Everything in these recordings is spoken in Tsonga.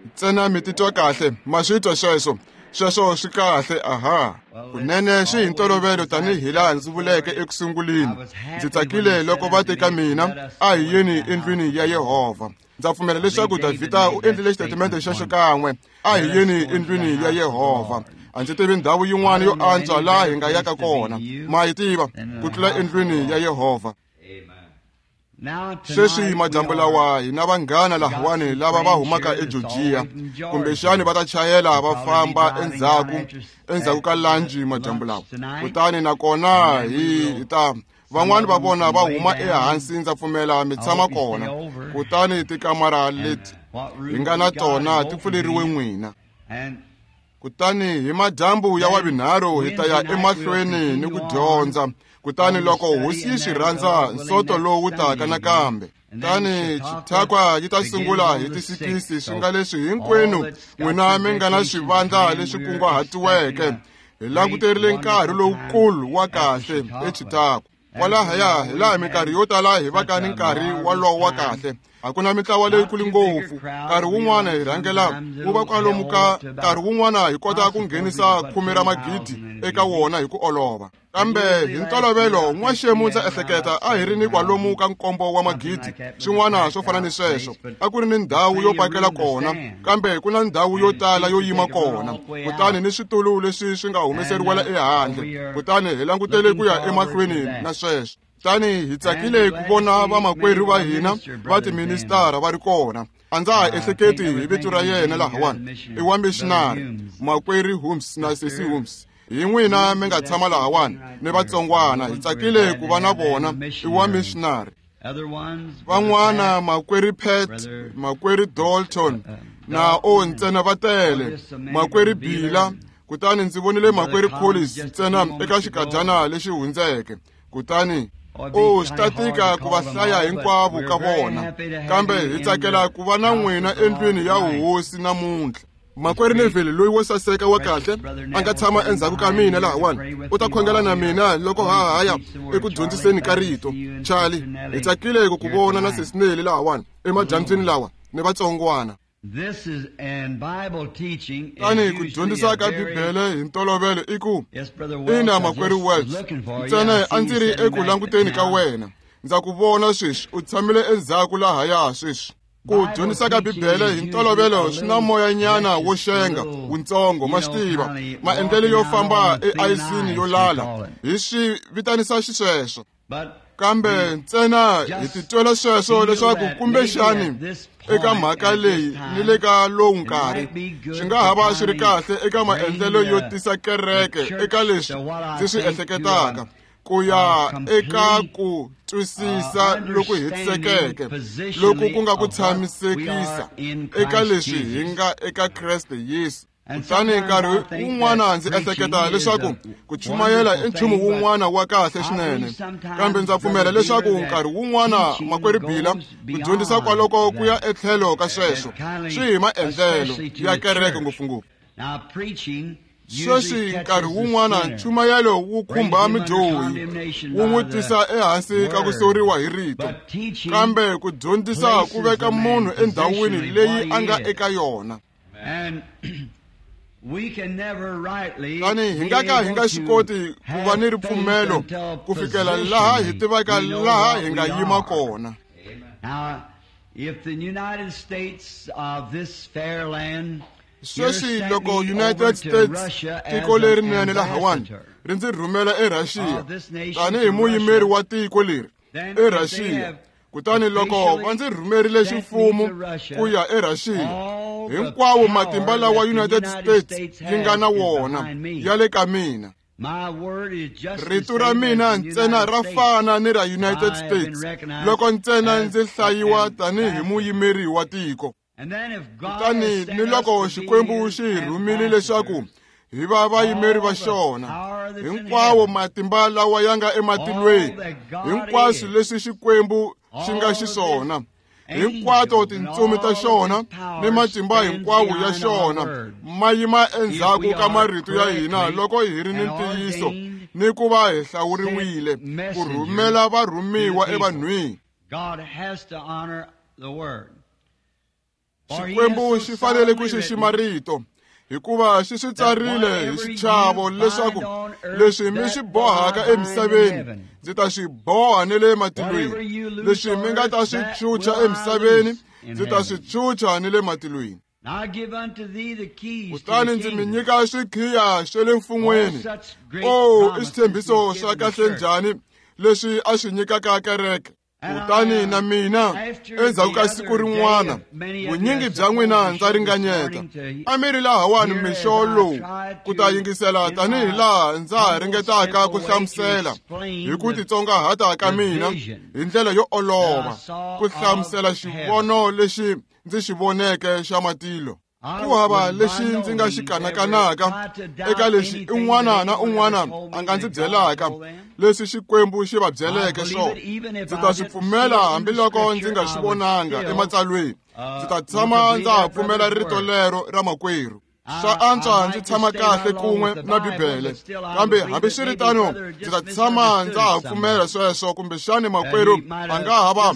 Ntsena mi titwa kahle, ma swi twa sweswo. Sweswo swi kahle, aha. Kunene swi hi ntolovelo tanihi laha ndzi vuleke eku sunguleni. Ndzi tsakile loko va te ka mina, a hi yeni endlwini ya Yehovha. Ndza pfumela leswaku Davhida u endlile xitatimende xexo kan'we, a hi yeni endlwini ya Yehovha. A ndzi tivi ndhawu yin'wana yo antswa laha hi nga yaka kona, ma yi tiva, ku tlula endlwini ya Yehovha. Sweswi madyambu lawa hi na vanghana lahawani lava va humaka eGeorgia, kumbexani va ta chayela va famba endzhaku ka lanji madyambu lawa. Kutani nakona hi ta van'wani va vona va huma ehansi, ndza pfumela mi tshama kona. Kutani tikamara leti hi nga na tona ti pfuleriwe n'wina. Kutani hi madyambu ya wavinharhu hi ta ya emahlweni ni ku dyondza. Kutani loko hosi yi swi rhandza, nsoto lowu taka nakambe. Kutani Chautauqua yi ta sungula hi ti-6, swi nga leswi hinkwenu n'wina mi nga na swivandla leswi kunguhatiweke. Hi languterile nkarhi lowukulu wa kahle eChautauqua. Kwalahaya hi laha minkarhi yo tala hi vaka ni nkarhi wolowo wa kahle. A ku na mintlawa leyikulu ngopfu. Nkarhi wun'wana hi rhangela wu va kwalomu ka nkarhi wun'wana hi kota ku nghenisa 10 ra magidi eka wona hi ku olova. Kambe hi ntolovelo n'waxemu ndza ehleketa a hi ri ni kwalomu ka 7 wa magidi, swin'wana swo fana ni sweswo. A ku ri ni ndhawu yo pakela kona, kambe ku na ndhawu yo tala yo yima kona, kutani ni switulu leswi swi nga humeseriwela ehandle. Kutani hi langutele ku ya emahlweni na sweswo. Kutani hi tsakile ku vona vamakwerhu va hina va tiministara va ri kona. A ndza ha ehleketi hi vito ra yena lahawani, i wa missionary, makwerhu Holmes na sesi Holmes. Hi n'wina mi nga tshama lahawani ni vatsongwana, hi tsakile ku va na vona, i wa missionary. Van'wana makwerhu Pat, makwerhu Dalton na o ntsena va tele, makwerhu Bila. Kutani ndzi vonile makwerhu Collins ntsena eka xikadyana lexi hundzeke. Kutani o swi ta tika ku va hlaya hinkwavo ka vona, kambe hi tsakela ku va na n'wina endlwini ya hosi namuntlha. Makwerhu Neville loyi wo saseka wa kahle a nga tshama endzhaku ka mina lahawani, u ta khongela na mina loko ha ha ya eku dyondziseni ka rito. Charlie, hi tsakile ku ku vona na sesi Nelly lahawani emadyambyini lawa ni vatsongwana. Tani ku dyondzisa ka Bibele hi ntolovelo i ku, ina makwerhu Welch, ntsena a ndzi ri eku languteni ka wena. Ndza ku vona sweswi, u tshamile endzhaku lahaya sweswi. Ku dyondzisa ka Bibele hi ntolovelo swi na moyanyana wo xenga wuntsongo, ma swi tiva, maendlelo yo famba eayisini yo lala, hi swi vitanisa xisweswo. Kambe ntsena hi titwela sweswo leswaku kumbexani eka mhaka leyi ni le ka lowu nkarhi swi nga ha va swi ri kahle eka maendlelo yo tisa kereke eka leswi ndzi swi ehleketaka, ku ya eka ku twisisa loku hetisekeke loku ku nga ku tshamisekisa eka leswi hi nga eka Kreste Yesu. Kutani nkarhi wun'wana ndzi ehleketa leswaku ku chumayela i nchumu wun'wana wa kahle swinene, kambe ndza pfumela leswaku nkarhi wun'wana makwerhu Bila ku dyondzisa kwaloko ku ya etlhelo ka sweswo swi hi maendlelo ya kereke ngopfungopfu. Sweswi nkarhi wun'wana nchumayelo wu khumba mudyohi, wu n'wi tisa ehansi ka ku soriwa hi rito, kambe ku dyondzisa ku veka munhu endhawini leyi a nga eka yona. Tani hi nga ka hi nga swi koti ku va ni ripfumelo ku fikela laha hi tivaka laha hi nga yima kona. Sweswi loko United States, tiko lerinene lahawani, ri ndzi rhumela eRussia tanihi muyimeri wa tiko leri eRussia, kutani loko va ndzi rhumerile ximfumo ku ya eRussia, hinkwawo matimba lawa United States yi nga na wona ya le ka mina. Rito ra mina ntsena ra fana ni ra United States loko ntsena ndzi hlayiwa tanihi muyimeri wa tiko. Kutani ni loko Xikwembu xi hi rhumile leswaku hi va vayimeri va xona, hinkwawo matimba lawa ya nga ematilweni, hinkwaswo leswi Xikwembu xi nga xiswona, hinkwato tintsumi ta xona ni matimba hinkwawo ya xona ma yima endzhaku ka marito ya hina loko hi ri ni ntiyiso ni ku va hi hlawuriwile ku rhumela varhumiwa evanhwini. Xikwembu xi fanele ku xixima rito, hikuva xi swi tsarile hi xichavo leswaku leswi mi swi bohaka emisaveni ndzi ta swi boha ni le matilweni, leswi mi nga ta swi chucha emisaveni ndzi ta swi chucha ni le matilweni. Kutani ndzi mi nyika swikhiya swa le mfun'weni. O, i xitshembiso xa kahle njhani leswi a swi nyikaka kereke. Kutani na mina endzhaku ka siku rin'wana, vunyingi bya n'wina ndza ringanyeta a mi ri lahawani mixo lowu ku ta yingisela tanihi laha ndza ha ringetaka ku hlamusela hi ku titsongahata ka mina hi ndlela yo olova ku hlamusela xivono lexi ndzi xi voneke xa matilo. Ku hava lexi ndzi nga xi kanakanaka eka lexi un'wana na un'wana a nga ndzi byelaka leswi Xikwembu xi va byeleke swona. Ndzi ta swi pfumela hambiloko ndzi nga swi vonanga ematsalweni. Ndzi ta tshama ndza ha pfumela rito lero ra makwerhu. Swa antswa ndzi tshama kahle kun'we na Bibele, kambe hambiswiritano ndzi ta tshama ndza ha pfumela sweswo. Kumbexani makwerhu a nga ha va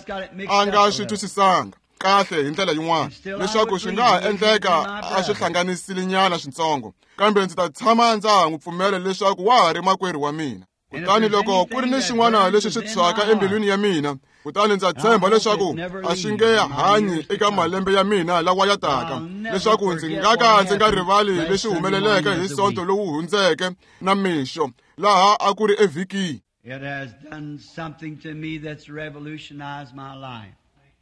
a nga swi twisisanga kahle hi ndlela yin'wana, leswaku swi nga ha endleka a swi hlanganisile nyana swintsongo, kambe ndzi ta tshama ndza ha n'wi pfumela leswaku wa ha ri makwerhu wa mina. Kutani loko ku ri ni xin'wana lexi swi tshwaka embilwini ya mina, kutani ndza tshemba leswaku a swi nge hanyi eka malembe ya mina lawa ya taka, leswaku ndzi nga ka ndzi nga rivali leswi humeleleke hi Sonto lowu hundzeke na mixo laha a ku ri evhikini.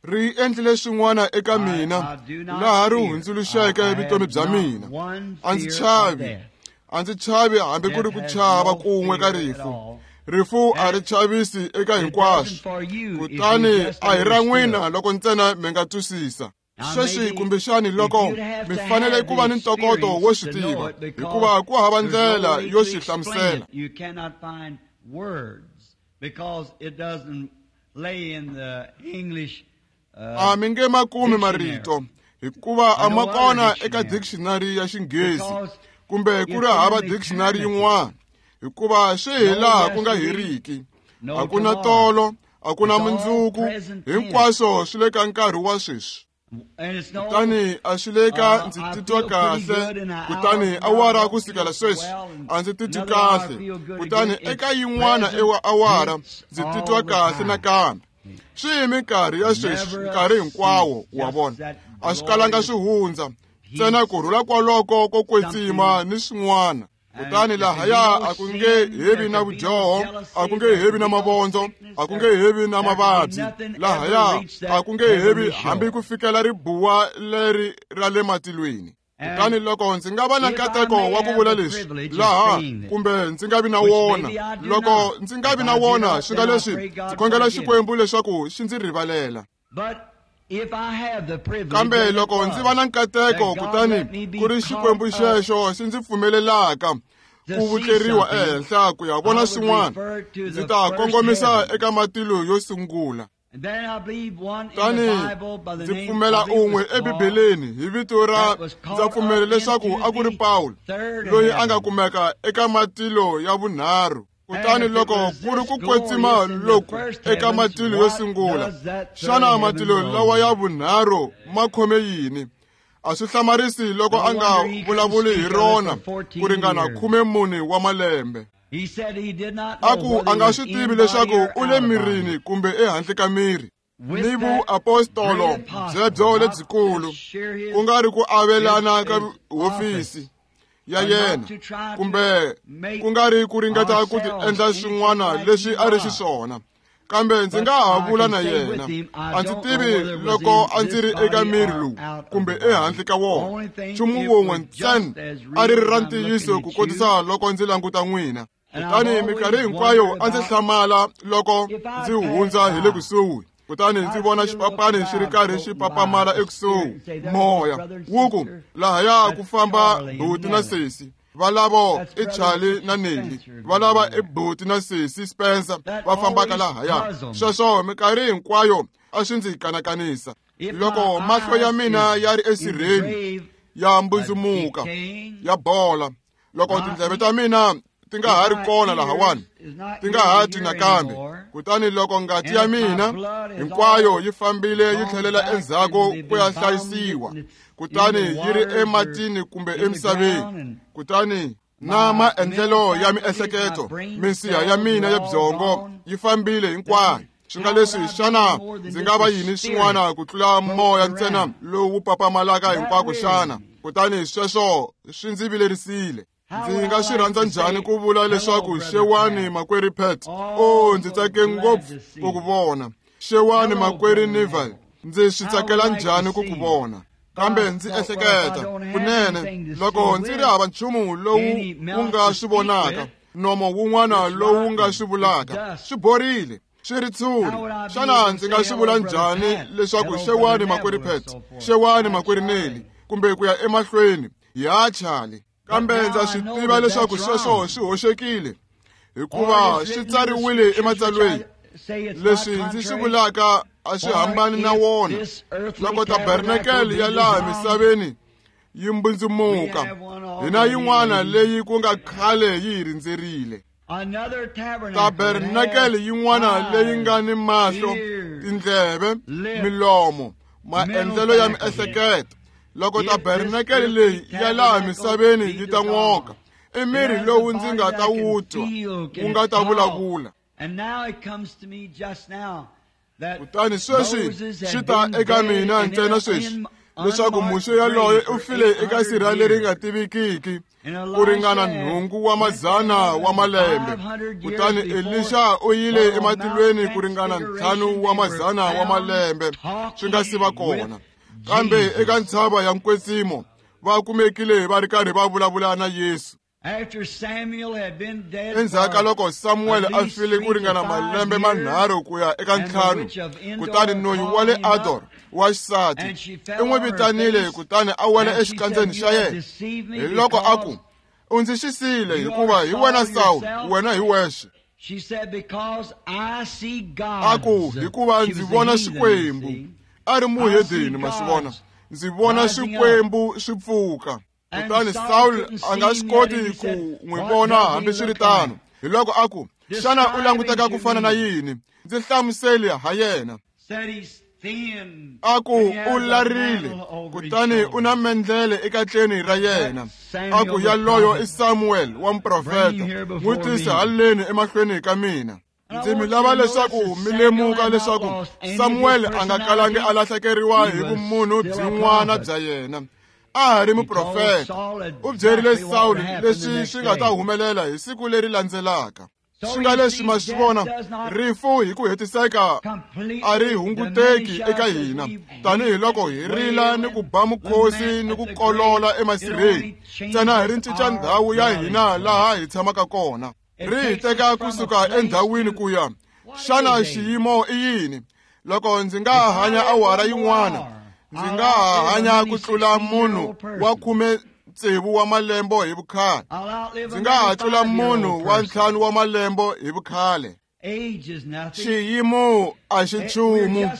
Ri endlile swin'wana eka mina laha ri hundzuluxeke vutomi bya mina. A ndzi chavi, a ndzi chavi hambi ku ri ku chava kun'we ka rifu. Rifu a ri chavisi eka hinkwaswo, kutani a hi ra n'wina loko ntsena mi nga twisisa. Sweswi kumbexani loko mi fanele ku va ni ntokoto wo swi tiva, hikuva ku hava ndlela yo swi hlamusela. A mi nge ma kumi marito, hikuva a ma kona eka dictionary ya Xinghezi kumbe ku ri hava dictionary yin'wana, hikuva swi hi laha ku nga heriki. A ku na tolo, a ku na mundzuku, hinkwaswo swi le ka nkarhi wa sweswi. Kutani a swi le ka ndzi titwa kahle, kutani awara ku sukela sweswi a ndzi titwi kahle, kutani eka yin'wana awara ndzi titwa kahle nakambe. Swi hi minkarhi ya sweswi, nkarhi hinkwawo, wa vona. A swi kalanga swi hundza, ntsena ku rhula kwaloko ko kwetsima ni swin'wana. Kutani lahaya a ku nge hevi na vudyoho, a ku nge hevi na mavondzo, a ku nge hevi na mavabyi. Lahaya a ku nge hevi hambi ku fikela ribuwa leri ra le matilweni. Kutani loko ndzi nga va na nkateko wa ku vula leswi laha, kumbe ndzi nga vi na wona, loko ndzi nga vi na wona, swi nga leswi ndzi khongela Xikwembu leswaku xi ndzi rivalela. Kambe loko ndzi va na nkateko, kutani ku ri Xikwembu xexo xi ndzi pfumelelaka ku vutleriwa ehenhla ku ya vona swin'wana, ndzi ta kongomisa eka matilo yo sungula. Kutani ndzi pfumela un'we eBibeleni hi vito ra, ndza pfumela leswaku a ku ri Pawulo, loyi a nga kumeka eka matilo ya vunharhu. Kutani loko ku ri ku kwetsima loku eka matilo yo sungula, xana matilo lawa ya vunharhu ma khome yini? A swi hlamarisi loko a nga vulavuli hi rona ku ringana 14 wa malembe. A ku a nga swi tivi leswaku u le mirini kumbe ehandle ka miri. Ni vuapostolo byebyo lebyikulu, ku nga ri ku avelana ka hofisi ya yena, kumbe ku nga ri ku ringeta ku ti endla swin'wana leswi a ri xiswona, kambe ndzi nga ha vula na yena. A ndzi tivi loko a ndzi ri eka miri lowu kumbe ehandle ka wona. Nchumu wun'we ntsena a ri ri ra ntiyiso ku kotisa loko ndzi languta n'wina. Kutani minkarhi hinkwayo a ndzi hlamala loko ndzi hundza hi le kusuhi, kutani ndzi vona xipapani xi ri karhi xi papamala ekusuhi, moya wu ku lahaya ku famba buti na sesi, valavo i Charlie na Nelly, valava i buti na sesi Spencer va fambaka lahaya. Sweswo minkarhi hinkwayo a swi ndzi kanakanisa. Loko mahlo ya mina ya ri esirheni ya mbundzumuka ya bola, loko tindleve ta mina ti nga ha ri kona lahawani, ti nga ha twi nakambe. Kutani loko ngati ya mina hinkwayo yi fambile yi tlhelela endzhaku ku ya hlayisiwa, kutani yi ri ematini kumbe emisaveni, kutani na maendlelo ya miehleketo, minsiha ya mina ya byongo yi fambile hinkwayo. Swi nga leswi, xana ndzi nga va yini xin'wana ku tlula moya ntsena lowu papamalaka hinkwako xana? Kutani sweswo swi ndzi vilerisile. Ndzi nga swi rhandza njhani ku vula leswaku xewani makwerhu Pat, o ndzi tsake ngopfu ku ku vona. Xewani makwerhu Neville, ndzi swi tsakela njhani ku ku vona. Kambe ndzi ehleketa, kunene loko ndzi ri hava nchumu lowu wu nga swi vonaka, nomo wun'wana lowu nga swi vulaka, swi borile, swi ri tshuri. Xana ndzi nga swi vula njhani leswaku xewani makwerhu Pat, xewani makwerhu Nelly, kumbe ku ya emahlweni, ya Charlie? Kambe ndza swi tiva leswaku sweswo swi hoxekile, hikuva swi tsariwile ematsalweni. Leswi ndzi swi vulaka a swi hambani na wona. Loko tabernakele ya laha misaveni yi mbundzumuka, hina yin'wana leyi ku nga khale yi hi rindzerile. Tabernakele yin'wana leyi nga ni mahlo, tindleve, milomo, maendlelo ya miehleketo. Loko tabernakele leyi ya laha misaveni yi ta n'oka, i miri lowu ndzi nga ta wu twa, wu nga ta vulavula. Kutani sweswi swi ta eka mina ntsena sweswi leswaku Muxe yaloye u file eka sirha leri nga tivikiki ku ringana 8 wa mazana wa malembe. Kutani Elisha u yile ematilweni ku ringana 5 wa mazana wa malembe swi nga si va kona. Kambe eka ntshava ya Nkwetsimo va kumekile va ri karhi va vulavula na Yesu. Endzhaku ka loko Samuel a file ku ringana malembe manharhu ku ya eka 5, kutani noyi wa le Ador wa xisati i n'wi vitanile, kutani a wela exikandzeni xa yena. Hi loko a ku, u ndzi xisile, hikuva hi wena Saul, wena hi wexe. A ku, hikuva ndzi vona Xikwembu. A ri muhedeni, ma swi vona. Ndzi vona Xikwembu swi pfuka. Kutani Saul a nga swi koti ku n'wi vona hambiswiritano. Hi loko a ku, xana u languteka ku fana na yini? Ndzi hlamuseli ha yena. A ku, u larile, kutani u na mendlele ekatleni ra yena. A ku, yaloyo i Samuel wa muprofeta, n'wi tise haleni emahlweni ka mina. Ndzi mi lava leswaku mi lemuka leswaku Samuel a nga kalangi a lahlekeriwa hi vumunhu byin'wana bya yena. A ha ri muprofeta. U byerile Saul leswi swi nga ta humelela hi siku leri landzelaka. Swi nga leswi ma swi vona, rifu hi ku hetiseka a ri hunguteki eka hina, tanihiloko hi rila ni ku ba mukhosi ni ku kolola emasirheni, ntsena hi ri cinca ndhawu ya hina laha hi tshamaka kona. Ri hi teka kusuka endhawini ku ya. Xana xiyimo i yini? Loko ndzi nga hanya awara yin'wana, ndzi nga ha hanya ku tlula munhu wa 16 wa malembe hi vukhale. Ndzi nga ha tlula munhu wa 5 wa malembe hi vukhale. Xiyimo a xi nchumu,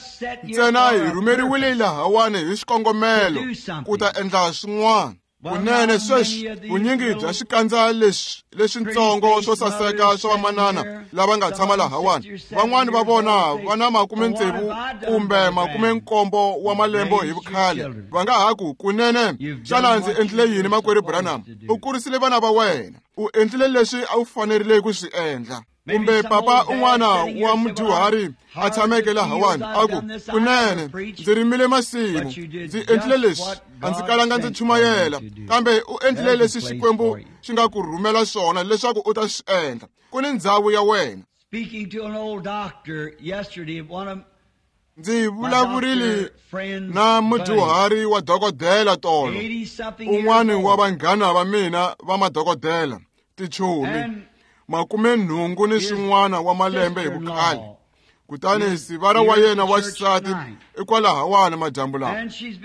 ntsena hi rhumeriwile lahawani hi xikongomelo ku ta endla swin'wana. Kunene sweswi vunyingi bya xikandza leswi leswintsongo swo saseka swa vamanana lava nga tshama lahawani, van'wani va vona va na 60 kumbe 70 wa malembe hi vukhale. Va nga ha ku, kunene xana ndzi endlile yini makwerhu Branham? U kurisile vana va wena, u endlile leswi a wu fanerile ku swi endla. Kumbe papa un'wana wa mudyuhari a tshameke lahawani a ku, kunene ndzi rimile masimu, ndzi endlile leswi, a ndzi kalanga ndzi chumayela, kambe u endlile leswi Xikwembu xi nga ku rhumela swona leswaku u ta swi endla. Ku ni ndhawu ya wena. Ndzi vulavurile na mudyuhari wa dokodela tolo, un'wana wa vanghana va mina va madokodela, tichomi, 80 ni swin'wana wa malembe hi vukhale. Kutani sivara wa yena wa xisati i kwalahawani madyambu lawa.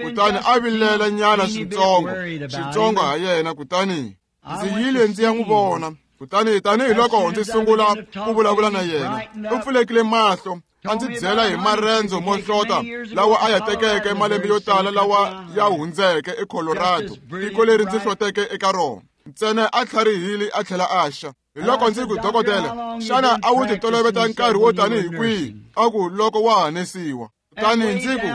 Kutani a vilela nyana swintsongo ha yena, kutani ndzi yile ndzi ya n'wi vona. Kutani tanihiloko ndzi sungula ku vulavula na yena, u pfulekile mahlo, a ndzi byela hi marendzo mo hlota lawa a ya tekeke malembe yo tala lawa ya hundzeke eColorado, tiko leri ndzi hloteke eka rona. Ntsena a tlharihile a tlhela a xa. Hi loko ndzi ku, dokodela, xana a wu titoloveta nkarhi wo tanihi kwihi? A ku, loko wa ha nesiwa. Kutani ndzi ku,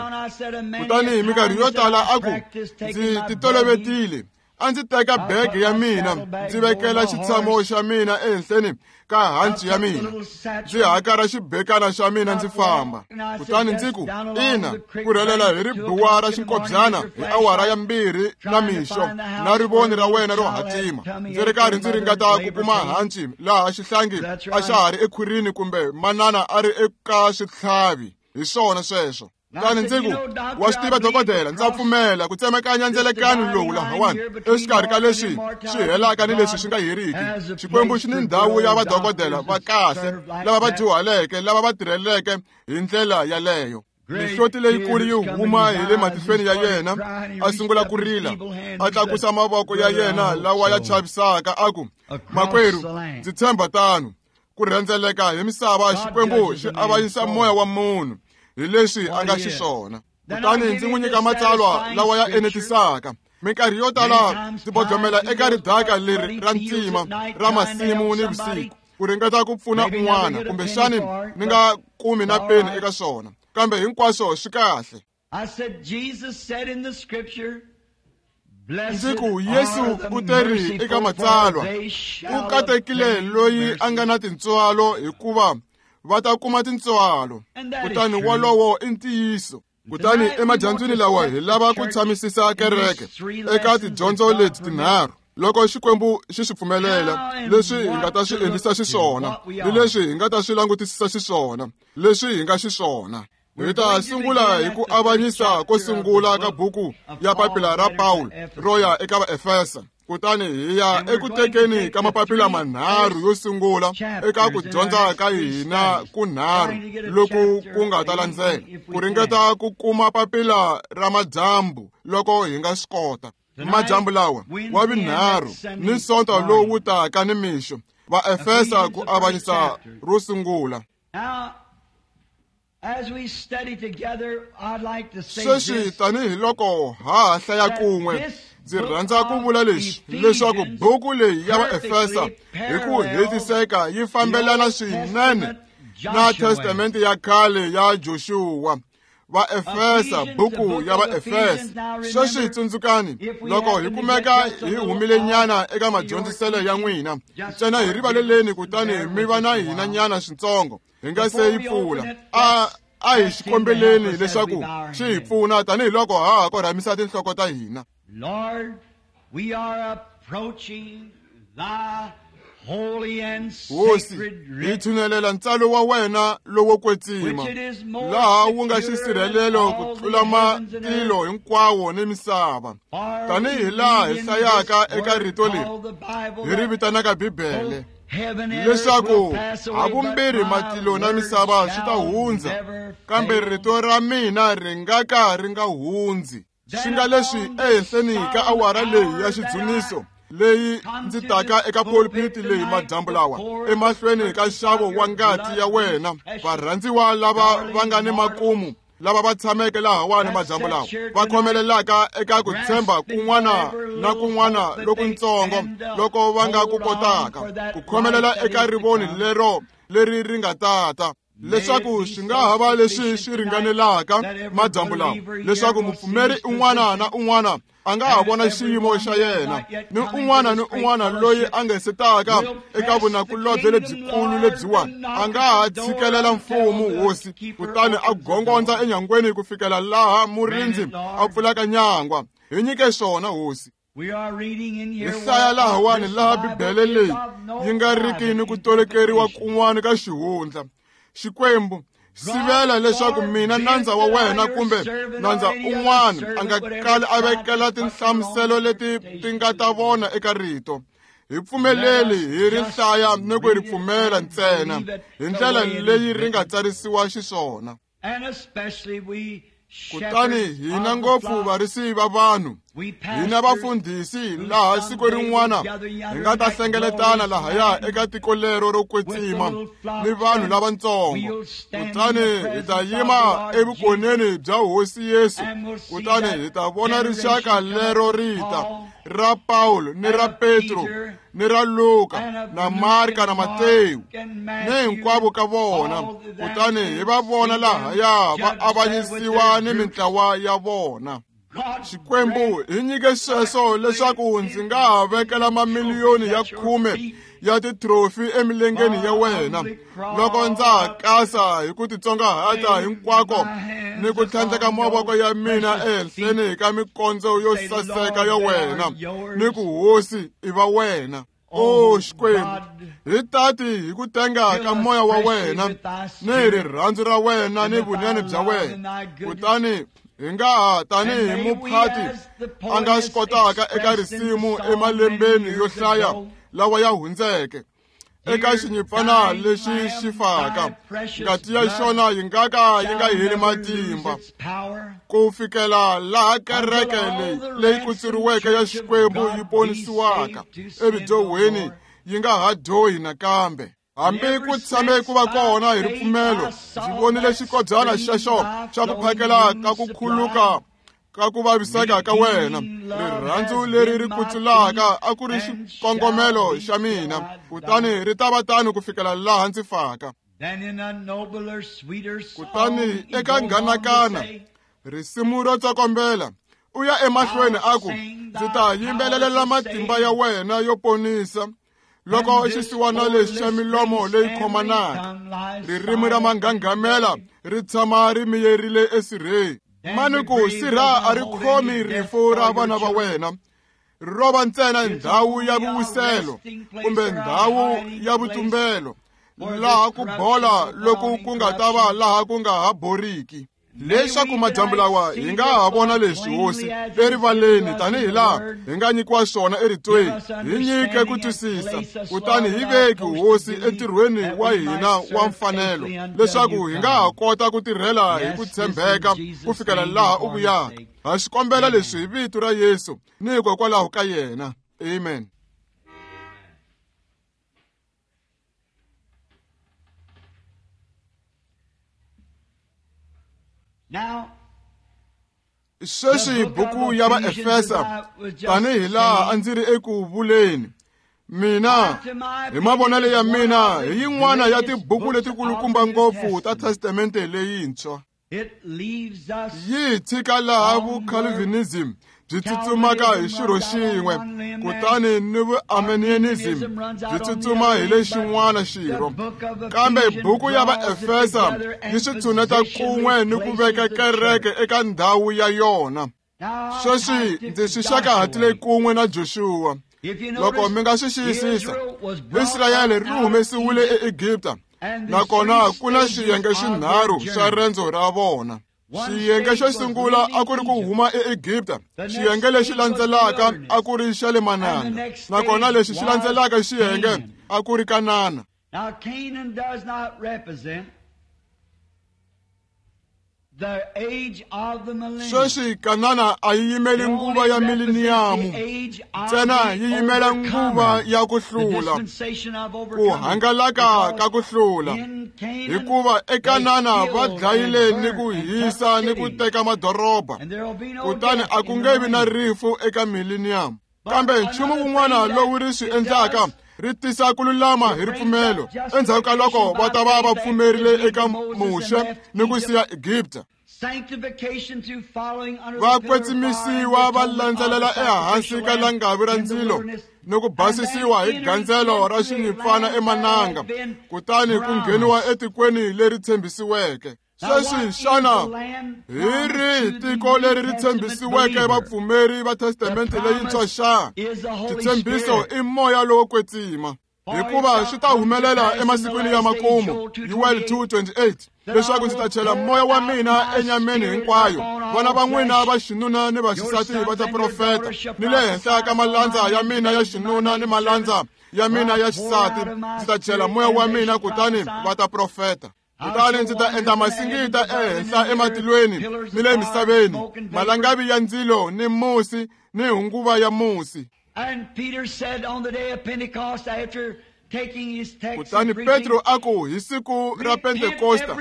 kutani hi minkarhi yo tala a ku, ndzi titolovetile. A ndzi teka bege ya mina, ndzi vekela xitshamo xa mina ehenhleni ka hanci ya mina, ndzi hakara xibekana xa mina ndzi famba. Kutani ndzi ku, ina, ku rhelela hi ribuwa ra xinkobyana hi awara ya 2 na mixo na rivoni ra wena ro hatima, ndzi ri karhi ndzi ringeta ku kuma hanci laha xihlangi a xa ha ri ekhwirini kumbe manana a ri eka switlhavi. Hi swona sweswo. Kutani ndzi ku, wa swi tiva dokodela, ndza pfumela ku tsemakanya ndzelekano lowu lahawani exikarhi ka leswi swi helaka ni leswi swi nga heriki. Xikwembu xi ni ndhawu ya vadokodela va kahle lava va dyuhaleke lava va tirheleke hi ndlela yaleyo. Mihloti leyikulu yi huma hi le matihlweni ya yena, a sungula ku rila, a tlakusa mavoko ya yena lawa ya chavisaka, a ku, makwerhu, ndzi tshemba tano. Ku rhendzeleka hi misava, Xikwembu xi avanyisa moya wa munhu hi leswi a nga xiswona. Kutani ndzi n'wi nyika matsalwa lawa ya enetisaka. Minkarhi yo tala ndzi bodlomela eka ridaka leri ra ntima ra masimu ni vusiku ku ringeta ku pfuna un'wana, kumbexani ni nga kumi na peni eka swona, kambe hinkwaswo swi kahle. Ndzi ku, Yesu u teri eka matsalwa, u katekile loyi a nga na tintswalo, hikuva va ta kuma tintswalo. Kutani wolowo i ntiyiso. Kutani emadyambyini lawa hi lava ku tshamisisa kereke eka tidyondzo leti tinharhu, loko Xikwembu xi swi pfumelela, leswi hi nga ta swi endlisa xiswona ni leswi hi nga ta swi langutisisa xiswona, leswi hi nga xiswona. Hi ta sungula hi ku avanyisa ko sungula ka buku ya papila ra Pawulo ro ya eka Vaefesa, kutani hi ya eku tekeni ka mapapila manharhu yo sungula eka ku dyondza ka hina kunharhu loku ku nga ta landzela, ku ringeta ku kuma papila ra madyambu loko hi nga swi kota. Madyambu lawa wa vunharhu ni Sonto lowu taka ni mixo, Vaefesa ku avanyisa ro sungula. Sweswi tanihi loko ha ha hlaya kun'we, ndzi rhandza ku vula leswi, leswaku buku leyi ya Vaefesa hi ku hetiseka yi fambelana swinene na Testamente ya khale ya Joshua. Vaefesa, buku ya Vaefesa. Sweswi tsundzukani, loko hi kumeka hi humile nyana eka madyondziselo ya n'wina, ntsena hi rivaleleni kutani mi va na hina nyana switsongo hi nga se yi pfula. A hi xikombeleni leswaku xi hi pfuna tanihiloko ha ha korhamisa tinhloko ta hina. Lord, we are approaching thy holy and Hosi, sacred hi writ, tshunelela ntsalo wa wena lowo kwetsima, which it is more laha wu nga secure xisirhelelo than ku all tlula the heavens and matilo earth. hinkwawo ni misava. For Tanihi we laha hi read in hlayaka this eka word rito leri, called the Bible hi ri that vitanaka Bibele, both heaven and earth leswaku will pass away, but havumbirhi my matilo na word misava swi ta shall hundza, never kambe fail. rito ra mina ri nga ka ri nga hundzi. Swi nga leswi ehenhleni ka awara leyi ya xidzuniso leyi ndzi taka eka pulpit leyi madyambu lawa, emahlweni ka nxavo wa ngati ya wena, varhandziwa lava va nga ni makumu, lava va tshameke lahawani madyambu lawa, va khomelelaka eka ku tshemba kun'wana na kun'wana lokuntsongo loko va nga ku kotaka ku khomelela eka rivoni lero leri ri nga tata, leswaku swi nga ha va leswi swi ringanelaka madyambu lawa, leswaku mupfumeri un'wana na un'wana a nga ha vona xiyimo xa yena, ni un'wana ni un'wana loyi a nga se taka eka vunakulobye lebyikulu lebyiwani a nga ha tshikelela mfumo hosi, kutani a gongondza enyangweni ku fikela laha murindzi a pfulaka nyangwa. Hi nyike swona, hosi. We are reading in Hi here hlaya where lahawani this laha Bible Bibele is leyi of no yi nga riki ni ku tolekeriwa kun'wana ka xihundla. Xikwembu, sivela leswaku mina nandza wa wena kumbe nandza un'wana a nga kali a vekela tinhlamuselo leti ti nga ta vona eka rito. Hi pfumeleli hi ri hlaya ni ku ri pfumela ntsena hi ndlela leyi ri nga tsarisiwa xiswona. And especially we Kutani shepherds hina of the ngopfu flock varisi va vanhu Hina vafundhisi laha siku rin'wana hi nga ta hlengeletana lahaya eka tiko lero ro kwetsima ni vanhu lavatsongo, kutani hi ta yima evukoneni bya Hosi Yesu, kutani hi ta vona rixaka lero rita ra Pawulo ni ra Petro ni ra Luka na Marka na Matewu ni hinkwavo ka vona, kutani hi va vona lahaya va avanyisiwa ni mintlawa ya vona. Xikwembu hi nyike sweswo leswaku ndzi nga ha vekela mamiliyoni ya 10 ya titrofi emilengeni ya wena loko ndza ha kasa hi ku titsongahata hinkwako ni ku tlhandleka mavoko ya mina ehenhleni ka mikondzo yo saseka ya wena ni ku Hosi i va wena. O Xikwembu, hi tati hi ku tenga ka moya wa wena ni hi rirhandzu ra wena ni vunene bya wena, kutani hi nga ha tanihi muphati a nga swi kotaka eka risimu emalembeni yo hlaya lawa ya hundzeke eka xinyimpfana lexi xi faka, ngati ya xona yi nga ka yi nga heli matimba ku fikela laha kereke leyi leyi kutsuriweke ya Xikwembu yi ponisiwaka evudyohweni yi nga ha dyohi nakambe. Hambi ku tshame ku va kona hi ripfumelo, ndzi vonile xikobyana xexo xa ku phakela ka ku khuluka ka ku vaviseka ka wena. Rirhandzu leri ri kutsulaka a ku ri xikongomelo xa mina, kutani ri ta va tano ku fikela laha ndzi faka. Kutani eka nghanakana risimu ro tsokombela u ya emahlweni a ku, ndzi ta yimbelelela matimba ya wena yo ponisa loko xisiwana lexi xa milomo leyi khomanaka, ririmi ra manghanghamela ri tshama ri miyerile esirheni. Mani ku sirha a ri khomi rifu ra vana va wena, ro va ntsena ndhawu ya vuwiselo kumbe ndhawu ya vutumbelo, laha ku bola loku ku nga ta va laha ku nga ha boriki. Leswaku madyambu lawa hi nga ha vona leswi Hosi erivaleni tanihi laha hi nga nyikiwa swona eritweni, hi nyike ku twisisa, kutani hi veki Hosi entirhweni wa hina wa mfanelo, leswaku hi nga ha kota ku tirhela hi ku tshembeka ku fikela laha u vuyaka. Ha swi kombela leswi hi vito ra Yesu ni hikokwalaho ka yena. Amen. Sweswi buku ya Vaefesa, tanihi laha a ndzi ri eku vuleni, mina hi mavonelo ya mina hi yin'wana ya tibuku letikulukumba ngopfu ta Testamente leyintshwa. Yi tshika laha vucalvinism byi tsutsumaka hi xirho xin'we, kutani ni vuarminianism byi tsutsuma hi lexin'wana xirho. Kambe buku ya Vaefesa yi swi tshuneta kun'we ni ku veka kereke eka ndhawu ya yona. Sweswi ndzi swi xakahatile kun'we na Joshua. Loko mi nga swi xiyisisa, Israyele ri humesiwile eEgipta, nakona ku na xiyenge xinharhu xa rendzo ra vona. Xiyenge xo sungula a ku ri ku huma eEgipta, xiyenge lexi landzelaka a ku ri xa le mananga, nakona lexi xi landzelaka xiyenge a ku ri Kanana. Sweswi Kanana a yi yimeli nguva ya mileniyamu ntsena, yi yimela nguva ya ku hlula, ku hangalaka ka ku hlula, hikuva eKanana va dlayile ni ku hisa ni ku teka madoroba, kutani a ku nge vi na rifu eka mileniyamu. Kambe nchumu wun'wana lowu ri swi endlaka ri tisa ku lulama hi ripfumelo endzhaku ka loko va ta va va pfumerile eka Muxe ni ku siya Egipta. Va kwetsimisiwa va landzelela ehansi ka langavi ra ndzilo ni ku basisiwa hi gandzelo ra xinyimpfana emananga, kutani ku ngheniwa etikweni leri tshembisiweke. Sweswi xana hi rihi tiko leri ri tshembisiweke vapfumeri va Testamente leyintshwa xa? Xitshembiso i moya lowo kwetsima, hikuva swi ta humelela emasikwini ya makumu, Yoel 2:28, leswaku ndzi ta chela moya wa mina enyameni hinkwayo, vana va n'wina va xinuna ni vaxisati va ta profeta, ni le henhla ka malandza ya mina ya xinuna ni malandza ya mina ya xisati ndzi ta chela moya wa mina, kutani va ta profeta. Kutani ndzi ta endla masingita ehenhla ematilweni ni le misaveni, malangavi ya ndzilo ni musi ni hunguva ya musi. Kutani Petro a ku hi siku ra Pentekosta,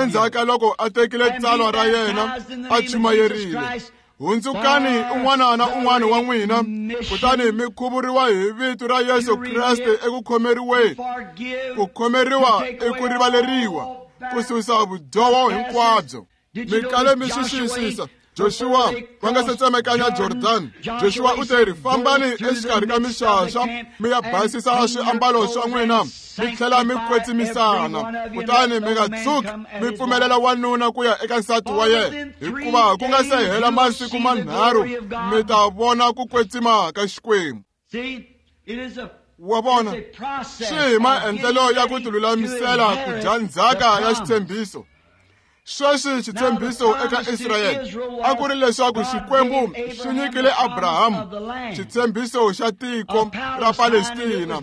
endzhaku ka loko a tekile tsalwa ra yena a chumayerile, hundzukani un'wana na un'wana wa n'wina, kutani mi khuvuriwa hi vito ra Yesu Kreste eku khomeriweni. Ku khomeriwa i ku rivaleriwa, ku susa vudyoho hinkwabyo. Mi kale mi swi xiyisisa. Joshua va nga se tsemekanya Jordan, Joshua u te ri, fambani exikarhi ka mixaxa mi ya basisa swiambalo swa n'wina mi tlhela mi kwetsimisana, kutani mi nga tshuki mi pfumelela wanuna ku ya eka nsati wa yena, hikuva ku nga se hela masiku manharhu mi ta vona ku kwetsima ka Xikwembu. Wa vona, swi hi maendlelo ya ku tilulamisela ku dya ndzhaka ya xitshembiso. Sweswi xitshembiso eka Israyele a ku ri leswaku Xikwembu xi nyikile Abrahamu xitshembiso xa tiko ra Palestina,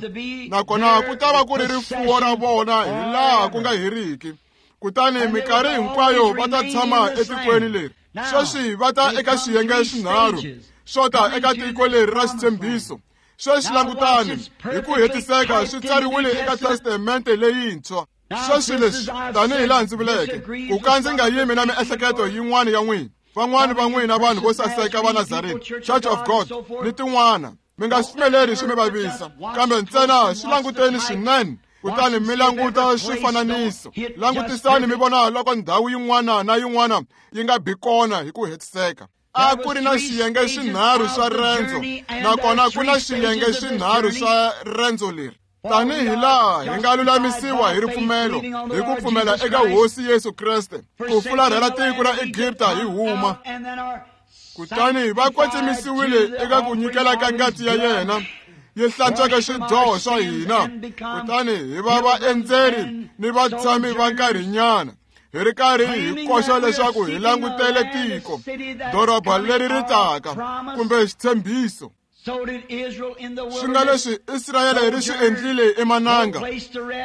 nakona ku ta va ku ri rifuwo ra vona hi laha ku nga heriki. Kutani minkarhi hinkwayo va ta tshama etikweni leri. Sweswi va ta eka swiyenge swinharhu swo ta eka tiko leri ra xitshembiso. Sweswi langutani, hi ku hetiseka swi tsariwile eka Testamente leyintshwa. Sweswi leswi, tanihi laha ndzi vuleke, ku ka ndzi nga yimi na miehleketo yin'wana ya n'wina, van'wana va n'wina vanhu vo saseka va Nazarene, Church of God ni tin'wana, mi nga swi pfumeleri swi mi vavisa, kambe ntsena swi languteni swinene, kutani mi languta swifananiso. Langutisani mi vona loko ndhawu yin'wana na yin'wana yi nga bi kona hi ku hetiseka. A ku ri na xiyenge swinharhu swa rendzo, nakona ku na xiyenge swinharhu swa rendzo leri. Tanihi laha hi nga lulamisiwa hi ripfumelo, hi ku pfumela eka Hosi Yesu Kreste, ku fularhela tiko ra Egipta hi huma. Kutani va kwetsimisiwile eka ku nyikela ka ngati ya yena yi hlantswaka swidyoho swa hina, kutani hi va vaendzeri ni vatshami va nkarhinyana, hi ri karhi hi koxa leswaku hi langutele tiko, doroba leri ri taka, kumbe xitshembiso. Swi nga leswi Israyele ri swi endlile emananga,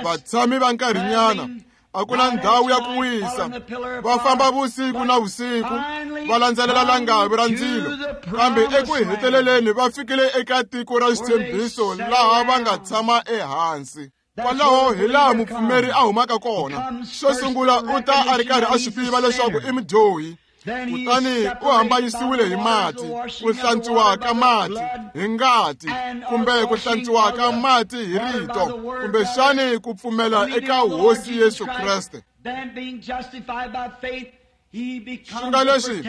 vatshami va nkarhinyana, a ku na ndhawu ya ku wisa, va famba vusiku na vusiku, va landzelela langavi ra ndzilo, kambe eku heteleleni va fikile eka tiko ra xitshembiso laha va nga tshama ehansi. Kwalaho hi laha mupfumeri a humaka kona. Xo sungula u ta a ri karhi a swi tiva leswaku i mudyohi, kutani u hambanyisiwile hi mati, ku hlantswiwa ka mati hi ngati, kumbe ku hlantswiwa ka mati hi rito, kumbexani ku pfumela eka Hosi Yesu Kreste. Swi nga leswi,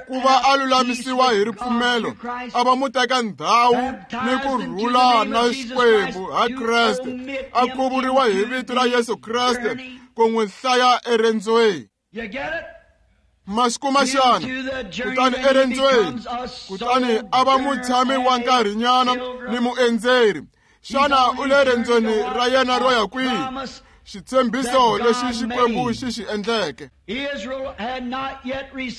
ku va a lulamisiwa hi ripfumelo, a va muteka ndhawu ni ku rhula na Xikwembu ha Kreste, a khuvuriwa hi vito ra Yesu Kreste ku n'wi hlaya erendzweni. Ma swi kuma xana? Kutani erendzweni, kutani a va mutshami wa nkarhinyana ni muendzeri. Xana u le rendzweni ra yena ro ya kwihi? Xitshembiso lexi Xikwembu xi xi endleke.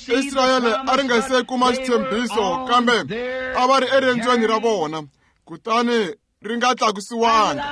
Israyele a ri nga se kuma xitshembiso, kambe a va ri erendzweni ra vona, kutani ri nga tlakusiwanga.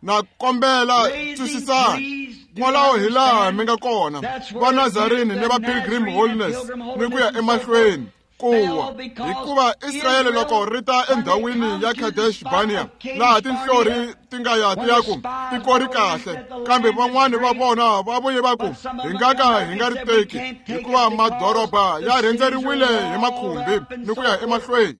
Na kombela twisisani, kwalaho hi laha mi nga kona, va Nazarene ni va Pilgrim Holiness ni ku ya emahlweni kuwa, hikuva Israyele loko ri ta endhawini ya Kadesh Barnea, laha tinhlori ti nga ya ti ya ku tiko ri kahle, kambe van'wani va vona va vuye va ku hi nga ka hi nga ri teki, hikuva madoroba ya rhendzeriwile hi makhumbi ni ku ya emahlweni.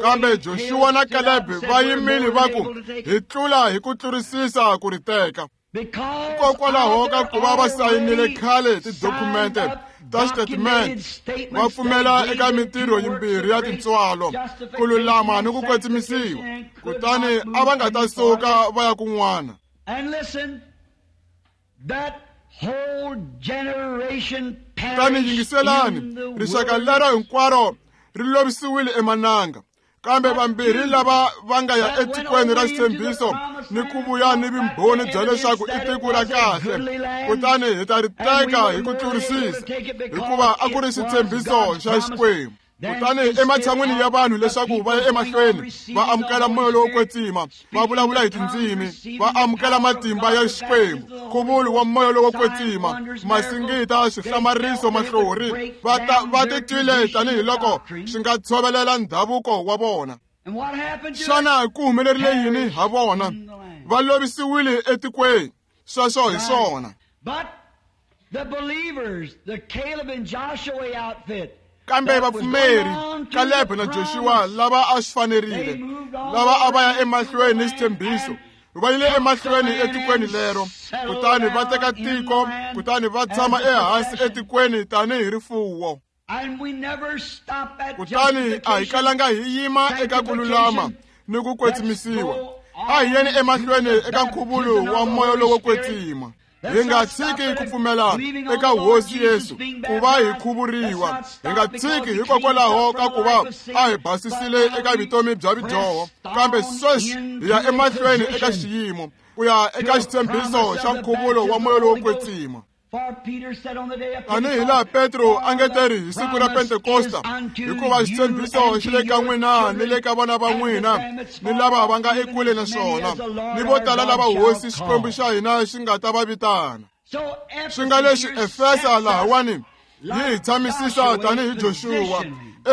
Kambe Joshua na Caleb va yimile va ku hi tlula hi ku tlurisisa ku ri teka. Hikokwalaho ka ku va va sayinile khale tidokhumente ta xitatimende, va pfumela eka mintirho yimbirhi ya tintswalo, ku lulama ni ku kwetsimisiwa, kutani a va nga ta suka va ya kun'wana. Kutani yingiselani, rixaka lero hinkwaro ri lovisiwile emananga, kambe vambirhi lava va nga ya etikweni ra xitshembiso ni ku vuya ni vumbhoni bya leswaku i tiko ra kahle, kutani hi ta ri teka hi ku tlurisisa, hikuva a ku ri xitshembiso xa Xikwembu. Kutani ematshan'wini ya vanhu leswaku va ya emahlweni va amukela moya lowo kwetsima, va vulavula hi tindzimi, va amukela matimba ya Xikwembu, nkhuvulo wa moya lowo kwetsima, masingita, swihlamariso, mahlori, va titwile tanihiloko swi nga tshovelela ndhavuko wa vona. Xana ku humelerile yini ha vona? Va lovisiwile etikweni. Sweswo hi swona. Kambe vapfumeri, Caleb na Joshua lava a swi fanerile, lava a va ya emahlweni ni xitshembiso, va yile emahlweni etikweni lero, kutani va teka tiko, kutani va tshama ehansi etikweni tanihi rifuwo. Kutani a hi kalanga hi yima eka ku lulama ni ku kwetsimisiwa. A hi yeni emahlweni eka nkhuvulo wa moya lowo kwetsima. Hi nga tshiki ku pfumela eka Hosi Yesu ku va hi khuvuriwa. Hi nga tshiki hikokwalaho ka ku va a hi basisile eka vutomi bya vudyoho, kambe sweswi hi ya emahlweni eka xiyimo ku ya eka xitshembiso xa nkhuvulo wa moya lowo kwetsima. Tanihi laha Petro a nge teri hi siku ra Pentekosta, hikuva xitshembiso xi le ka n'wina ni le ka vana va n'wina ni lava va nga ekule na swona, ni vo tala lava Hosi Xikwembu xa hina xi nga ta va vitana. Swi nga leswi Efesa lahawani yi hi tshamisisa tanihi Joshua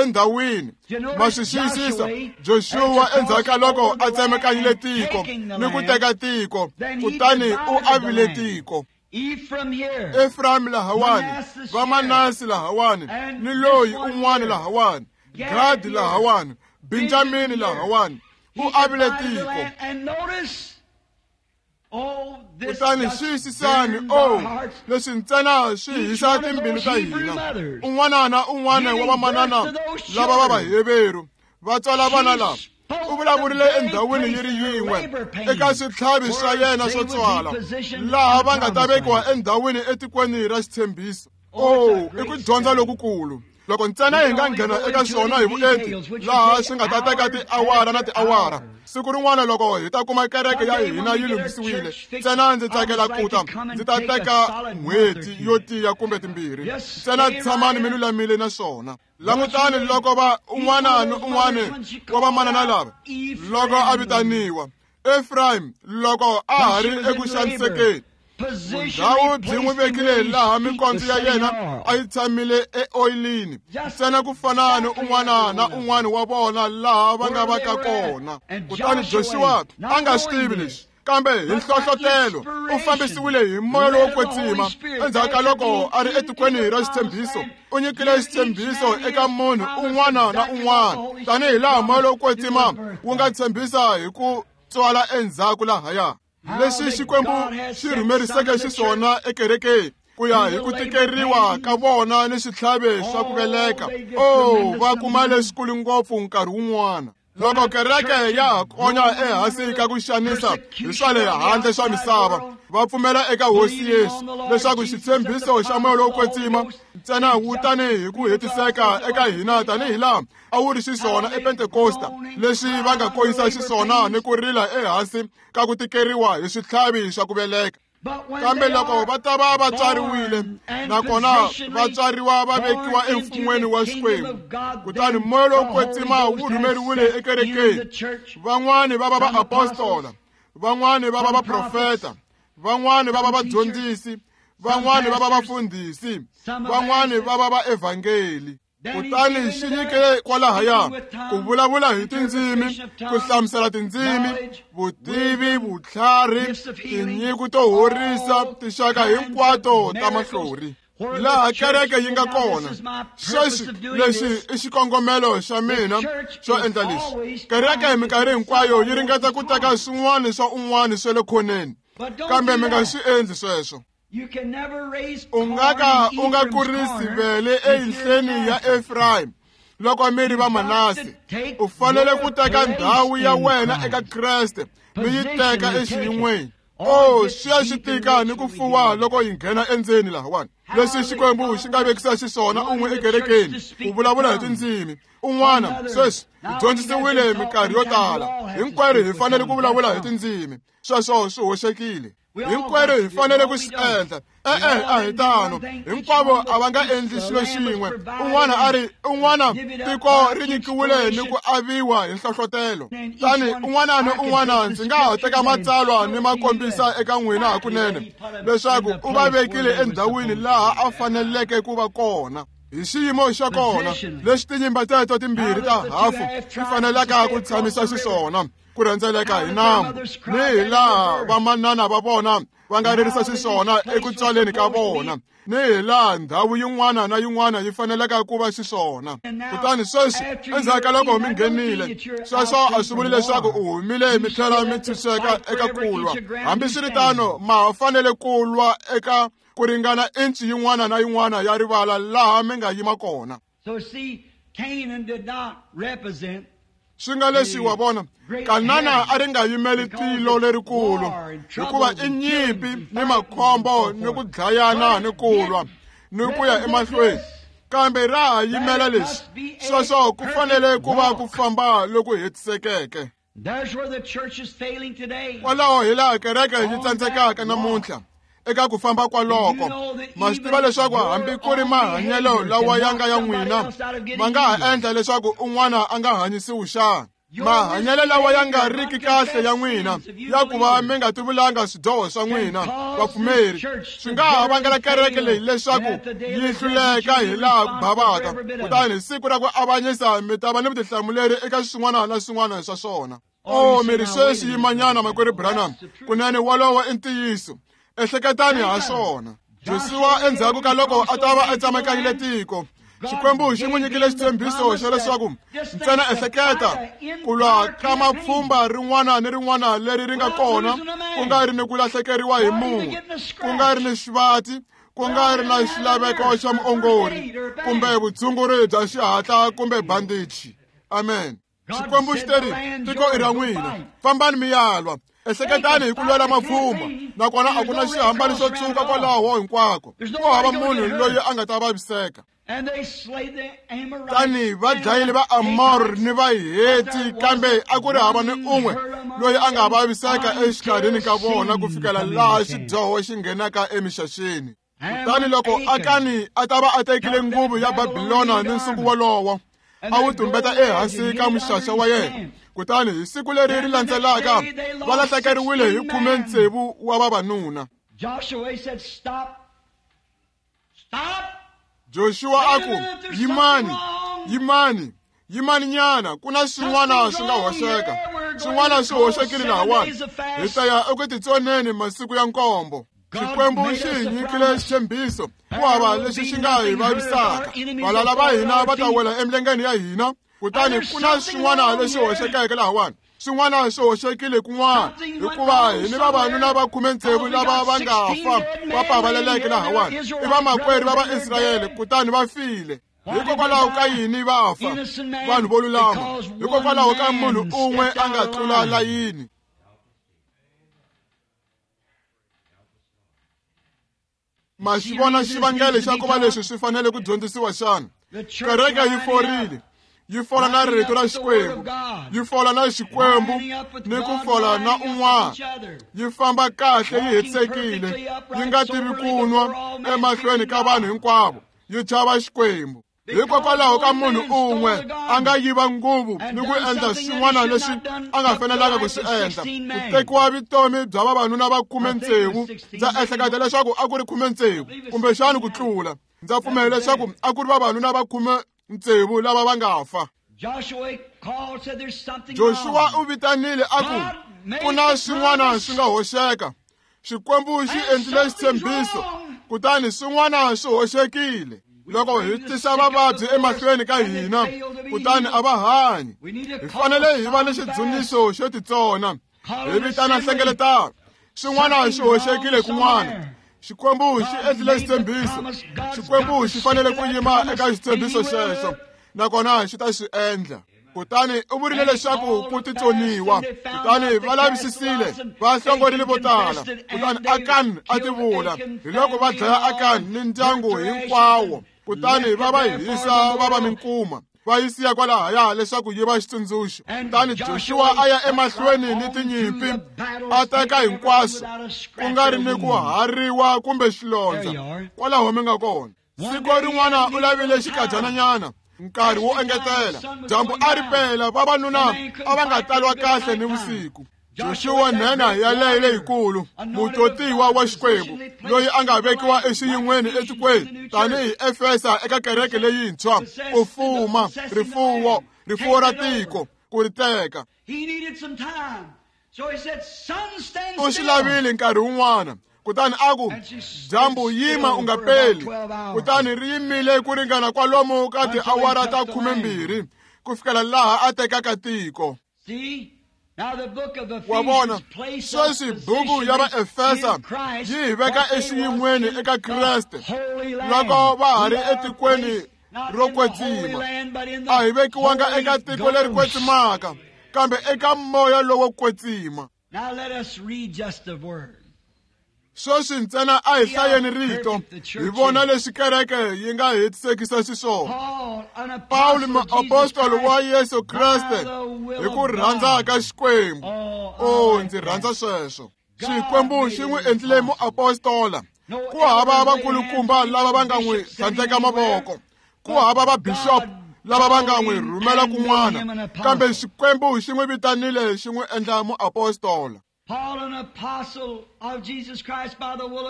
endhawini. Ma swi xiyisisa Joshua endzhaku ka loko a tsemekanyile tiko ni ku teka tiko, kutani u avile tiko. Ephraim lahawani, Vamanasi lahawani, ni loyi un'wana lahawani, Gad lahawani, Benjamini lahawani, u avile tiko. Kutani xiyisisani, o leswi ntsena swi hisa timbilu ta hina. Un'wana na un'wana wa vamanana lava va Vaheveru va tswala vana lava, u vulavurile endhawini yi ri yin'we eka switlhavi swa yena swo tswala, laha va nga ta vekiwa endhawini etikweni ra xitshembiso. O, i ku dyondza lokukulu. Loko ntsena hi nga nghena eka swona hi vuenti, laha swi nga ta teka tiawara na tiawara. Siku rin'wana loko hi ta kuma kereke ya hina yi lunghisiwile, ntsena ndzi tsakela ku ta, ndzi ta teka n'hweti yo tiya kumbe timbirhi. Ntsena tshamani mi lulamile na swona. Langutani loko va un'wana ni un'wana wa vamanana lava, loko a vitaniwa Ephraim, loko a ha ri eku xanisekeni, vundhawu byi n'wi vekile laha mikondzo ya yena a yi tshamile eoyilini, ntsena ku fana ni un'wana na un'wana wa vona laha va nga va ka kona. Kutani Joshua a nga swi tivi leswi, kambe hi nhlohlotelo u fambisiwile hi moya lowo kwetsima. Endzhaku ka loko a ri etikweni ra xitshembiso, u nyikile xitshembiso eka munhu un'wana na un'wana, tanihi laha moya lowo kwetsima wu nga tshembisa hi ku tswala endzhaku lahaya. Leswi Xikwembu xi rhumeriseke xiswona ekerekeni ku ya hi ku tikeriwa ka vona ni switlhavi swa ku veleka, o va kuma leswikulu ngopfu nkarhi wun'wana. Loko kereke ya ha konya ehansi ka ku xanisa hi swa le handle swa misava, va pfumela eka Hosi Yesu leswaku xitshembiso xa moya lowo kwetsima ntsena wu tanihi ku hetiseka eka hina tanihi laha a wu ri xiswona ePentekosta, leswi va nga koyisa xiswona ni ku rila ehansi ka ku tikeriwa hi switlhavi swa ku veleka. Kambe loko va ta va va tswariwile, nakona va tswariwa va vekiwa emfun'weni wa Xikwembu, kutani moya lowo kwetsima wu rhumeriwile ekerekeni. Van'wani va va vaapostola, van'wani va va vaprofeta, van'wani va va vadyondzisi, van'wani va va vafundhisi, van'wani va va vaevhangeli. Kutani xi nyike kwalahaya ku vulavula hi tindzimi, ku hlamusela tindzimi, vutivi, vutlhari, tinyiko to horisa, tinxaka hinkwato ta mahlori. Laha kereke yi nga kona sweswi, lexi i xikongomelo xa mina xo endla leswi. Kereke hi minkarhi hinkwayo yi ringeta ku teka swin'wana swa un'wana swa le khoneni, kambe mi nga swi endli sweswo. U nga ka u nga kurisi vele eyinhleni ya Ephraim loko mi ri va Manase. U fanele ku teka ndhawu ya wena eka Kreste, mi yi teka exiyin'weni. O, swi ya swi tika ni ku fuwa loko hi nghena endzeni lahawani. Leswi Xikwembu xi nga vekisa xiswona un'we ekerekeni ku vulavula hi tindzimi, un'wana sweswi hi dyondzisiwile minkarhi yo tala, hinkwerhu hi fanele ku vulavula hi tindzimi. Sweswo swi hoxekile. Hinkwerhu hi fanele ku swi endla. E-e, a hi tano. Hinkwavo a va nga endli xilo xin'we. Un'wana a ri un'wana tiko ri nyikiwile ni ku aviwa hi nhlohlotelo. Tani un'wana ni un'wana ndzi nga ha teka matsalwa ni ma kombisa eka n'wina hakunene leswaku u va vekile endhawini laha a faneleke ku va kona. Hi xiyimo xa kona lexi tinyimba teto timbirhi ta hafu ti fanelaka ku tshamisa xiswona ku rhendzeleka hi nambu, ni hi laha vamanana va vona va nga ririsa xiswona eku tswaleni ka vona, ni hi laha ndhawu yin'wana na yin'wana yi fanelaka ku va xiswona. Kutani sweswi endzhaku ka loko mi nghenile, sweswo a swi vuli leswaku u humile mi tlhela mi tshunxeka eka ku lwa. Hambiswiritano, ma ha fanele ku lwa eka ku ringana inci yin'wana na yin'wana ya rivala laha mi nga yima kona. Swi nga leswi wa vona, Kanana a ri nga yimeli tilo lerikulu, hikuva i nyimpi ni makhombo ni ku dlayana ni ku lwa ni ku ya emahlweni. Kambe ra ha yimela leswi, sweswo ku fanele ku va ku famba loku hetisekeke. Kwalaho hi laha kereke yi tsandzekaka namuntlha eka ku famba kwaloko. Ma swi tiva leswaku hambi ku ri mahanyelo lawa ya nga ya n'wina ma nga ha endla leswaku un'wana a nga hanyisiwi xana? Mahanyelo lawa ya nga riki kahle ya n'wina ya ku va mi nga tivulanga swidyoho swa n'wina vapfumeri swi nga ha vangela kereke leyi leswaku yi hluleka hi laha ku bavaka. Kutani hi siku ra ku avanyisa mi ta va ni vutihlamuleri eka swin'wana na swin'wana swa swona. O mi ri sweswi yimanyana makwerhu Branham, kunene wolowo i ntiyiso. Ehleketani ha swona. Joshua endzhaku ka loko a ta va a tsemakanyile tiko, Xikwembu xi n'wi nyikile xitshembiso xa leswaku ntsena ehleketa ku lwa ka mapfhumba rin'wana ni rin'wana leri ri nga kona, ku nga ri ni ku lahlekeriwa hi munhu, ku nga ri ni xivati, ku nga ri na xilaveko xa muongori kumbe vutshunguri bya xihatla kumbe bandichi. Amen. Xikwembu xi teri tiko i ra n'wina, fambani mi ya lwa. Ehleketani hi ku lwela mapfhumba, nakona a ku na xihambano xo tshuka kwalaho hinkwako. Ku hava munhu loyi a nga ta vaviseka. Tani va dlayile va Amor ni va Heti, kambe a ku ri hava ni un'we loyi a nga vaviseka exikarhini ka vona ku fikela laha xidyoho xi nghenaka emixaxeni. Kutani loko Akani a ta va a tekile nguvu ya Babilona ni nsuku wolowo, a wu tumbeta ehansi ka muxaxa wa yena. Kutani hi siku leri ri landzelaka va lahlekeriwile hi 16 wa vavanuna. Joshua a ku, yimani, yimani, yimani nyana, ku na swin'wana swi nga hoxeka. Swin'wana swi hoxekile lahawani. Hi ta ya eku titsoneni masiku ya 7. Xikwembu xi hi nyikile xitshembiso, ku hava lexi xi nga hi vavisaka. Valala va hina va ta wela emilengeni ya hina. Kutani ku na swin'wana leswi hoxekeke lahawani. Swin'wana swi hoxekile kun'wana, hikuva hi ni vavanuna va 16 lava va nga fa va pavaleleke lahawani. I vamakwerhu va Vaisrayele, kutani va file. Hikokwalaho ka yini va fa? Vanhu vo lulama. Hikokwalaho ka munhu un'we a nga tlula layini. Ma xi vona xivangelo xa ku va leswi swi fanele ku dyondzisiwa xana? Kereke yi forile, yi fola na rito ra Xikwembu, yi fola na Xikwembu ni ku fola na un'wana. Yi famba kahle yi hetisekile, yi nga tivi ku nwa emahlweni ka vanhu hinkwavo, yi chava Xikwembu. Hikokwalaho ka munhu un'we a nga yiva nguvu ni ku endla swin'wana leswi a nga fanelanga ku swi endla, ku tekiwa vutomi bya vavanuna va 16. Ndza ehleketa leswaku a ku ri 16 kumbexani ku tlula. Ndza pfumela leswaku a ku ri vavanuna va 16 lava va nga fa. Joshua u vitanile a ku, ku na swin'wana swi nga hoxeka. Xikwembu xi endlile xitshembiso, kutani swin'wana swi hoxekile. Loko hi tisa vavabyi emahlweni ka hina, kutani a va hanyi. Hi fanele hi va ni xidzuniso xo titsona, hi vitana nhlengeletano. Swin'wana swi hoxekile kun'wana. Xikwembu xi endlile xitshembiso. Xikwembu xi fanele ku yima eka xitshembiso xexo, nakona xi ta xi endla. Kutani u vurile leswaku ku titsoniwa. Kutani va lavisisile, va hlongorile vo tala. Kutani Akani a tivula. Hi loko va dlaya Akani ni ndyangu hinkwawo. Kutani va va hisa va va minkuma. Va yi siya kwalahaya leswaku yi va xitsundzuxo. Kutani Joshua a ya emahlweni ni tinyimpi, a teka hinkwaswo, ku nga ri ni ku hariwa kumbe xilondza. Kwalaho mi nga kona. Siku rin'wana u lavile xikadyananyana, nkarhi wo engetela. Dyambu a ri pela, vavanuna a va nga talwa kahle ni vusiku. Joshua nhenha yaleyo leyikulu, mutotiwa wa Xikwembu, loyi a nga vekiwa exiyin'weni etikweni tanihi Efesa eka kereke leyintshwa, ku fuma rifuwo, rifuwo ra tiko, ku ri teka. U xi lavile nkarhi wun'wana, kutani a ku, dyambu yima u nga peli. Kutani ri yimile ku ringana kwalomu ka tiawara ta 12 ku fikela laha a tekaka tiko. Wa vona, sweswi buku ya Vaefesa yi hi veka exiyin'weni eka Kreste loko va ha ri etikweni ro kwetsima. A hi vekiwanga eka tiko leri kwetsimaka, kambe eka moya lowo kwetsima. Sweswi ntsena a hi hlayeni rito, hi vona leswi kereke yi nga hetisekisa xiswona. Pawulo muapostoli wa Yesu Kreste hi ku rhandza ka Xikwembu. O, ndzi rhandza sweswo. Xikwembu xi n'wi endlile muapostola. Ku hava vakulukumba lava va nga n'wi tlhandleka mavoko, ku hava vabishop lava va nga n'wi rhumela kun'wana, kambe Xikwembu xi n'wi vitanile xi n'wi endla muapostola.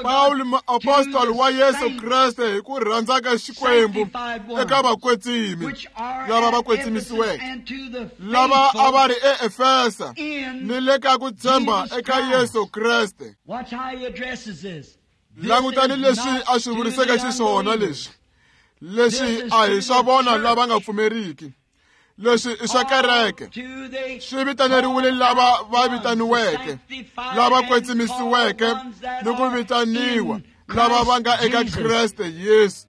Pawulo muapostoli wa Yesu Kreste hi ku rhandza ka Xikwembu eka vakwetsimi lava va kwetsimisiweke, lava a va ri eEfesa ni le ka ku tshemba eka Yesu Kreste. Langutani leswi a swi vuriseke xiswona leswi. Leswi a hi swa vona lava nga pfumeriki. Leswi i swa kereke. Swi vitaneriwile lava va vitaniweke, lava kwetsimisiweke ni ku vitaniwa, lava va nga eka Kreste Yesu.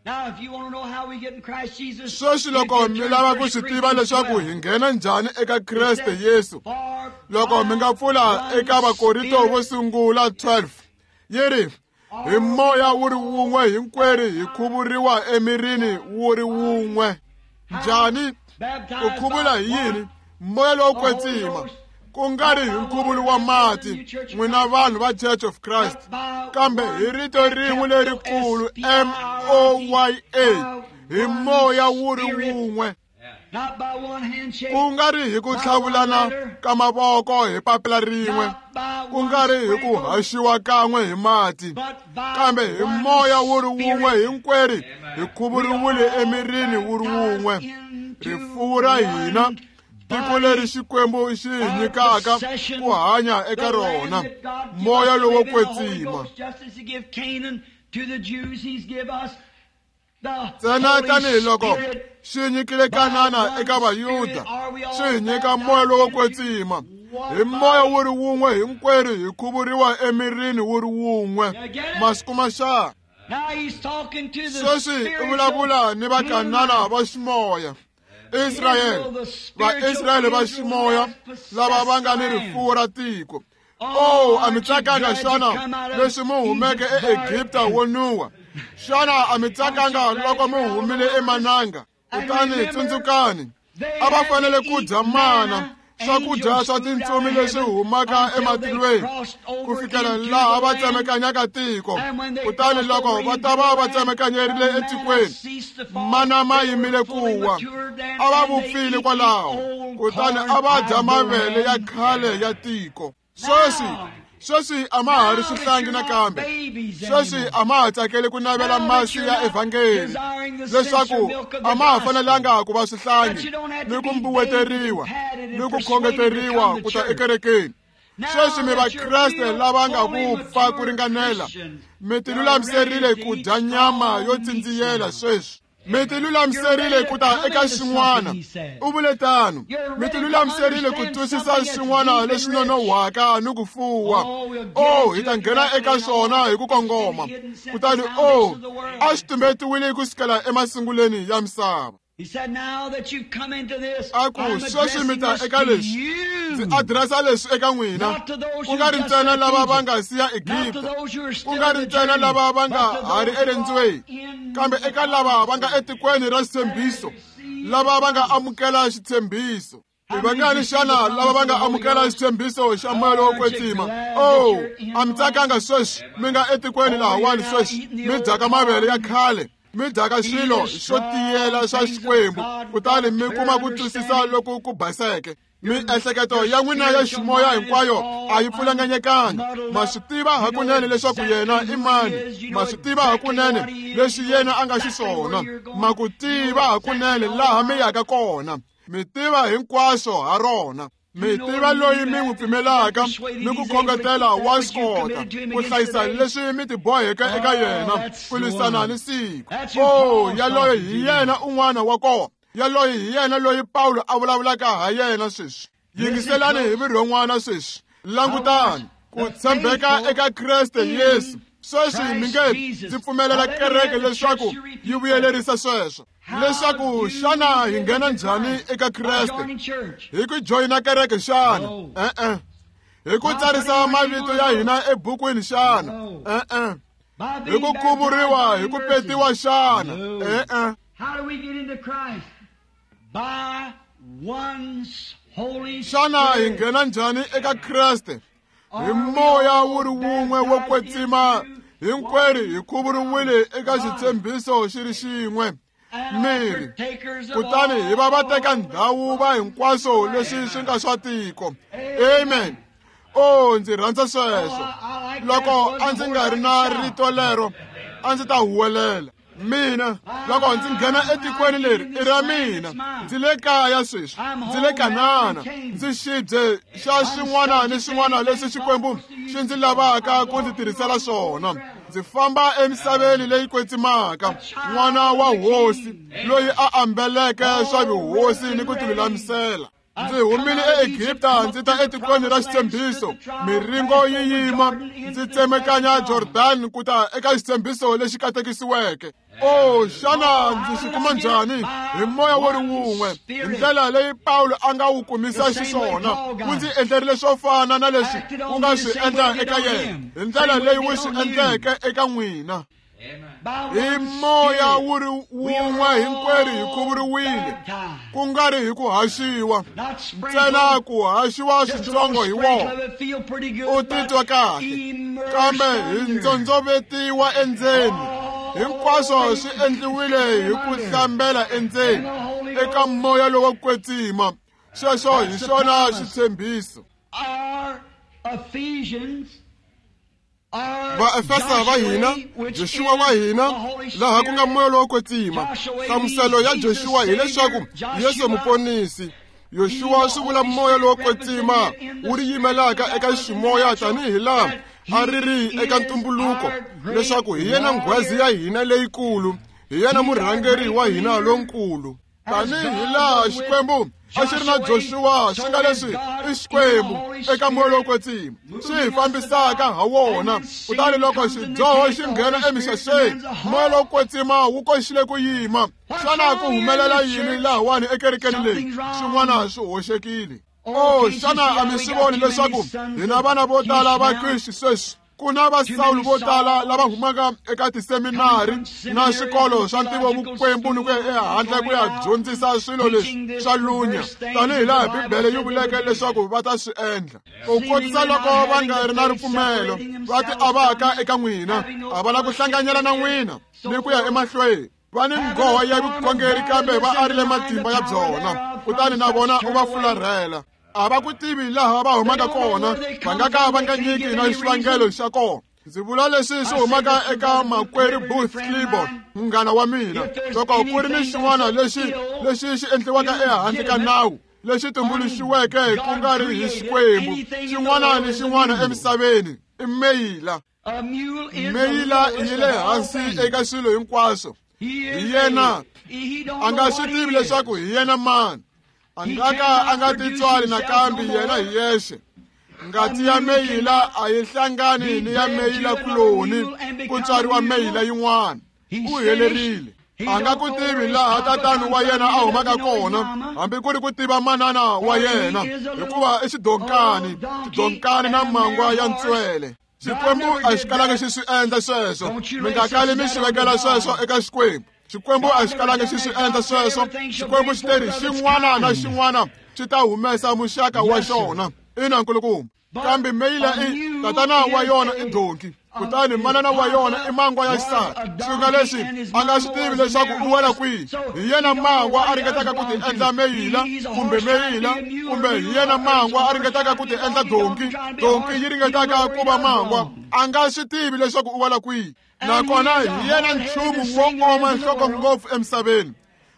Sweswi loko mi lava ku swi tiva leswaku hi nghena njhani eka Kreste Yesu, loko mi nga pfula eka Vakorinto vo sungula 12, yi ri, hi moya wu ri wun'we hinkwerhu hi khuvuriwa emirini wu ri wun'we. Njhani? Ku khuvula hi yini? Moya lowo kwetsima, ku nga ri hi nkhuvulo wa mati, n'wina vanhu va Church of Christ, kambe hi rito rin'we lerikulu M-O-Y-A, hi moya wu ri wun'we. Ku nga ri hi ku tlhavulana ka mavoko hi papila rin'we, ku nga ri hi ku haxiwa kan'we hi mati, kambe hi moya wu ri wun'we hinkwerhu hi khuvuriwile emirini wu ri wun'we. Rifuwo ra hina, tiko leri Xikwembu xi hi nyikaka ku hanya eka rona, moya lowo kwetsima. Ntsena tanihiloko xi nyikile Kanana eka Vayuda, xi hi nyika moya lowo kwetsima. Hi moya wu ri wun'we hinkwerhu hi khuvuriwa emirini wu ri wun'we. Masiku ma xa. Sweswi u vulavula ni Vakanana va ximoya. Israyele, Vaisrayele va ximoya lava va nga ni rifuwo ra tiko. Oh, a mi tsakanga xana leswi mi humeke eEgipta wo nuwa? Xana a mi tsakanga loko mi humile emananga? Kutani tsundzukani, a va fanele ku dya mana, swakudya swa tintsumi leswi humaka ematilweni, ku fikela laha va tsemekanyaka tiko. Kutani loko va ta va va tsemekanyerile etikweni, mana ma yimile ku wa, a va vupfile kwalaho, kutani a va dya mavele ya khale ya tiko. Sweswi a ma ha ri swihlangi nakambe. Sweswi a ma ha tsakeli ku navela masi ya evhangeli, leswaku a ma ha fanelanga ku va swihlangi ni ku mbuweteriwa ni ku khongeteriwa ku ta ekerekeni. Sweswi mi Vakreste lava nga vupfa ku ringanela, mi tilulamiserile ku dya nyama yo tsindziyela sweswi. Mi tilulamiserile ku ta eka xin'wana, u vule tano. Mi tilulamiserile ku twisisa xin'wana leswi nonohwaka ni ku fuwa. Oh, hi ta nghena eka swona hi ku kongoma. Kutani oh, a swi tumbetiwile ku sukela emasungulweni ya misava. A ku, sweswi mi ta eka leswi, ndzi adiresa leswi eka n'wina, ku nga ri ntsena lava va nga siya Egipta, ku nga ri ntsena lava va nga ha ri erendzweni, kambe eka lava va nga etikweni ra xitshembiso, lava va nga amukela xitshembiso. I vangani xana lava va nga amukela xitshembiso xa moya lowo kwetsima? Oh, a mi tsakanga sweswi mi nga etikweni lahawani sweswi mi dyaka mavele ya khale, mi dyaka swilo swo tiyela swa Xikwembu, kutani mi kuma ku twisisa loku ku baseke. Miehleketo ya n'wina ya ximoya hinkwayo a yi pfulanganyekanga. Ma swi tiva hakunene leswaku yena i mani, ma swi tiva hakunene leswi yena a nga xiswona, ma ku tiva hakunene laha mi yaka kona, mi tiva hinkwaswo ha rona. Mi tiva loyi mi n'wi pfumelaka ni ku khongetela wa swi kota ku hlayisa leswi mi tiboheke eka yena ku lwisana ni siku. Oh, yaloye hi yena un'wana wa kona. Yaloye hi yena loyi Pawulo a vulavulaka ha yena sweswi. Yingiselani hi vurhon'wana sweswi. Langutani ku tshembeka eka Kreste Yesu. Sweswi mi nge ndzi pfumelela kereke leswaku yi vuyelerisa sweswo. Leswaku xana hi nghena njhani eka Kreste? Hi ku joyina kereke xana? E-e. Hi ku tsarisa mavito ya hina ebukwini xana? E-e. Hi ku khuvuriwa, hi ku petiwa xana? E-e. Xana hi nghena njhani eka Kreste? Hi moya wu ri wun'we wo kwetsima, hinkwerhu hi khuvuriwile eka xitshembiso xi ri xin'we, miri, kutani hi va va teka ndhawu va hinkwaswo leswi swi nga swa tiko. Amen. Oh, ndzi rhandza sweswo. Loko a ndzi nga ri na rito lero, a ndzi ta huwelela. Mina loko ndzi nghena etikweni leri i ra mina, ndzi le kaya sweswi, ndzi le Kanana, ndzi xibye xa xin'wana ni xin'wana leswi Xikwembu xi ndzi lavaka ku ndzi tirhisela swona. Ndzi famba emisaveni leyi kwetsimaka, n'wana wa hosi loyi a ambeleke swa vuhosi ni ku tilulamisela. Ndzi humile eEgipta ndzi ta etikweni ra xitshembiso, miringo yi yima, ndzi tsemekanya Jordan ku ta eka xitshembiso lexi katekisiweke. Oh, xana ndzi swi kuma njhani? Hi moya wo ri wun'we, hi ndlela leyi Pawulo a nga wu kumisa xiswona, wu ndzi endlerile swo fana na leswi wu nga swi endla eka yena, hi ndlela leyi wu swi endleke eka n'wina. Hi moya wu ri wun'we hinkwerhu hi khuvuriwile, ku nga ri hi ku haxiwa ntsena, ku haxiwa switsongo hi wona u titwa kahle, kambe hi ndzondzovetiwa endzeni. Hinkwaswo swi endliwile hi ku hlambela endzeni eka moya lowo kwetsima. Sweswo hi xona xitshembiso. Vaefesa va hina, Joshua wa hina, laha ku nga moya lowo kwetsima. Nhlamuselo ya Joshua hileswaku Yesu muponisi. Yoshua swi vula moya lowo kwetsima wu ri yimelaka eka ximoya tanihi laha a ri ri eka ntumbuluko, leswaku hi yena nghwazi ya hina leyikulu, hi yena murhangeri wa hina lonkulu. Tanihi laha Xikwembu a xi ri na Joshua, xi nga leswi i Xikwembu eka moya lowo kwetsima xi hi fambisaka ha wona. Kutani loko xidyoho xi nghena emixaxeni, moya lowo kwetsima wu koxile ku yima. Xana ku humelela yini lahawani ekerekeni leyi? Swin'wana swi hoxekile. Oh, xana a mi swi voni leswaku hina vana vo tala va Kriste sweswi? Ku na va Sawulo vo tala lava humaka eka tiseminari na swikolo swa ntivovukwembu ni ku ya ehandle ku ya dyondzisa swilo leswi swa lunya, tanihi laha Bibele yi vuleke leswaku va ta swi endla. Ku kotisa loko va nga ri na ripfumelo, va ti avaka eka n'wina, a va la ku hlanganyela na n'wina ni ku ya emahlweni. Va ni nghoho ya vukhongeri kambe va arile matimba ya byona, kutani na vona u va fularhela. A va ku tivi laha va humaka kona, va nga ka va nga nyiki na xivangelo xa kona. Ndzi vula leswi swi humaka eka makwerhu Booth Clibborn, munghana wa mina. Loko ku ri ni xin'wana lexi lexi xi endliwaka ehandle ka nawu, lexi tumbuluxiweke ku nga ri hi Xikwembu, xin'wana ni xin'wana emisaveni i meyila. Meyila yi le hansi eka swilo hinkwaswo. Hi yena a nga swi tivi leswaku hi yena mani, a nga ka a nga titswali nakambe yena hi yexe. Ngati ya meyila a yi hlangani ni ya meyila kuloni ku tswariwa meyila yin'wana. U helerile. A nga ku tivi laha tatani wa yena a humaka kona, hambi ku ri ku tiva manana wa yena, hikuva i xidonkani, xidonkani na mangwa ya ntswele. Xikwembu a xi kalanga xi swi endla sweswo. Mi nga kali mi xi vekela sweswo eka Xikwembu. Xikwembu a xi kalanga xi swi endla sweswo. Xikwembu xi teri xin'wana na xin'wana xi ta humesa muxaka wa xona. Ina nkulukumba. Kambe meyila i tatana wa yona i donki, kutani manana wa yona i mangwa ya xisati. Swi nga leswi a nga swi tivi leswaku u wela kwihi. Hi yena mangwa a ringetaka ku ti endla meyila kumbe meyila, kumbe hi yena mangwa a ringetaka ku ti endla donki, donki yi ringetaka ku va mangwa. A nga swi tivi leswaku u wela kwihi. Nakona hi yena nchumu wo oma nhloko ngopfu emisaveni.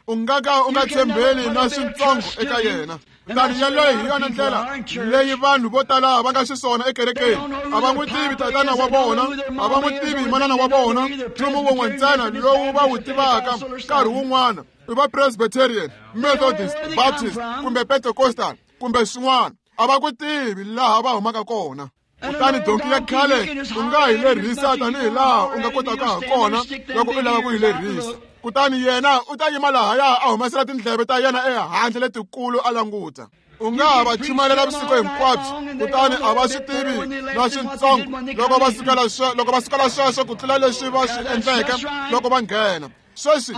U nga ka u nga tshembeli na switsongo eka yena. Kutani yeleyo hi yona ndlela leyi vanhu vo tala va nga xiswona ekerekeni. A va n'wi tivi tatana wa vona, a va n'wi tivi manana wa vona. Nchumu wun'we ntsena lowu va wu tivaka nkarhi wun'wana i va Presbyterian, Methodist, Baptist kumbe Pentecostal kumbe swin'wana. A va ku tivi laha va humaka kona. Kutani donki ya khale u nga yi lerhisa tanihi laha u nga kotaka ha kona loko u lava ku yi lerhisa. Kutani yena u ta yima lahaya a humesela tindleve ta yena ehandle letikulu a languta. U nga ha va chumayela vusiku hinkwabyo, kutani a va swi tivi na switsongo loko va sukela sweswo ku tlula leswi va swi endleke loko va nghena. Sweswi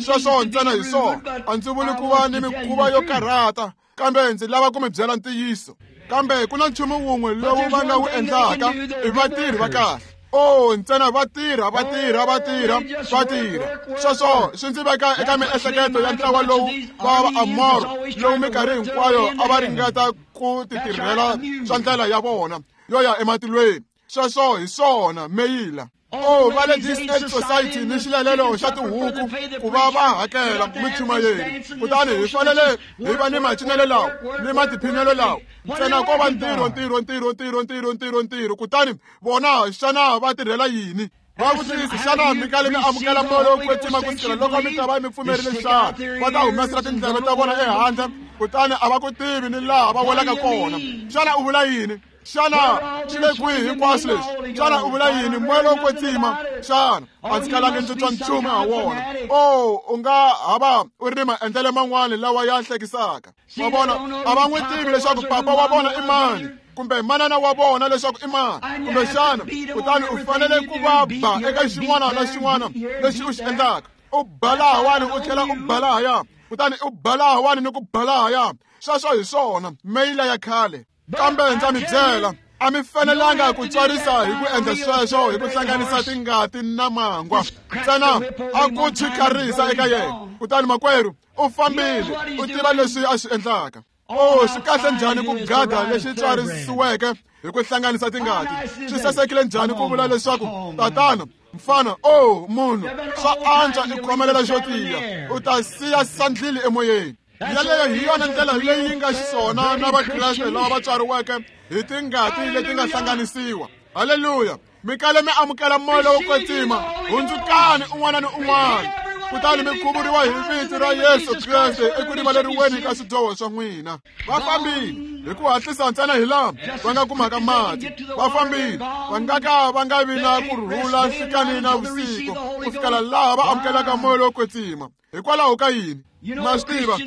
sweswo ntsena hi swona. A ndzi vuli ku va ni mikhuva yo karhata, kambe ndzi lava ku mi byela ntiyiso. Kambe ku na nchumu wun'we lowu va nga wu endlaka, i vatirhi va kahle. Oh, ntsena va tirha, va tirha, va tirha, va tirha. Sweswo swi ndzi veka eka miehleketo ya ntlawa lowu wa Vaamoro lowu minkarhi hinkwayo a va ringeta ku titirhela swa ndlela ya vona yo ya ematilweni. Sweswo hi swona meyila. Oh, va le This Society ni xilalelo xa tihuku ku va va hakela michumayeri. Kutani hi fanele hi va ni macinelo lawa ni matiphinelo lawa. Ntsena ko va ntirho, ntirho, ntirho, ntirho, ntirho, ntirho, ntirho. Kutani vona xana va tirhela yini? Va vutisa, xana mi kale mi amukela moya lowo kwetsima ku sukela loko mi ta va mi pfumerile xana? Va ta humesela tindleve ta vona ehandle, kutani a va ku tivi ni laha va welaka kona. Xana u vula yini? Xana swi le kwihi hinkwaswo leswi? Xana u vula yini? Moya lowo kwetsima xana? A ndzi kalanga ndzi twa nchumu ha wona. Oh, u nga ha va u ri ni maendlelo man'wana lawa ya hlekisaka. Wa vona, a va n'wi tivi leswaku papa wa vona i mani kumbe manana wa vona leswaku i mani kumbe xana. Kutani u fanele ku va ba eka xin'wana na xin'wana lexi u xi endlaka. U ba lahawani u tlhela u ba lahaya, kutani u ba lahawani ni ku ba lahaya. Sweswo hi swona meyila ya khale. Kambe ndza mi byela, a mi fanelanga ku tswarisa hi ku endla sweswo hi ku hlanganisa tingati na mangwa. Ntsena a ku chikarisa eka yena. Kutani makwerhu u fambile, u tiva leswi a swi endlaka. Oh, swi kahle njhani ku gada lexi tswarisiweke hi ku hlanganisa tingati. Swi sasekile njhani ku vula leswaku tatana, mfana, oh munhu, swa antswa i khomelela xo tiya, u ta siya sandlili emoyeni. Yaleyo hi yona ndlela leyi nga xiswona na Vakreste lava va tswariweke hi tingati leti nga hlanganisiwa. Haleluya! Mi kale mi amukela moya lowo kwetsima, hundzukani un'wana ni un'wana, kutani mi khuvuriwa hi vito ra Yesu Kreste eku rivaleriweni ka swidyoho swa n'wina. Va fambile hi ku hatlisa ntsena hi laha va nga kumaka mati. Va fambile va nga ka va nga vi na ku rhula nhlikani na vusiku ku fikela laha va amukelaka moya lowo kwetsima. Hikwalaho ka yini? Ma swi tiva,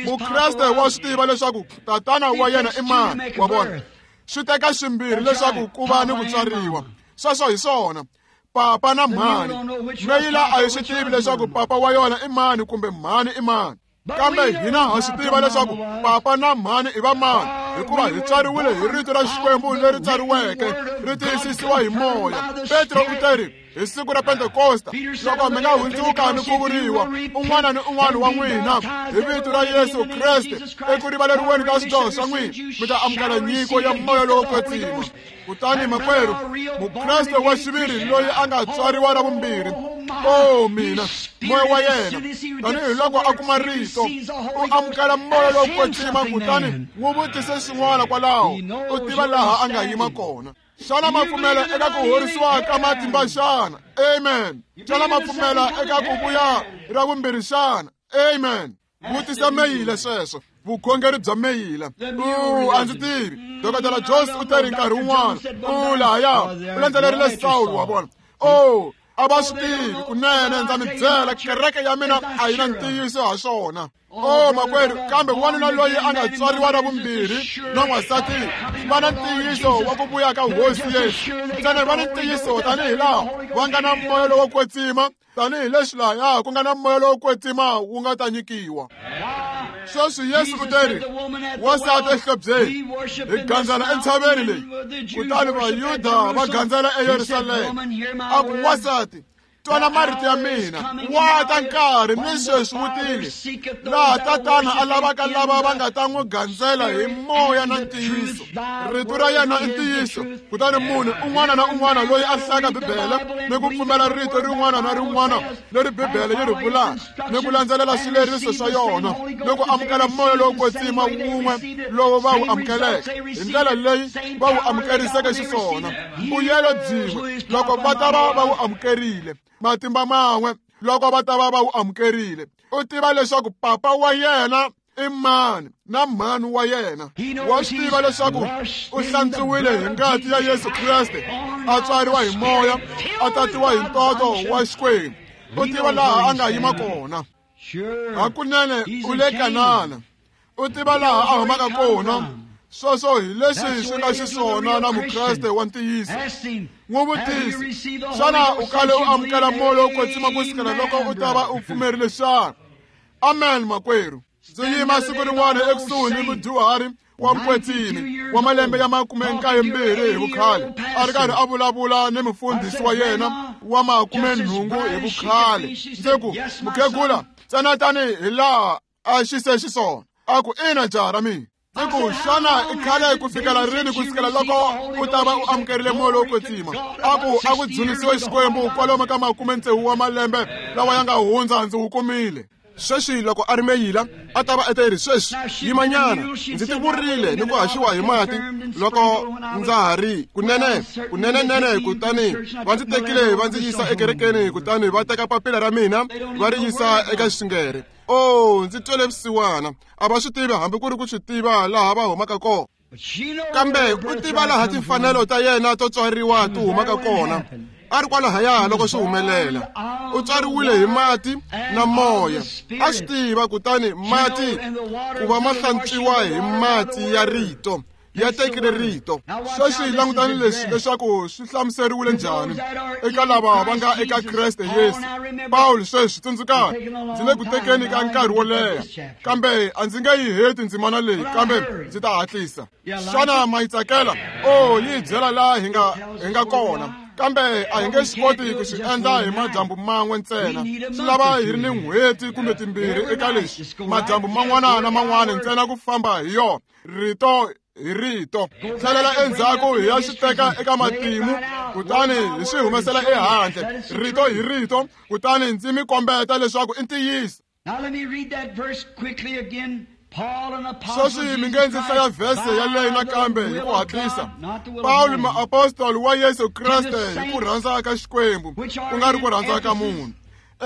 Mukreste wa swi tiva leswaku tatana wa yena i mani. Wa vona, swi teka swimbirhi leswaku ku va ni ku tswariwa. Sweswo hi swona, papa na mhani. Meyila a yi swi tivi leswaku papa wa yona i mani kumbe mhani i mani. Kambe hina ha swi tiva leswaku papa na mhani i va mani, hikuva hi tswariwile hi rito ra Xikwembu leri tsariweke, ri tiyisisiwa hi moya. Petro u teri hi siku ra Pentekosta, loko mi nga hundzuka ni ku vuriwa un'wana ni un'wana wa n'wina hi vito ra Yesu Kreste eku rivaleriweni ka swidyoho swa n'wina, mi ta amukela nyiko ya moya lowo kwetsima. Kutani makwerhu, Mukreste wa xiviri loyi a nga tswariwa ra vumbirhi, oh mina, moya wa yena tanihi loko a kuma rito, u amukela moya lowo kwetsima, kutani n'wi vutise swin'wana kwalaho, u tiva laha a nga yima kona. Xana ma pfumela eka ku horisiwa ka matimba xana? Amen. Xana ma pfumela eka ku vuya ra vumbirhi xana? Amen. Vutisa meyila sweswo, vukhongeri bya meyila. A ndzi tivi. Dr. Jones u teri nkarhi wun'wana, u lahaya u landzelerile Sawulo, wa vona. Oh, A va swi tivi kunene, ndza mi byela, kereke ya mina a yi na ntiyiso ha swona. O makwerhu, kambe wanuna loyi a nga tswariwa ra vumbirhi na n'wansati va na ntiyiso wa ku vuya ka Hosi Yesu. Ntsena va ni ntiyiso tanihi laha va nga na moya lowo kwetsima, tanihileswi lahaya ku nga na moya lowo kwetsima wu nga ta nyikiwa. Sweswi Yesu u teri, wansati exihlobyeni, hi gandzela entshaveni leyi, kutani Vayuda va gandzela eYerusalema. A ku, wansati, twana marito ya mina, wa ta nkarhi ni sweswi wu tile, laha Tatana a lavaka lava va nga ta n'wi gandzela hi moya na ntiyiso. Rito ra yena i ntiyiso. Kutani munhu un'wana na un'wana loyi a hlayaka Bibele ni ku pfumela rito rin'wana na rin'wana leri Bibele yi ri vulaka, ni ku landzelela swileriso swa yona, ni ku amukela moya lowo kwetsima wun'we lowu va wu amukeleke hi ndlela leyi va wu amukeriseke xiswona, mbuyelo byin'we loko va ta va va wu amukerile, matimba man'we loko va ta va va wu amukerile. U tiva leswaku papa wa yena i mani na mhani wa yena. Wa swi tiva leswaku u hlantswiwile hi ngati ya Yesu Kreste, a tswariwa hi moya, a tatiwa hi ntoto wa Xikwembu. U tiva laha a nga yima kona. Hakunene u le Kanana. U tiva laha a humaka kona. Sweswo hi leswi swi nga xiswona na Mukreste wa ntiyiso. N'wi vutise, xana u kale u amukela moya lowo kwetsima ku sukela loko u ta va u pfumerile xana? Amen, makwerhu. Ndzi yima siku rin'wana ekusuhi ni mudyuhari wa mukwetsimi wa malembe ya 92 hi vukhale, a ri karhi a vulavula ni mufundhisi wa yena wa 80 hi vukhale. Ndzi ku, mukhegula, ntsena tanihi laha a xi se xiswona. A ku, ina jaha ra mina. Ndzi ku, xana i khale ku fikela rini ku sukela loko u ta va u amukerile moya lowo kwetsima? A ku, a ku dzunisiwe Xikwembu, kwalomu ka 60 wa malembe lawa ya nga hundza ndzi wu kumile. Sweswi loko a ri meyila a ta va eteri, sweswi yimanyana, ndzi tivurile ni ku haxiwa hi mati loko ndza ha ri kunene kunenenene. Kutani va ndzi tekile va ndzi yisa ekerekeni, kutani va teka papila ra mina va ri yisa eka xingere. O, ndzi twele vusiwana, a va swi tivi hambi ku ri ku swi tiva laha va humaka kona. Kambe u tiva laha timfanelo ta yena to tswariwa ti humaka kona. A ri kwalahaya loko swi humelela. U tswariwile hi mati na moya. A swi tiva, kutani mati ku va ma hlantswiwa hi mati ya rito, ya tekile rito. Sweswi langutani leswi leswaku swi hlamuseriwile njhani eka lava va nga eka Kreste Yesu. Pawulo sweswi, tsundzukani, ndzi le ku tekeni ka nkarhi wo leha, kambe a ndzi nge yi heti ndzimana leyi, kambe ndzi ta hatlisa. Xana ma yi tsakela? O, yi hi byela laha hi nga kona, kambe a hi nge swi koti ku swi endla hi madyambu man'we ntsena. Swi lava hi ri ni n'hweti kumbe timbirhi eka leswi, madyambu man'wana na man'wana ntsena ku famba hi yona, rito hi rito. Tlhelela endzhaku hi ya swi teka eka matimu, kutani hi swi humesela ehandle, rito hi rito, kutani ndzi mi kombeta leswaku i ntiyiso. Sweswi mi nge ndzi hlaya vhese yaleyo nakambe hi ku hatlisa. Pawulo muapostoli wa Yesu Kreste hi ku rhandza ka Xikwembu, ku nga ri ku rhandza ka munhu,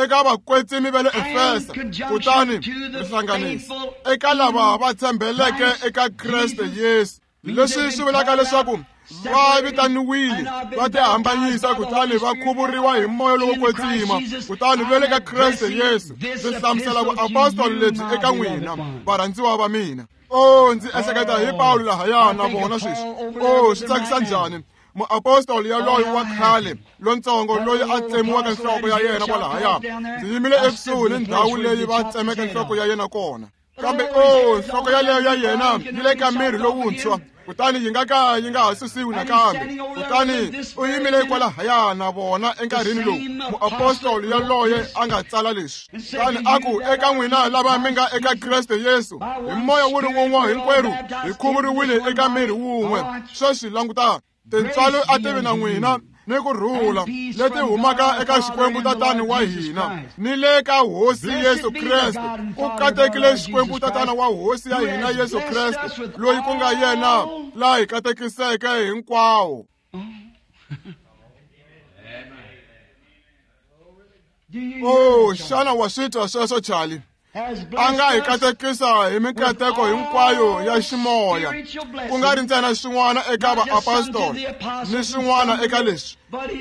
eka vakwetsimi va le Efesa, kutani rihlanganisi eka lava va tshembeleke eka Kreste Yesu. Leswi swi vulaka leswaku va vitaniwile, va tihambanyisa, kutani va khuvuriwa hi moya lowo kwetsima, kutani va le ka Kreste Yesu. Ndzi hlamusela vuapostoli lebyi eka n'wina, varhandziwa va mina. O, ndzi ehleketa hi Pawulo lahaya na vona sweswi. O, swi tsakisa njhani muapostoli yaloyi wa khale lontsongo loyi a tsemiwaka nhloko ya yena kwalahaya. Ndzi yimile ekusuhi ni ndhawu leyi va tsemeke nhloko ya yena kona. Kambe o, nhloko yaleyo ya yena yi le ka miri lowuntshwa, kutani yi nga ka yi nga ha susiwi nakambe. Kutani u yimile kwalahaya na vona enkarhini lowu muapostoli yaloye a nga tsala leswi. Kutani a ku, eka n'wina lava mi nga eka Kreste Yesu, hi moya wu ri wun'we hinkwerhu hi khuvuriwile eka miri wun'we. Sweswi langutani, tintswalo a ti vi na n'wina ni ku rhula leti humaka eka Xikwembu Tatana wa hina ni le ka Hosi Yesu Kreste. Ku katekile Xikwembu Tatana wa Hosi ya hina Yesu Kreste, loyi ku nga yena laha hi katekiseke hinkwawo. O, xana wa swi twa sweswo, Charlie? A nga hi katekisa hi mikateko hinkwayo ya ximoya, ku nga ri ntsena swin'wana eka vaapostoli ni swin'wana eka leswi,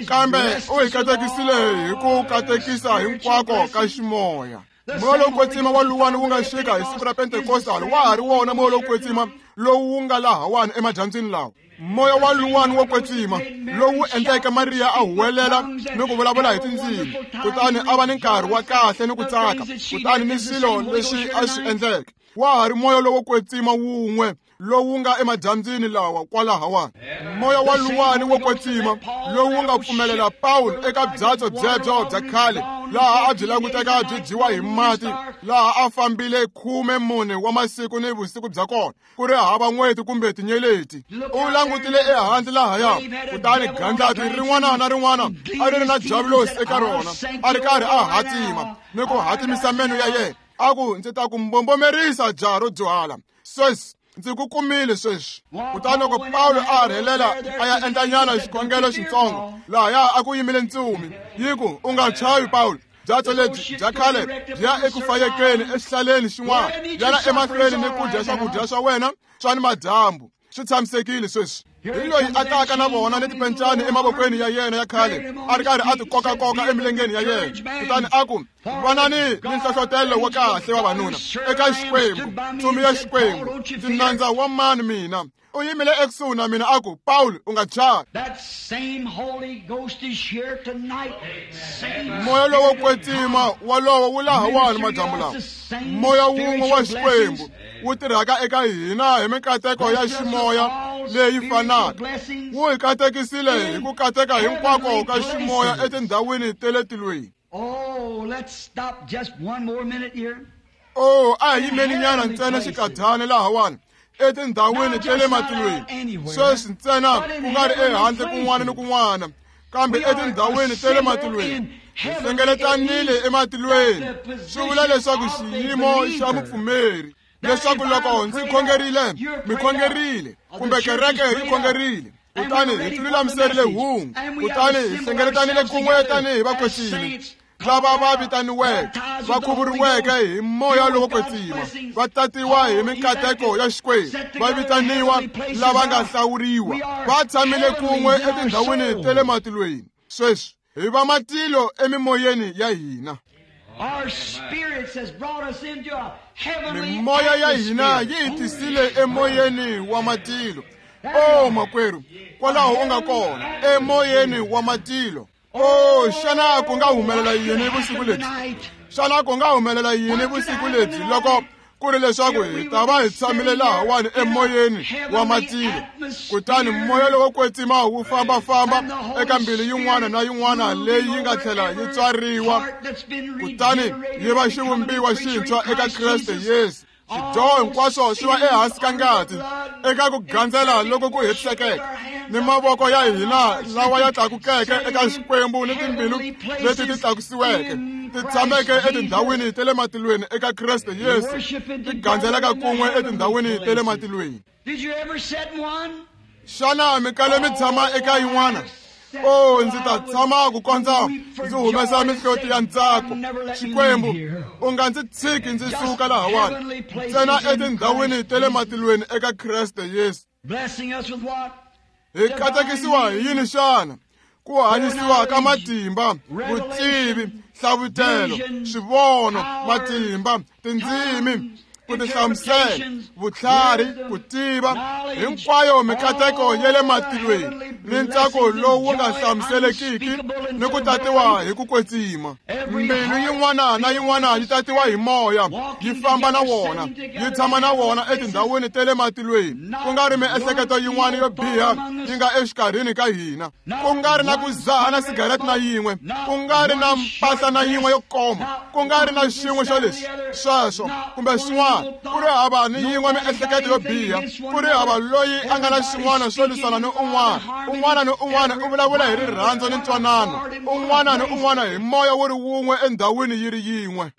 kambe u hi katekisile hi ku katekisa hinkwako ka ximoya. Moya lowo kwetsima wa luwani wu nga xika hi siku ra Pentekostal wa ha ri wona moya lowo kwetsima lowu wu nga lahawani emadyambyini lawa. Moya wa luwani wo kwetsima lowu endleke Mariya a huwelela ni ku vulavula hi tindzimi, kutani a va ni nkarhi wa kahle ni ku tsaka, kutani ni swilo leswi a swi endleke. Wa ha ri moya lowo kwetsima wun'we lowu nga emadyambyini lawa kwalahawani. Moya wa luwani wo kwetsima lowu nga pfumelela Pawulo eka byatso byebyo bya khale laha a byi languteka byi dyiwa hi mati, laha a fambile 14 wa masiku ni vusiku bya kona, ku ri hava n'weti kumbe tinyeleti. U langutile ehandle lahaya, kutani gandlati rin'wana na rin'wana a ri ri na diabulosi eka rona, a ri karhi a hatima ni ku hatimisa meno ya yena, a ku, ndzi ta ku mbombomerisa jaha ro dyuhala sweswi, ndzi ku kumile sweswi. Kutani loko Pawulo a rhelela a ya endlanyana xikhongelo xitsongo, lahaya a ku yimile ntsumi yi ku, u nga chavi Pawulo, byatso lebyi bya khale byi ya eku fayekeni exihlaleni xin'wana, yana emahlweni ni ku dya swakudya swa wena swa ni madyambu, swi tshamisekile sweswi. Hi loyi a taka na vona ni tipencani emavokweni ya yena ya khale, a ri karhi a ti kokakoka emilengeni ya yena, kutani a ku, vanani ni nhlohlotelo wa kahle vavanuna eka Xikwembu, ntsumi ya Xikwembu, ndzi nandza wa mani mina. U yimile ekusuhi na mina a ku, Pawulo, u nga chavi. Moya lowo kwetsima walowo wu lahawani madyambu lawa, moya wun'we wa Xikwembu wu tirhaka eka hina hi mikateko ya ximoya leyi fanaka, wu hi katekisile hi ku kateka hinkwako ka ximoya etindhawini ta le tilweni. Oh, a hi yimeni nyana ntsena xikadyana lahawani etindhawini ta le matilweni sweswi ntsena, ku nga ri ehandle kun'wana ni kun'wana, kambe etindhawini ta le matilweni. Hi hlengeletanile ematilweni, swi vula leswaku xiyimo xa mupfumeri, leswaku loko ndzi khongerile, mi khongerile, kumbe kereke yi khongerile, kutani hi tilulamiserile hungu, kutani hi hlengeletanile kun'we tanihi vakwetsimi lava va vitaniweke, va khuvuriweke hi moya lowo kwetsima, va tatiwa hi mikateko ya Xikwembu, va vitaniwa lava nga hlawuriwa, va tshamile kun'we etindhawini ta le matilweni. Sweswi hi va matilo emimoyeni ya hina. Mimoya ya hina yi hi tisile emoyeni wa matilo. Oh makwerhu, kwalaho u nga kona, emoyeni wa matilo. Oh, xana ku nga humelela yini vusiku lebyi? Xana ku nga humelela yini vusiku lebyi loko ku ri leswaku hi ta va hi tshamile lahawani emoyeni wa matilo, kutani moya lowo kwetsima wu fambafamba eka mbilu yin'wana na yin'wana leyi yi nga tlhela yi tswariwa, kutani yi va xivumbiwa xintshwa eka Kreste Yesu. Swidyoho hinkwaswo swi va ehansi ka ngati eka ku gandzela loko ku hetisekeke, ni mavoko ya hina lawa ya tlakukeke eka Xikwembu ni timbilu leti ti tlakusiweke ti tshameke etindhawini ta le matilweni eka Kreste Yesu, ti gandzelaka kun'we etindhawini ta le matilweni. Xana mi kale mi tshama eka yin'wana? Oh, ndzi ta tshama ku kondza ndzi humesa mihloti ya ntsako. Xikwembu, u nga ndzi tshiki ndzi suka lahawani, ntsena etindhawini ta le matilweni eka Kreste Yesu. Hi katekisiwa hi yini xana? Ku hanyisiwa ka matimba, vutivi, hlavutelo, swivono, matimba, tindzimi, ku tihlamusela, vutlhari, ku tiva, hinkwayo mikateko ya le matilweni ni ntsako lowu nga hlamuselekiki ni ku tatiwa hi ku kwetsima. Mbilu yin'wana na yin'wana yi tatiwa hi moya, yi famba na wona, yi tshama na wona etindhawini ta le matilweni, ku nga ri miehleketo yin'wana yo biha yi nga exikarhini ka hina, ku nga ri na ku zaha na sigarete na yin'we, ku nga ri na mpahla na yin'we yo koma, ku nga ri na xin'we xo leswi sweswo kumbe swin'wana, ku ri hava ni yin'we miehleketo yo biha, ku ri hava loyi a nga na xin'wana xo lwisana ni un'wana. Un'wana ni un'wana u vulavula hi rirhandzu ni ntwanano, un'wana ni un'wana hi moya wu ri wun'we endhawini yi ri yin'we.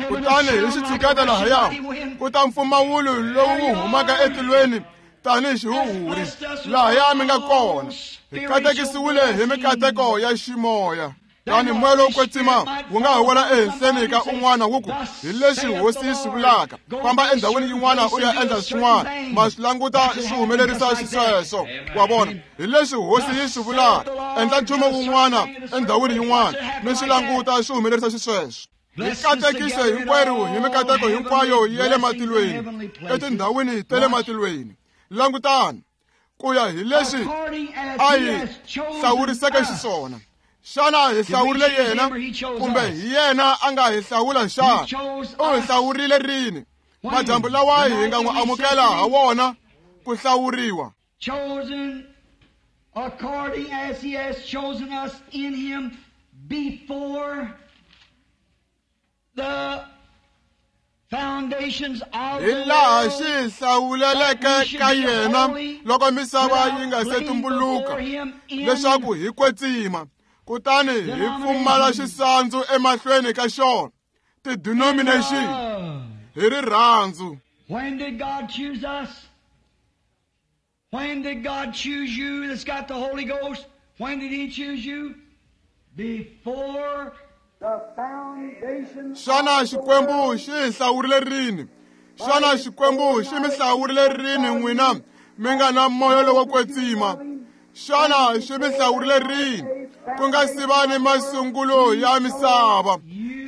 Kutani hi xitshuketa lahaya ku ta mpfumawulo lowu wu humaka etilweni tanihi xihuhuri, lahaya mi nga kona. Hi katekisiwile hi mikateko ya ximoya. Kutani moya lowo kwetsima wu nga ha wela ehenhleni ka un'wana wu ku hi leswi hosi yi swi vulaka, famba endhawini yin'wana u ya endla swin'wana. Ma swi languta swi humelerisa xisweswo. Wa vona, hi leswi hosi yi swi vulaka, endla nchumu wun'wana endhawini yin'wana, mi swi languta swi humelerisa xisweswo. Hi katekise hinkwerhu hi mikateko hinkwayo ya le matilweni, etindhawini ta le matilweni. Langutani ku ya hi leswi a hi hlawuriseke xiswona. Xana hi hlawurile yena kumbe hi yena a nga hi hlawula xana? U hi hlawurile rini? Madyambu lawa hi nga n'wi amukela ha wona ku hlawuriwa. Chosen according as he has chosen us in him before the foundations of Hi the laha world, xi hi hlawuleleke ka yena loko misava yi nga se tumbuluka, leswaku hi kwetsima, kutani hi pfumala xisandzu emahlweni ka xona. Ti-denomination love. hi rirhandzu. When did God choose us? When did God choose you that's got the Holy Ghost? When did He choose you? Before the foundation Xana Xikwembu xi hi hlawurile rini? Xana Xikwembu xi mi hlawurile rini n'wina mi nga na moya lowo kwetsima? Xana xi mi hlawurile rini ku nga si va ni masungulo ya misava?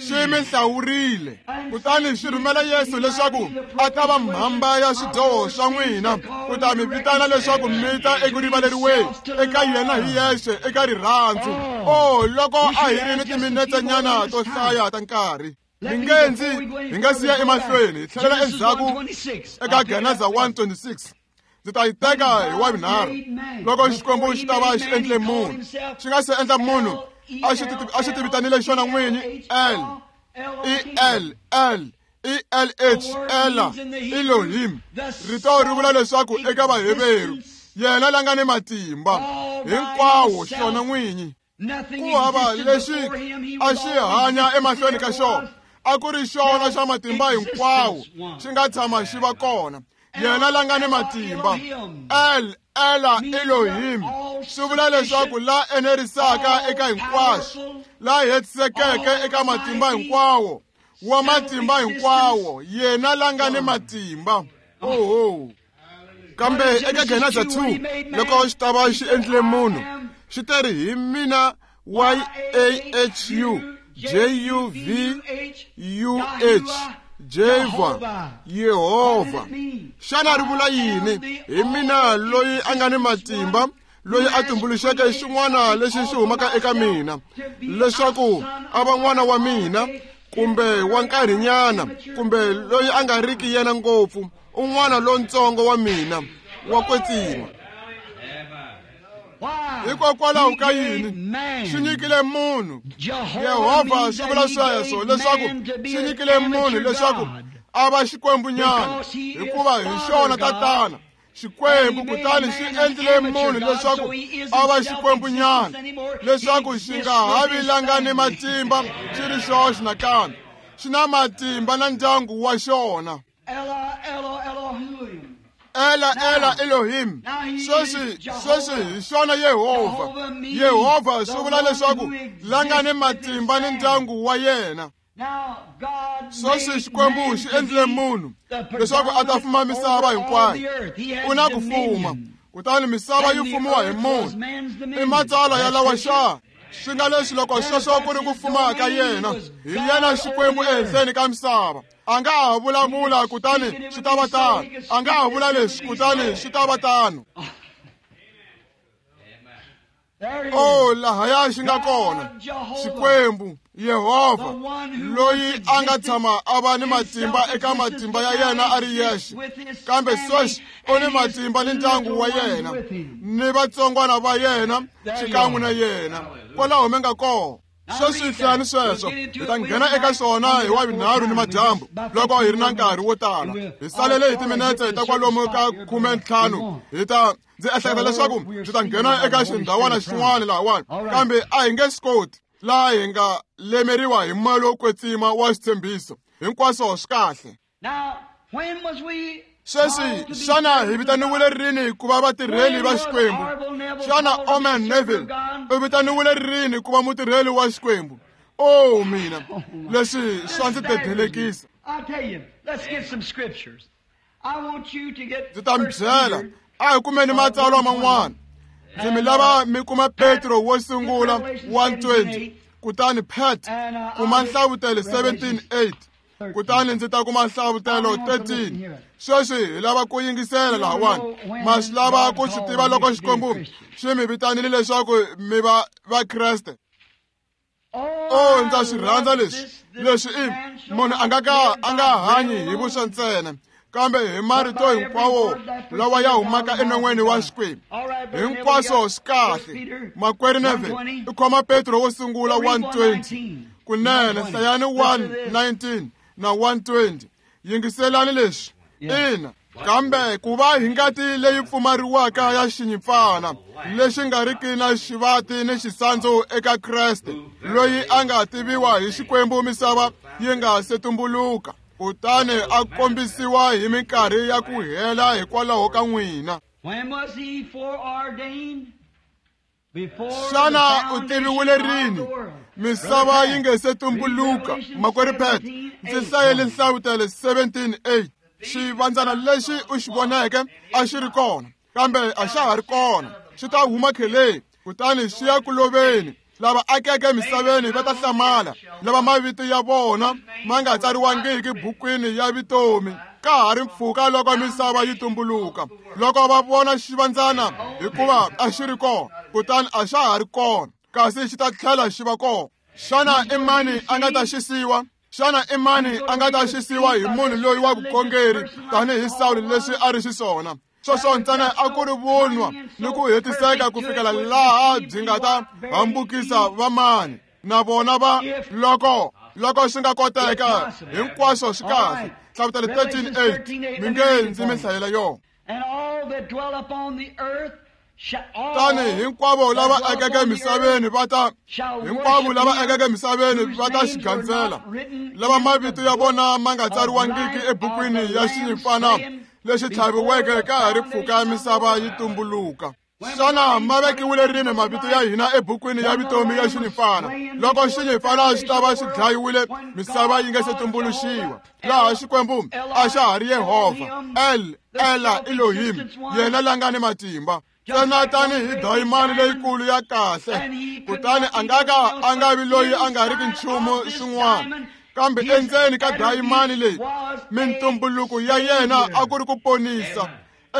Xi mi hlawurile, kutani xi rhumela Yesu leswaku a ta va mhamba ya swidyoho swa n'wina, ku ta mi vitana leswaku mi ta eku rivaleriweni eka yena hi yexe eka rirhandzu. Oh, loko a hi ri ni timinetsenyana to hlaya ta nkarhi, mi nge ndzi hi nga siya emahlweni hi tlhelela endzhaku eka Geneza 1:26. Ndzi ta yi teka hi wa vunharhu. Loko Xikwembu xi ta va xi endle munhu, xi nga se endla munhu, a xi ti vitanile xona n'winyi L E L L E L H Ela Elohim. Rito ri vula leswaku eka Vaheveru yena la nga ni matimba hinkwawo xona n'winyi. Nothing Ku hava existed lexi before him. He a was xi always hanya emahlweni ka there xona, was. a ku ri xona xa matimba hinkwawo, xi nga tshama xi va kona. Yena la nga ni matimba, El Ela Elohim, swi vula leswaku la enerisaka eka hinkwaswo, la hetisekeke eka matimba hinkwawo, wa matimba hinkwawo, yena la nga ni matimba. Oho. Kambe eka Geneza 2, loko xi ta va xi endlile munhu, xi teri hi mina Y A H U J U V U H Jehova, Yehovha. Xana ri vula yini? Hi mina loyi a nga ni matimba, loyi a tumbuluxeke xin'wana lexi xi humaka eka mina, leswaku a va n'wana wa mina, kumbe wa nkarhinyana, kumbe loyi a nga riki yena ngopfu, un'wana lontsongo wa mina wa kwetsima. Why? Hikokwalaho He ka gave yini? man. Xi nyikile munhu. Jehovah Yehovha means swi that vula he sweswo gave leswaku man to be xi an nyikile munhu amateur leswaku God. a va xikwembunyana, Because he is hikuva hi Father xona God. tatana Xikwembu. And he made Kutani xi man an endlile amateur munhu God, leswaku so he isn't a va xikwembunyana, self-existent anymore. He leswaku xi exists nga ha with vi his la nga ni family. matimba xi ri xoxe nakambe, xi na matimba na ndyangu wa xona. Ella, Ella, Elohim. Ela Ela Elohim. Now he Sweswi is Jehovah. sweswi hi xona Yehovha. Jehovah means Yehovha swi the vula one leswaku who exists la nga ni with his matimba ni family. ndyangu wa yena. Now God Sweswi made Xikwembu man xi to endlile be munhu the leswaku a ta fuma predominant misava over all hinkwayo. the earth. He has U na ku fuma, dominion. kutani misava And yi the fumiwa hi earth was munhu. man's I dominion. matsalwa ya That's lawa scripture. xa swi nga leswi loko sweswo ku ri ku fuma ka yena, hi yena Xikwembu ehenhleni ka misava. A nga ha vulavula kutani swi ta va tano, a nga ha vula leswi kutani swi ta va tano. There it Oh, is. lahaya xi nga kona God, Jehovah, Xikwembu Yehovha, the one who loyi once a nga existed tshama a va ni in matimba eka self-existence, matimba ya but now yena a ri exists yexe, with his kambe family sweswi u ni and his matimba ni ndyangu little wa ones yena with him. ni vatsongwana va yena There you xikan'we are. na yena. Kwalaho mi nga kona. Now Sweswi read hlayani that. We'll sweswo, get into hi it ta Wednesday nghena eka night swona when hi we wa got more vunharhu ni time. We madyambu just about loko hi ri 15 na more nkarhi wo minutes. tala. And we'll Hi salele hi all timinetse get to ta a certain kwalomu ka spot here, brother. We 15. want. Hi ta ndzi ehleketa leswaku We're ndzi ta speaking nghena about eka the Holy xindhawana Spirit xin'wana promise. lahawani, All right. kambe a hi nge swi koti laha hi nga lemeriwa hi moya lowo kwetsima wa xitshembiso. Hinkwaswo swi kahle. Now, when was we Sweswi called to be xana hi servants of vitaniwile God? rini ku va vatirheli When va was Xikwembu? Orville Xana Oman Neville u vitaniwile rini ku va mutirheli wa Xikwembu? Oh mina, leswi swa ndzi dedelekisa. Ndzi ta mi byela, a hi kumeni matsalwa man'wana. Ndzi mi lava mi kuma Petro wo sungula 1:20, kutani Pat kuma Nhlavutelo 17:8, kutani ndzi ta kuma Nhlavutelo 13. Sweswi hi lava ku yingisela lahawani. Ma swi lava ku swi tiva loko Xikwembu xi mi vitanile leswaku mi va Vakreste. Oh, ndza swi rhandza leswi. Leswi i munhu a nga ka a nga hanyi hi vuswa ntsena, kambe hi marito hinkwawo lawa ya humaka enon'weni wa Xikwembu. Hinkwaswo swi kahle. Makwerhu Neville i khoma Petro wo sungula 1:20. Kunene hlayani 1:19 na 1:20. Yingiselani leswi. Ina, kambe ku va hi ngati leyi pfumariwaka ya xinyimpfana lexi nga riki na xivati ni xisandzu eka Kreste, loyi a nga tiviwa hi Xikwembu misava yi nga se tumbuluka, kutani a kombisiwa hi minkarhi ya ku hela hikwalaho ka n'wina. Xana u tiviwile rini? Misava yi nge se tumbuluka. Makwerhu Pat, ndzi hlayele Nhlavutelo 17:8. Xivandzana lexi u xi voneke a xi ri kona, kambe a xa ha ri kona. Xi ta huma kheleni, kutani xi ya ku loveni. Lava akeke misaveni va ta hlamala, lava mavito ya vona ma nga tsariwangiki bukwini ya vutomi ka ha ri mpfhuka loko misava yi tumbuluka, loko va vona xivandzana, hikuva a xi ri kona, kutani a xa ha ri kona, kasi xi ta tlhela xi va kona. Xana i mani a nga ta xisiwa? Xana i mani a nga ta xisiwa hi munhu loyi wa vukhongeri tanihi Sawulo leswi a ri xiswona? Sweswo ntsena a ku ri vunwa ni ku hetiseka ku fikela laha byi nga ta hambukisa vamani na vona va loko swi nga koteka. Hinkwaswo swi kahle. Nhlavutelo 13:8. Mi nge ndzi mi hlayela yona. Tani hinkwavo lava akeke misaveni va ta hinkwavo lava akeke misaveni va ta xi gandzela, lava mavito ya vona ma nga tsariwangiki ebukwini ya xinyimpfana lexi tlhaviweke ka ha ri pfuka misava yi tumbuluka. Xana ma vekiwile rini mavito ya hina ebukwini ya vutomi ya xinyimpfana? Loko xinyimpfana xi ta va xi dlayiwile misava yi nga se tumbuluxiwa, laha Xikwembu a xa ha ri Yehovha, El, Ela, Elohim, yena la nga ni matimba. Ntsena tanihi dayimani leyikulu ya kahle, kutani a nga ka a nga vi loyi a nga riki nchumu xin'wana, kambe endzeni ka dayimani leyi mintumbuluko ya yena a ku ri ku ponisa.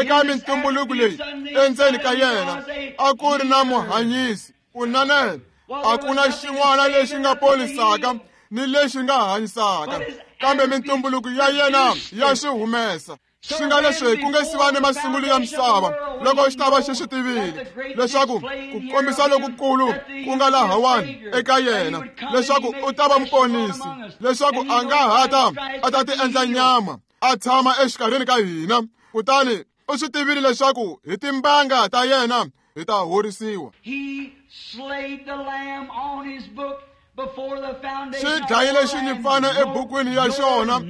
Eka mintumbuluko leyi endzeni ka yena a ku ri na muhanyisi. Kunene a ku na xin'wana lexi nga ponisaka ni lexi nga hanyisaka, kambe mintumbuluko ya yena ya swi humesa. Swi nga leswi ku nge si va ni masungulo ya misava, loko xi ta va xi swi tivile leswaku ku kombisa lokukulu ku nga lahawani eka yena, leswaku u ta va muponisi, leswaku a nga ha ta a ta ti endla nyama a tshama exikarhini ka hina, kutani u swi tivile leswaku hi timbanga ta yena hi ta horisiwa. Xi dlayile xinyimpfana ebukwini ya xona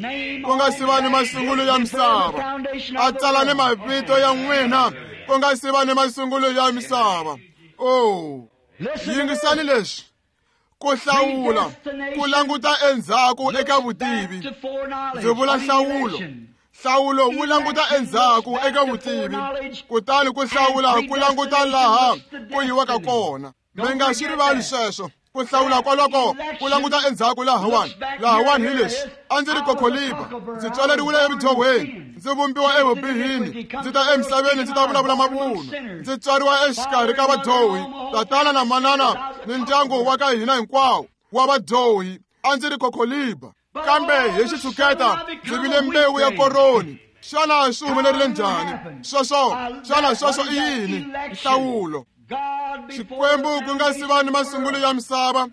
ku nga si va ni masungulo ya misava, a tsala ni mavito ya n'wina ku nga si va ni masungulo ya misava. Oh, yingisani leswi. Ku hlawula ku languta endzhaku eka vutivi. Ndzi vula nhlawulo. Nhlawulo wu languta endzhaku eka vutivi, kutani ku hlawula ku languta laha ku yiwaka kona. Mi nga swi rivali sweswo. Ku hlawula kwaloko ku languta endzhaku lahawani. Lahawani hi leswi: a ndzi ri kokholiba, ndzi tswaleriwile evudyohweni, ndzi vumbiwa evubihini, ndzi ta emisaveni ndzi ta vulavula mavunwa, ndzi tswariwa exikarhi ka vadyohi, tatana na manana ni ndyangu wa ka hina hinkwawo wa vadyohi. A ndzi ri kokholiba, kambe hi xitshuketa ndzi vile mbewu ya koroni. Xana swi humelerile njhani sweswo? Xana sweswo i yini? Nhlawulo. Xikwembu ku nga si va ni masungulo ya misava,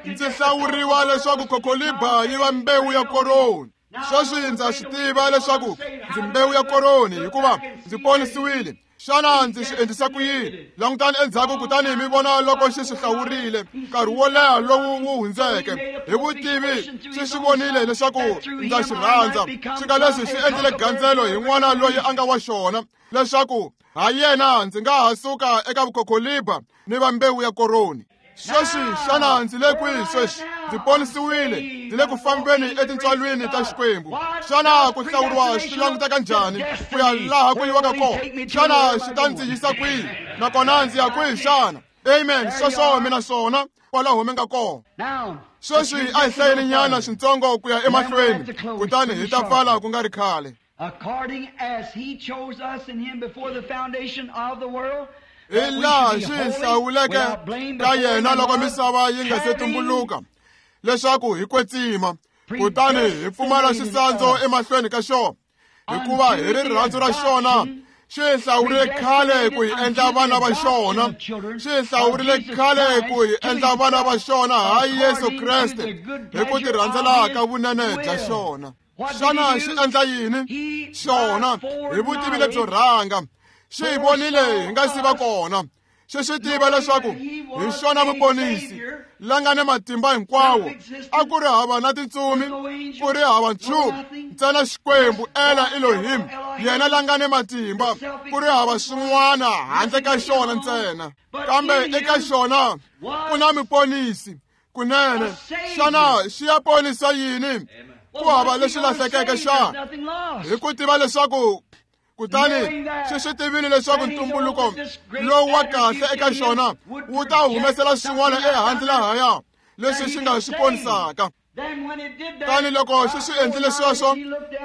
ndzi hlawuriwa leswaku kokholiba yi va mbewu ya koroni. Sweswi ndza swi tiva leswaku ndzi mbewu ya koroni hikuva ndzi ponisiwile. Xana ndzi swi endlisa ku yini? Langutani endzhaku kutani mi vona loko xi swi hlawurile nkarhi wo leha lowu wu hundzeke. Hi vutivi xi swi vonile leswaku ndza xi rhandza. Swi nga leswi xi endlile gandzelo hi n'wana loyi a nga wa xona, leswaku ha yena ndzi nga ha suka eka vukhokholiba ni va mbewu ya koroni. Sweswi xana ndzi le kwihi sweswi? Ndzi ponisiwile, ndzi le ku fambeni etintswalweni ta Xikwembu. Xana ku hlawuriwa swi languteka njhani ku ya laha ku yiwaka kona? Xana xi ta ndzi yisa kwihi? Nakona ndzi ya kwihi xana? Amen. Sweswo mina swona kwalaho mi nga kona. Sweswi a hi hlayeni nyana swintsongo ku ya emahlweni, kutani hi ta pfala ku nga ri khale. According as he chose us in him before the foundation of the world, hi laha xi hi hlawuleke ka yena loko misava yi nga se tumbuluka, leswaku hi kwetsima kutani hi pfumala xisandzu emahlweni ka xona, hikuva hi rirhandzu ra xona xi hi hlawurile khale ku hi endla vana va xona. Xi hi hlawurile khale ku hi endla vana va xona ha Yesu Kreste hi ku tirhandzela ka vunene bya xona. Xana xi endla yini? Xona hi vutivi lebyo rhanga xi hi vonile hi nga si va kona. Xi swi tiva leswaku hi xona muponisi la nga ni matimba hinkwawo. A ku ri hava na tintsumi, ku ri hava nchumu, ntsena Xikwembu Ela Elohim, yena la nga ni matimba, ku ri hava swin'wana handle ka xona ntsena. Kambe eka xona ku na muponisi kunene. Xana xi ya ponisa yini? Ku hava lexi lahlekeke xana? Hi ku tiva leswaku kutani xi swi tivile leswaku ntumbuluko lowu wa kahle eka xona wu ta humesela swin'wana ehandle lahaya leswi xi nga swi ponisaka. Tani loko xi swi endlile sweswo,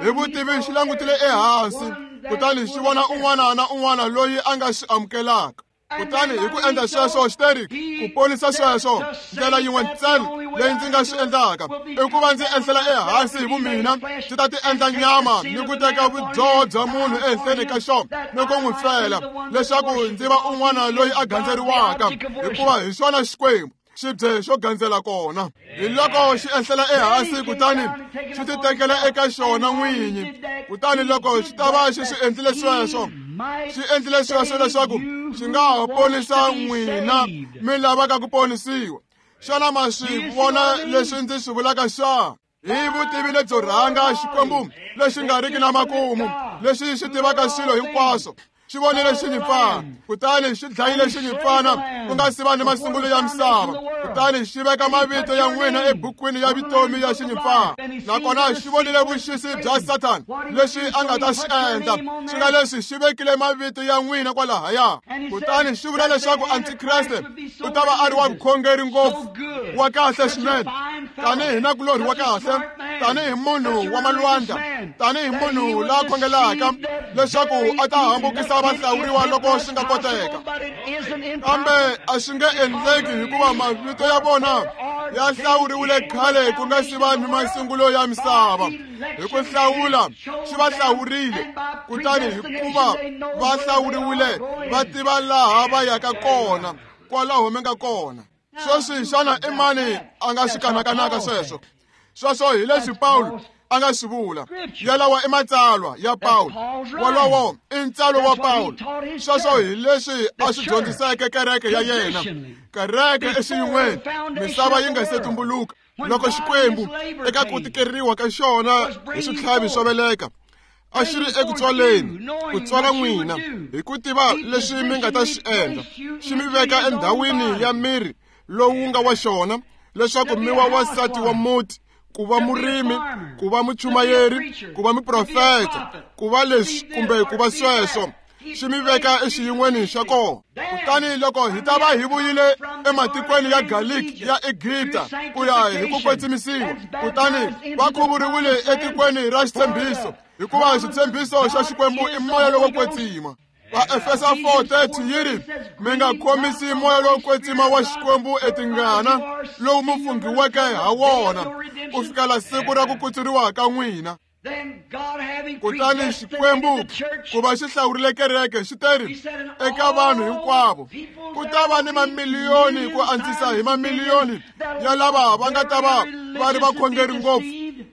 hi vutivi xi langutile ehansi kutani xi vona un'wana na un'wana loyi a nga xi amukelaka. Kutani hi ku endla sweswo, xi teri ku ponisa sweswo, ndlela yin'we ntsena leyi ndzi nga swi endlaka i ku va ndzi enhlela ehansi hi vumina, ndzi ta ti endla nyama ni ku teka vudyoho bya munhu ehenhleni ka xona ni ku n'wi fela, leswaku ndzi va un'wana loyi a gandzeriwaka, hikuva hi xona Xikwembu xibye xo gandzela kona. Hi loko xi enhlela ehansi kutani xi ti tekela eka xona n'winyi. Kutani loko xi ta va xi swi endlile sweswo, xi endlile sweswo leswaku xi nga ha ponisa n'wina mi lavaka ku ponisiwa. Xana ma swi vona leswi ndzi swi vulaka xana? Hi vutivi lebyo rhanga Xikwembu lexi nga riki na makumu, lexi xi tivaka swilo hinkwaswo, xi vonile xinyimpfana kutani xi dlayile xinyimpfana ku nga si va ni masungulo ya misava, kutani xi veka mavito ya n'wina ebukwini ya vutomi ya xinyimpfana. Nakona xi vonile vuxisi bya Sathana leswi a nga ta swi endla, swi nga leswi xi vekile mavito ya n'wina kwalahaya. Kutani xi vula leswaku Antikreste u ta va a ri wa vukhongeri ngopfu, wa kahle swinene, tanihi nakulorhi wa kahle, tanihi munhu wa malwandla, tanihi munhu la khongelaka, leswaku a ta hambukisa vahlawuriwa loko swi nga koteka. Kambe a swi nge endleki, hikuva mavito ya vona ya hlawuriwile khale ku nga si va ni masungulo ya misava. Hi ku hlawula xi va hlawurile, kutani hikuva va hlawuriwile va tiva laha va yaka kona, kwalaho mi nga kona. Sweswi xana i mani a nga swi kanakanaka sweswo? Sweswo hi leswi Pawulo a nga swi vula. Yalawa i matsalwa ya Pawulo, wolowo i ntsalo wa Pawulo. Sweswo hi leswi a swi dyondziseke kereke ya yena, kereke exiyin'weni misava yi nga se tumbuluka. Loko Xikwembu eka ku tikeriwa ka xona hi switlhavi swo veleka a xi ri eku tswaleni, ku tswala n'wina hi ku tiva leswi mi nga ta swi endla, xi mi veka endhawini ya miri lowu nga wa xona, leswaku mi wa wansati wa muti, ku va murimi, ku va muchumayeri, ku va muprofeta, ku va leswi kumbe ku va sweswo. Xi mi veka exiyin'weni xa kona. Kutani loko hi ta va hi vuyile ematikweni ya Galiki ya Egipta ku ya hi ku kwetsimisiwa, kutani va khuvuriwile etikweni ra xitshembiso, hikuva xitshembiso xa Xikwembu i moya lowo kwetsima. Vaefesa 4:30 yi ri, mi nga khomisi moya lowo kwetsima wa Xikwembu etingana, lowu mi funghiweke ha wona ku fikela siku ra ku kutsuriwa ka n'wina. Kutani Xikwembu ku va xi hlawurile kereke, xi teri eka vanhu hinkwavo, ku ta va ni mamiliyoni ku antswisa hi mamiliyoni ya lava va nga ta va va ri vakhongeri ngopfu,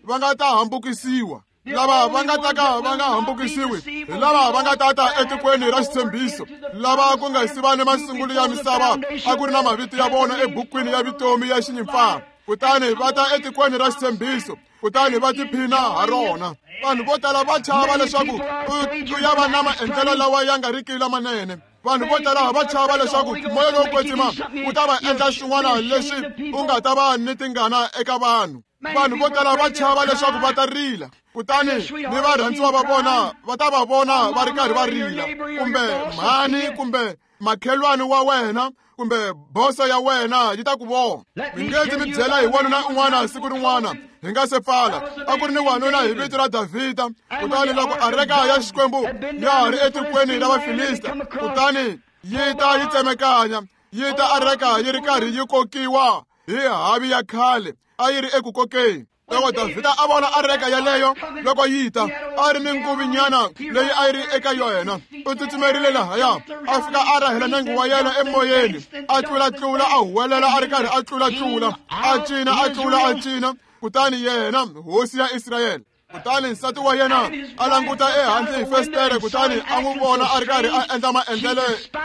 va nga ta hambukisiwa. Lava va nga ta ka va nga hambukisiwi hi lava va nga tata etikweni ra xitshembiso, lava ku nga si va ni masungulo ya misava a ku ri na mavito ya vona ebukwini ya vutomi ya xinyimpfana. Kutani va ta etikweni ra xitshembiso, kutani va tiphina ha rona. Vanhu vo tala va chava leswaku u ya va na maendlelo lawa ya nga riki lamanene. Vanhu vo tala va chava leswaku moya lowo kwetsima wu ta va endla swin'wana leswi u nga ta va ni tingana eka vanhu. Vanhu vo tala va chava leswaku va ta rila, kutani ni varhandziwa va vona va ta va vona va ri karhi va rila, kumbe mhani kumbe makhelwani wa wena kumbe boso ya wena yi ta ku vona. Mi nge ndzi mi byela hi wanuna un'wana siku rin'wana hi nga se pfala. A ku ri ni wanuna hi vito ra Davhida, kutani loko areka ya Xikwembu ya ha ri etikweni ra Vafilista, kutani yi ta yi tsemekanya, yi ta areka yi ri karhi yi kokiwa hi havi ya khale a yi ri eku kokeni. Loko Davhida a vona areka yaleyo loko yi ta, a ri ni nguvinyana leyi a yi ri eka yona, u tsutsumerile lahaya, a fika a rahela nenge wa yena emoyeni, a tlulatlula, a huwelela a ri karhi a tlulatlula, a cina, a tlula, a cina. Kutani yena hosi ya Israyele, kutani nsati wa yena a languta ehandle hi fesitere, kutani a n'wi vona a ri karhi a endla maendlelo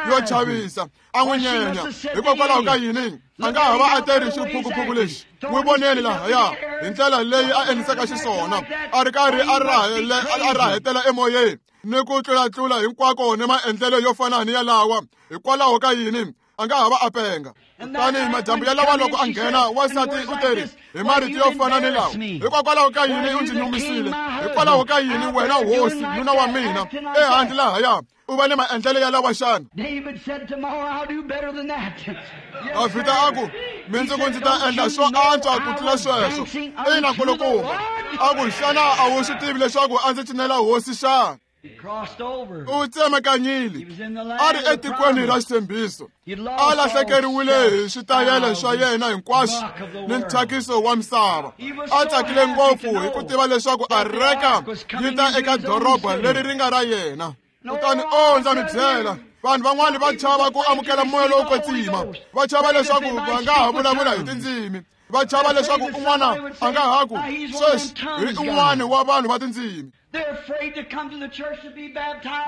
yo chavisa, a n'wi nyenya. Hikokwalaho ka yini a nga ha va a teri xiphukuphuku lexi? N'wi voneni lahaya hi ndlela leyi a endlisaka xiswona, a ri karhi a rahetela emoyeni ni ku tlulatlula hinkwako ni maendlelo yo fana ni yalawa. Hikwalaho ka yini a nga ha va a penga? Kutani madyambu yalawa loko a nghena, wansati u teri hi marito yo fana ni lawa: hikokwalaho ka yini u ndzi nyumisile? Hikwalaho ka yini wena hosi nuna wa mina ehandle lahaya u va ni maendlelo ya lawa xana? Davhida a ku, mindzuku ndzi ta endla swo antswa ku tlula sweswo. Ina, nkulukumba. A ku, xana a wu swi tivi leswaku a ndzi cinela hosi xana? U tsemekanyile, a ri etikweni ra xitshembiso, a lahlekeriwile hi switayele swa yena hinkwaswo ni nthyakiso wa misava. A tsakile ngopfu hi ku tiva leswaku areka yi ta eka doroba leri ri nga ra yena. Kutani o ndza mi byela, vanhu van'wani va chava ku amukela moya lowo kwetsima, va chava leswaku va nga ha vulavula hi tindzimi, va chava leswaku un'wana a nga ha ku sweswi hi un'wana wa vanhu va tindzimi.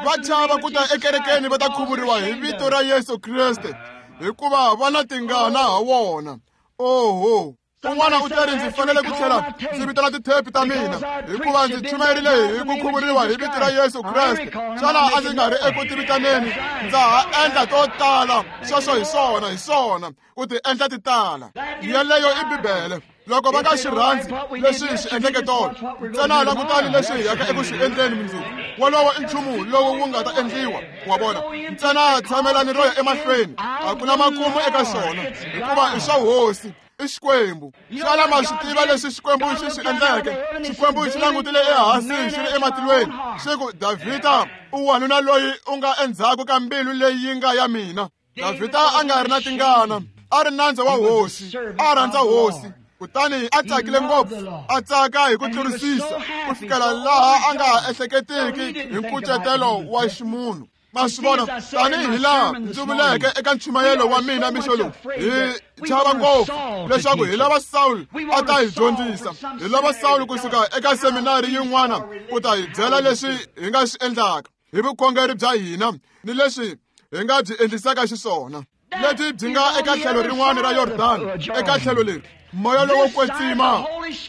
Va chava ku ta ekerekeni va ta khuvuriwa hi vito ra Yesu Kreste, hikuva va na tingana ha wona. Oho, un'wana u teri ndzi fanele ku tlhela ndzi vitana tithepi ta mina hikuva ndzi chumayerile hi ku khuvuriwa hi vito ra Yesu Kreste. Xana a ndzi nga ri eku tivitaneni? Ndza ha endla to tala. Sweswo hi swona, hi swona, ku ti endla ti tala. Yeleyo i Bibele. Loko va nga xi rhandzi leswi hi swi endleke tolo, ntsena langutani leswi hi yaka eku swi endleni mundzuku. Wolowo i nchumu lowu wu nga ta endliwa, wa vona. Ntsena tshamelani ro ya emahlweni, a ku na makumu eka xona, hikuva i swa hosi, i Xikwembu. Xana ma swi tiva leswi Xikwembu xi swi endleke? Xikwembu xi langutile ehansi xi ri ematilweni, xi ku, Davhida u wanuna loyi u nga endzhaku ka mbilu leyi yi nga ya mina. Davhida a nga ri na tingana, a ri nandza wa hosi, a rhandza hosi. Kutani a tsakile ngopfu, a tsaka hi ku tlurisisa ku fikela laha a nga ha ehleketiki hi nkucetelo wa ximunhu. Ma swi vona, tanihi laha ndzi vuleke eka nchumayelo wa mina mixo lowu, hi chava ngopfu leswaku hi lava Saul a ta hi dyondzisa, hi lava Saul kusuka eka seminari yin'wana ku ta hi byela leswi hi nga swi endlaka hi vukhongeri bya hina ni leswi hi nga byi endlisaka xiswona. Lebyi byi nga eka tlhelo rin'wana ra Yordani, eka tlhelo leri moya lowo kwetsima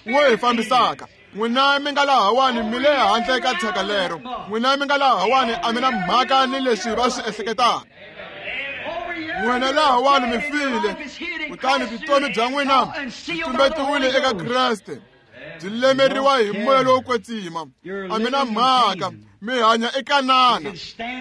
wu hi fambisaka. N'wina mi nga lahawani mi le handle ka thyaka lero. N'wina mi nga lahawani a mi na mhaka ni leswi va swi ehleketaka. N'wina lahawani mi file, kutani vutomi bya n'wina byi tumbetiwile eka Kreste, byi lemeriwa hi moya lowo kwetsima. A mi na mhaka, mi hanya eKanana,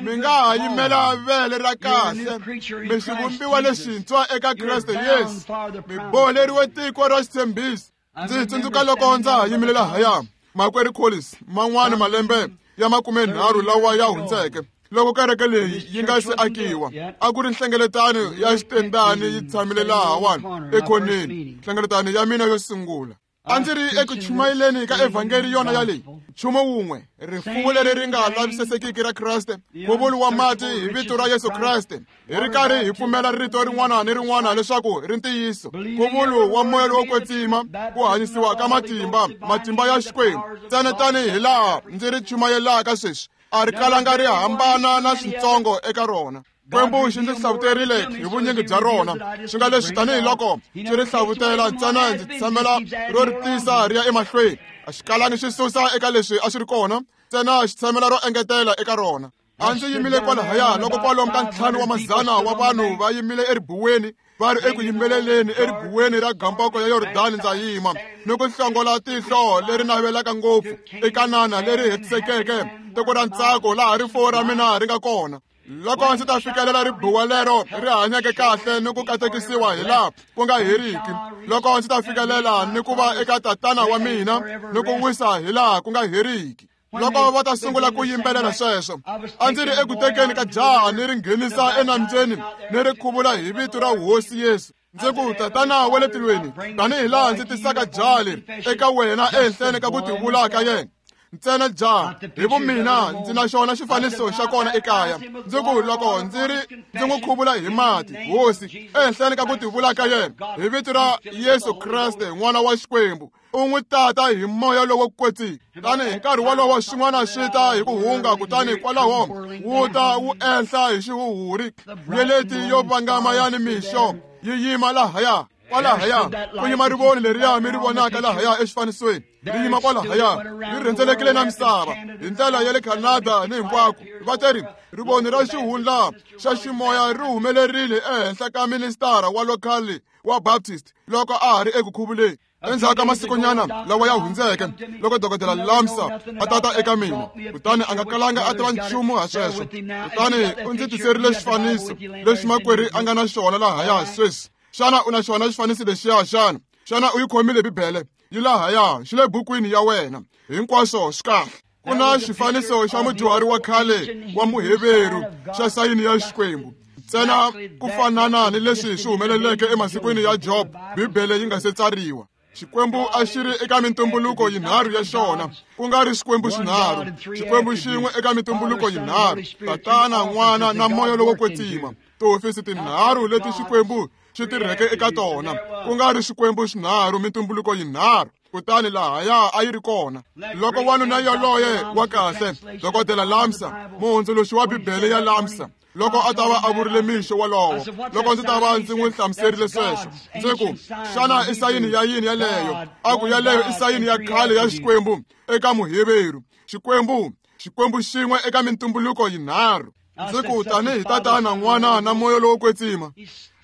mi nga ha yimela vele ra kahle, mi xivumbiwa lexintshwa eka Kreste Yesu, mi boholeriwe tiko ra xitshembiso. Ndzi tsundzuka loko ndza ha yimile lahaya, makwerhu Collins, man'wana malembe ya 30 lawa ya hundzeke, loko kereke leyi yi nga se akiwa, a ku ri nhlengeletano ya xitendani yi tshamile lahawani ekhoneni, nhlengeletano ya mina yo sungula. A ndzi ri eku chumayeleni ka evhangeli yona yaleyi, nchumu wun'we, rifuwo leri ri nga lavisesekiki ra Kreste, nkhuvulo wa mati hi vito ra Yesu Kreste, hi ri karhi hi pfumela rito rin'wana ni rin'wana leswaku ri ntiyiso, nkhuvulo wa moya lowo kwetsima, ku hanyisiwa ka matimba, matimba ya Xikwembu, ntsena tanihi laha ndzi ri chumayelaka sweswi, a ri kalanga ri hambana na switsongo eka rona. Xikwembu xi ndzi hlavuterile hi vunyingi bya rona, swi nga leswi tanihiloko xi ri hlavutela ntsena ndzi tshamela ro ri tisa ri ya emahlweni. A xi kalangi xi susa eka leswi a swi ri kona, ntsena xi tshamela ro engetela eka rona. A ndzi yimile kwalahaya loko kwalomu ka 500 wa vanhu va yimile eribuweni, va ri eku yimbeleleni eribuweni ra gamboko ya Yordani. Ndza yima ni ku hlongola tihlo leri navelaka ngopfu eKanana leri hetisekeke, tiko ra ntsako laha rifuwo ra mina ri nga kona. Loko ndzi ta fikelela ribuwa lero ri hanyeke kahle ni ku katekisiwa hi laha ku nga heriki, loko ndzi ta fikelela ni ku va eka tatana wa mina ni ku wisa hi laha ku nga heriki. Loko va ta sungula ku yimbelela sweswo, a ndzi ri eku tekeni ka jaha ni ri nghenisa enambyeni ni ri khuvula hi vito ra Hosi Yesu. Ndzi ku, Tatana wa le tilweni, tanihi laha ndzi tisaka jaha leri eka wena ehenhleni ka ku tivula ka yena, ntsena jaha hi vumina ndzi na xona xifaniso xa kona ekaya. Ndzi ku, loko ndzi ri ndzi n'wi khuvula hi mati, Hosi, ehenhleni ka ku tivula ka yena hi vito ra Yesu Kreste n'wana wa Xikwembu, u n'wi tata hi moya lowo kwetsima. Tani hi nkarhi wolowo swin'wana swi ta hi ku hunga, kutani kwalaho wu ta wu enhla hi xihuhuri, nyeleti yo vangama ya nimixo yi yima lahaya. Kwalahaya ku yima rivoni leriya mi ri vonaka lahaya exifanisweni, ri yima kwalahaya, ri rhendzelekile na misava hi ndlela ya le Canada ni hinkwako. Va teri rivoni ra xihundla xa ximoya ri humelerile ehenhla ka ministara wa local wa Baptist loko a ha ri eku khuvuleni. Endzhaku ka masikunyana lawa ya hundzeke, loko Dokodela Lamsa a tata eka mina, kutani a nga kalanga a tiva nchumu ha sweswo, kutani u ndzi tiserile xifaniso lexi makwerhu a nga na xona lahaya sweswi. Xana u na xona xifaniso lexiya xana? Xana u yi khomile Bibele? Yi lahaya, xi le bukwini ya wena. Hinkwaswo swi kahle. Ku na xifaniso xa mudyuhari wa khale wa Muheveru xa sayini ya Xikwembu, ntsena ku fanana ni leswi swi humeleleke emasikwini ya Job, Bibele yi nga se tsariwa. Xikwembu a xi ri eka mintumbuluko yinharhu ya xona, ku nga ri Xikwembu xinharhu, Xikwembu xin'we eka mintumbuluko yinharhu, Tatana, N'wana na Moya lowo Kwetsima, tihofisi tinharhu leti Xikwembu xi tirheke eka tona, ku nga ri Xikwembu xinharhu, mintumbuluko yinharhu. Kutani lahaya a yi ri kona loko wanuna yoloye wa kahle, Dokodela Lamsa, muhundzuluxi wa Bibele ya Lamsa, loko a ta va a vurile mixo wolowo, loko ndzi ta va ndzi n'wi hlamuserile sweswo, ndzi ku, xana i sayini ya yini yaleyo? A ku, yaleyo i sayini ya khale ya Xikwembu eka Muheveru. Xikwembu, Xikwembu xin'we eka mintumbuluko yinharhu. Ndzi ku, tanihi Tatana, N'wana na Moya lowo Kwetsima.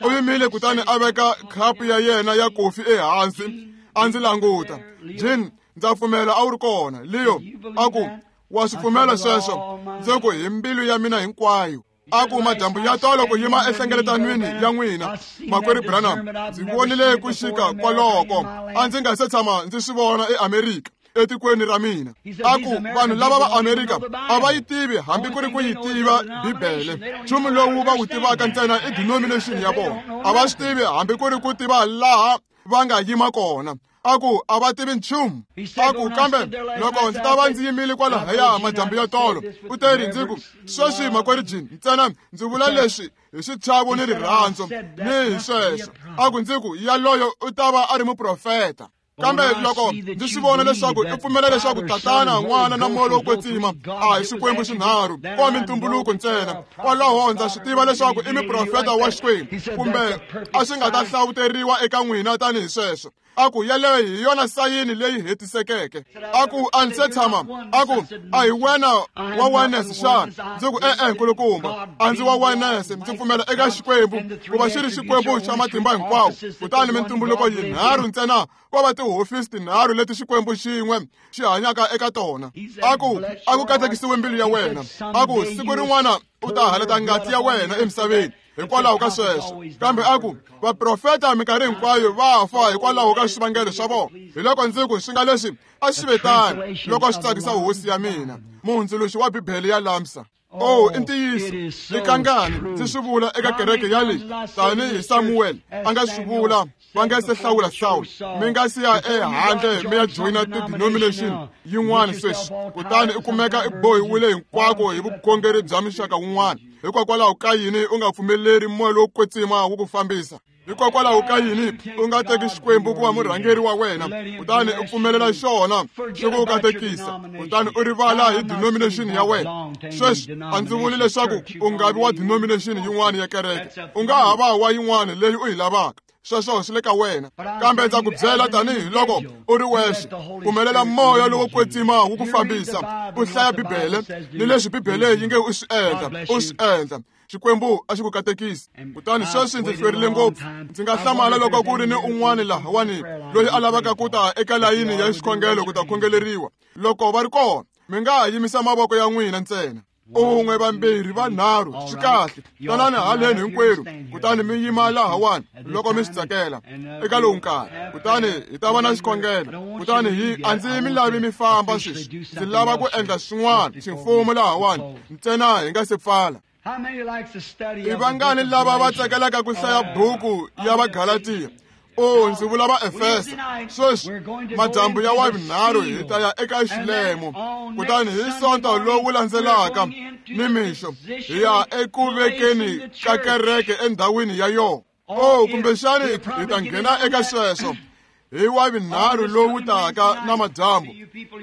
U yimile kutani a veka khapu ya yena ya kofi ehansi, a ndzi languta. Jean, ndza pfumela a wu ri kona. Leo a ku, wa swi pfumela sweswo? Ndzi ku, hi mbilu ya mina hinkwayo. A ku, madyambu ya tolo ku yima ehlengeletanwini ya n'wina, makwerhu Branham, ndzi vonile ku xika kwaloko a ndzi nga se tshama ndzi swi vona eAmerika, etikweni ra mina. A ku, vanhu lava va Amerika a va yi tivi hambi ku ri ku yi tiva Bibele. Nchumu lowu va wu tivaka ntsena i denomination ya vona. A va swi tivi hambi ku ri ku tiva laha va nga yima kona. A ku, a va tivi nchumu. A ku, kambe loko ndzi ta va ndzi yimile kwalahaya madyambu ya tolo, u teri, ndzi ku, sweswi makwerhu Jean, ntsena ndzi vula leswi hi xichavo ni rirhandzu ni hi sweswo. A ku, ndzi ku, yaloyo u ta va a ri muprofeta. Kambe loko ndzi swi vona leswaku i pfumela leswaku Tatana, N'wana na Moya lowo Kwetsima a hi Xikwembu xinharhu, ko mintumbuluko ntsena, kwalaho ndza swi tiva leswaku i muprofeta wa Xikwembu, kumbe a swi nga ta hlawuteriwa eka n'wina tanihi sweswo. A ku, yaleyo hi yona sayini leyi hetisekeke. A ku, a ndzi se tshama. A ku, a hi wena wa oneness xana? Ndzi ku, e-e, nkulukumba, a ndzi wa oneness. Ndzi pfumela eka Xikwembu ku va xi ri Xikwembu xa matimba hinkwawo. Kutani mintumbuluko yinharhu ntsena ko va tihofisi tinharhu leti Xikwembu xin'we xi hanyaka eka tona. A ku, a ku katekisiwe mbilu ya wena. A ku, siku rin'wana u ta halata ngati ya wena emisaveni hikwalaho ka sweswo. Kambe a ku, vaprofeta minkarhi hinkwayo va fa hikwalaho ka swivangelo swa vona. Hi loko ndzi ku, swi nga leswi a swi ve tano loko swi tsakisa hosi ya mina, muhundzuluxi wa Bibele ya Lamsa. Oh, i ntiyiso i kangani ndzi swi vula eka kereke ya leyi tanihi Samuel a nga swi vula va nga se hlawula Saul mi nga si ya ehandle mi ya joyina ti-denomination yin'wana sweswi kutani i kumeka i bohiwile hinkwako hi vukhongeri bya muxaka wun'wana hikokwalaho ka yini u nga pfumeleri moya lowo kwetsima wu ku fambisa hikokwalaho ka yini u nga teki Xikwembu ku va murhangeri wa wena kutani u pfumelela xona xi ku katekisa kutani u rivala hi denomination ya wena sweswi a ndzi vuli leswaku u nga vi wa denomination yin'wana ya kereke u nga ha va wa yin'wana leyi u yi lavaka sweswo swi le ka wena kambe ndza ku byela tanihiloko u ri wexe pfumelela moya lowo kwetsima wu ku fambisa u hlaya Bibele ni leswi Bibele yi nge u swi endla u swi endla Xikwembu a xi ku katekisi kutani sweswi ndzi hlwerile ngopfu ndzi nga hlamala loko ku ri ni un'wana lahawani loyi a lavaka ku ta eka layini ya xikhongelo ku ta khongeleriwa loko va ri kona mi nga ha yimisa mavoko ya n'wina ntsena un'we vambirhi vanharhu swi kahle tanani haleni hinkwerhu kutani mi yima lahawani loko mi swi tsakela eka lowu nkarhi kutani hi ta va na xikhongelo kutani hi a ndzi mi lavi mi famba sweswi ndzi lava ku endla swin'wana ximfumo lahawani ntsena hi nga se pfala i vangani lava va tsakelaka ku hlaya buku ya Vagalatiya o ndzi vula Vaefesa sweswi madyambu ya wavunharhu hi ta ya eka xilemo kutani hi sonto lowu landzelaka nimixo hi ya eku vekeni ka kereke endhawini ya yona o kumbexani hi ta nghena eka sweswo hi wavunharhu lowu taka na madyambu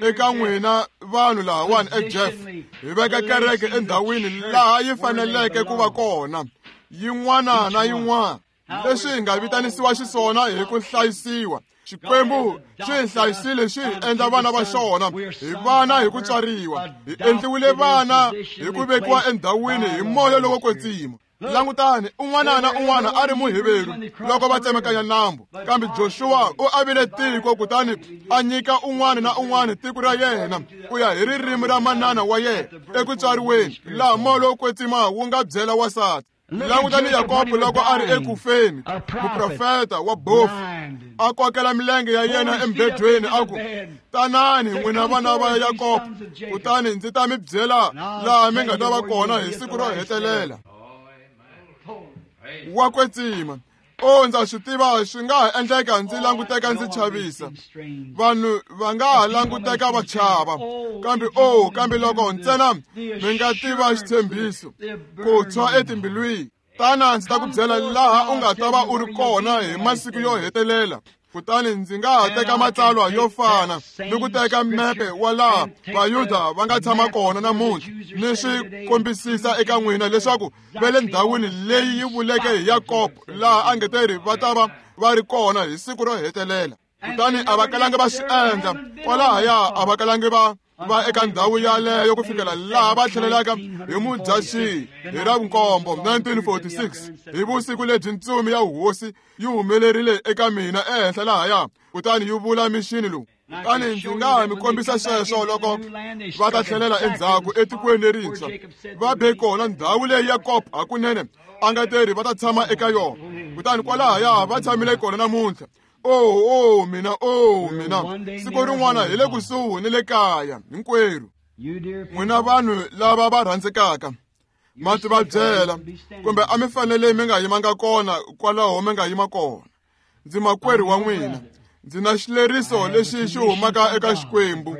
eka n'wina vanhu lahawani eJeff hi veka kereke endhawini laha yi faneleke ku va kona yin'wana na yin'wana leswi hi nga vitanisiwa xiswona hi ku hlayisiwa Xikwembu xi hi hlayisile xi hi endla vana va xona hi vana hi ku tswariwa hi endliwile vana hi ku vekiwa endhawini hi moya lowo kwetsima langutani un'wana na un'wana a ri Muheveru loko va tsemakanya nambu kambe Joshua u avile tiko kutani a nyika un'wana na un'wana tiko ra yena ku ya hi ririmi ra manana wa yena eku tswariweni laha moya lowo kwetsima wu nga byela wansati langutani Yakobo loko a ri ekufeni muprofeta wa bofu a kokela milenge ya yena embedweni a ku tanani n'wina vana va Yakobo kutani ndzi ta mi byela laha mi nga ta va kona hi siku ro hetelela wa kwetsima o ndza swi tiva swi nga ha endleka ndzi languteka ndzi chavisa vanhu va nga ha languteka va chava kambe o kambe loko ntsena mi nga tiva xitshembiso ku tshwa etimbilwini tana ndzi ta ku byela laha u nga ta va u ri kona hi masiku yo hetelela kutani ndzi nga ha teka matsalwa yo fana ni ku teka mepe wa laha Vayuda va nga tshama kona namuntlha ni swi kombisisa eka n'wina leswaku va le ndhawini leyi yi vuleke hi Yakobo laha a nge te ri va ta va va ri kona hi siku ro hetelela kutani a va kalangi va swi endla kwalahaya a va kalangi va va eka ndhawu yaleyo ku fikela laha va tlhelelaka hi Mudyaxihi hi ra vunkombo 1946 hi vusiku lebyi ntsumi ya hosi yi humelerile eka mina ehenhla lahaya kutani yi vula mixini lowu kutani ndzi nga ha mi kombisa sweswo loko va ta tlhelela endzhaku etikweni lerintshwa va be kona ndhawu leyi Yakobo hakunene a nga teri va ta tshama eka yona kutani kwalahaya va tshamile kona namuntlha oh mina oh mina siku rin'wana hi le kusuhi ni le kaya hinkwerhu n'wina vanhu lava va rhandzekaka ma ti va byela kumbe a mi fanele mi nga yimanga kona kwalaho mi nga yima kona ndzi makwerhu wa n'wina ndzi na xileriso lexi xi humaka eka Xikwembu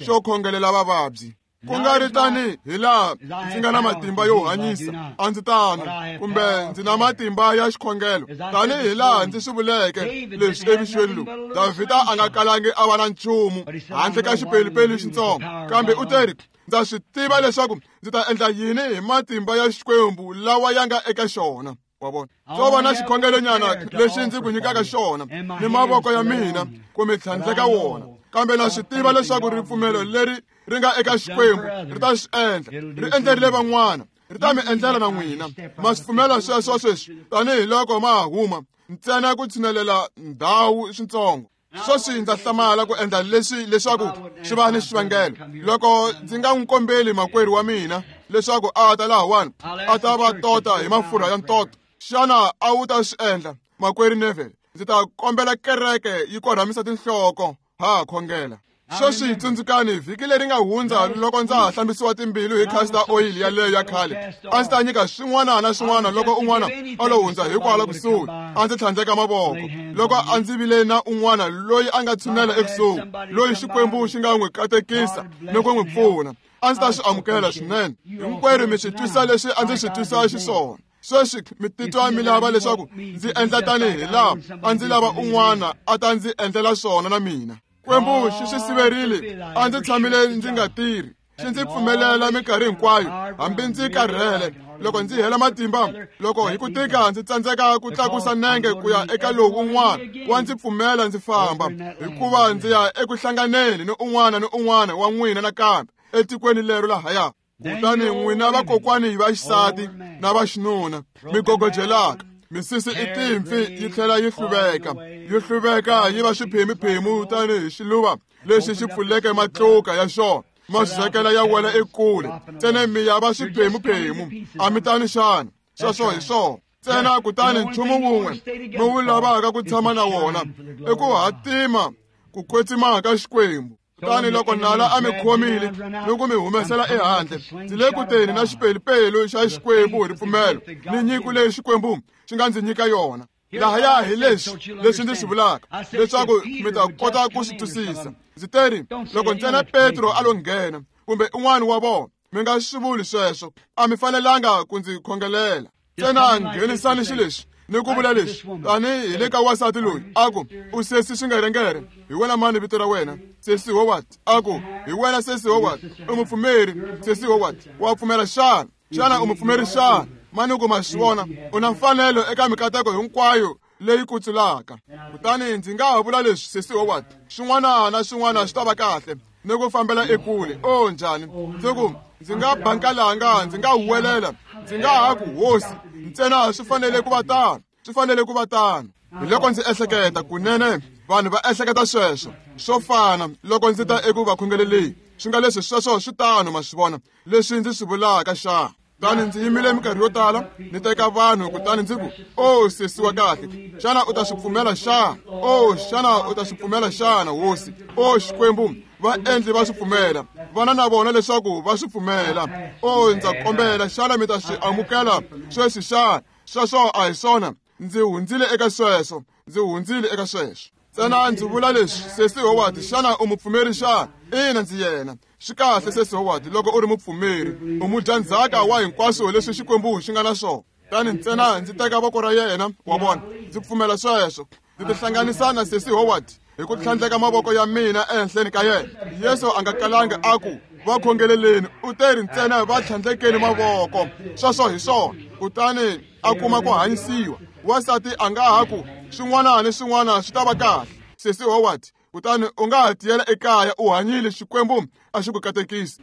xo khongelela vavabyi ku nga ri tani hi laha ndzi nga na matimba yo hanyisa a ndzi tano kumbe ndzi na matimba ya xikhongelo tanihi laha ndzi swi vuleke leswi emixweni lowu Davhida a nga kalangi a va na nchumu handle ka xipelupelu xitsongo kambe u teri ndza swi tiva leswaku ndzi ta endla yini hi matimba ya Xikwembu lawa ya nga eka xona wa vona swo va na xikhongelonyana lexi ndzi ku nyikaka xona ni mavoko ya mina ku mi tlhandleka wona kambe na swi tiva leswaku ripfumelo leri ri nga eka Xikwembu ri ta swi endla ri endlerile van'wana ri ta mi endlela na n'wina ma swi pfumela sweswo sweswi tanihiloko ma ha huma ntsena ku tshinelela ndhawu switsongo sweswi ndza hlamala ku endla leswi leswaku swi va ni xivangelo loko ndzi nga n'wi kombeli makwerhu wa mina leswaku a ta lahawani a ta va tota hi mafurha ya ntoto xana a wu ta swi endla makwerhu Neville ndzi ta kombela kereke yi korhamisa tinhloko ha khongela. Sweswi tsundzukani vhiki leri nga hundza loko ndza ha hlambisiwa timbilu hi castor oil yaleyo ya khale, a ndzi ta nyika swin'wana na swin'wana loko un'wana a lo hundza hikwala kusuhi, a ndzi tlhandleka mavoko. Loko a ndzi vile na un'wana loyi a nga tshunela ekusuhi, loyi Xikwembu xi nga n'wi katekisa ni ku n'wi pfuna, a ndzi ta swi amukela swinene. Hinkwerhu mi swi twisa leswi a ndzi swi twisa xiswona. Sweswi mi titwa mi lava leswaku ndzi endla tanihi laha a ndzi lava un'wana a ta ndzi endlela swona na mina. Xikwembu xi swi siverile, a ndzi tshamile ndzi nga tirhi, xi ndzi pfumelela minkarhi hinkwayo, hambi ndzi karhele, loko ndzi hela matimba, loko hi ku tika ndzi tsandzeka ku tlakusa nenge ku ya eka lowu un'wana, wa ndzi pfumela ndzi famba, hikuva ndzi ya eku hlanganeni ni un'wana ni un'wana wa n'wina nakambe etikweni lero lahaya. Kutani n'wina vakokwani va xisati na va xinuna mi gogojelaka, misisi i timpfi yi tlhela yi hluveka, yi hluveka yi va xiphemu-phemu tanihi xiluva lexi xi pfuleke matluka ya xona, ma swekela ya wela ekule, ntsena mi ya va xiphemu-phemu, a mi tani xana? Sweswo hi swona. Ntsena kutani nchumu wun'we mi wu lavaka ku tshama na wona i ku hatima ku kwetsima ka Xikwembu. Kutani loko nala a mi khomile ni ku mi humesela ehandle, ndzi le ku teni na xipelupelu xa Xikwembu hi ripfumelo ni nyiko leyi Xikwembu xi nga ndzi nyika yona. Lahaya hi leswi leswi ndzi swi vulaka, leswaku mi ta kota ku swi twisisa. Ndzi teri loko ntsena Petro a lo nghena kumbe un'wana wa vona, mi nga swi vuli sweswo, a mi fanelanga ku ndzi khongelela. Ntsena nghenisani xilexi ni ku vula leswi tanihi le ka wansati loyi, a ku, u sesi Swingerengere, hi wena mani vito ra wena? Sesi Howard. A ku, hi wena sesi Howard, u mupfumeri. Sesi Howard, wa pfumela xana? Xana u mupfumeri xana? Manuku ma swi vona, u na mfanelo eka mikateko hinkwayo leyi kutsulaka. Kutani ndzi nga ha vula leswi, sesi Howard, swin'wana na swin'wana swi ta va kahle ni ku fambela ekule. O njhani? Ndzi ku, ndzi nga bankalanga, ndzi nga huwelela, ndzi nga ha ku, Hosi, ntsena swi fanele ku va tano, swi fanele ku va tano. Hi loko ndzi ehleketa, kunene vanhu va ehleketa sweswo swo fana loko ndzi ta eku va khongeleleni, swi nga leswi sweswo swi tano, ma swi vona leswi ndzi swi vulaka xana? Kutani ndzi yimile minkarhi yo tala ni teka vanhu, kutani ndzi ku, o sesi wa kahle, xana u ta swi pfumela xana? O xana u ta swi pfumela xana, Hosi? O Xikwembu, va endli va swi pfumela, vana na vona leswaku va swi pfumela. O ndza kombela, xana mi ta swi amukela sweswi xana? Sweswo a hi swona. Ndzi hundzile eka sweswo, ndzi hundzile eka sweswo. Ntsena ndzi vula leswi, sesi Howard, xana u mupfumeri xana? Ina, ndzi yena. Swi kahle, sesi Howard, loko u ri mupfumeri, u mudyandzhaka wa hinkwaswo leswi Xikwembu xi nga na swona. Kutani ntsena ndzi teka voko ra yena, wa vona, ndzi pfumela sweswo. Ndzi tihlanganisa na sesi Howard hi ku tlhandleka mavoko ya mina ehenhleni ka yena. Yesu a nga kalanga a ku, va khongeleleni, u teri ntsena va tlhandlekeni mavoko. Sweswo hi swona. Kutani a kuma ku hanyisiwa. Wansati a nga ha ku, swin'wana ni swin'wana swi ta va kahle, sesi Howard. Kutani u nga ha tiyela ekaya u hanyile, Xikwembu a xi ku katekisi.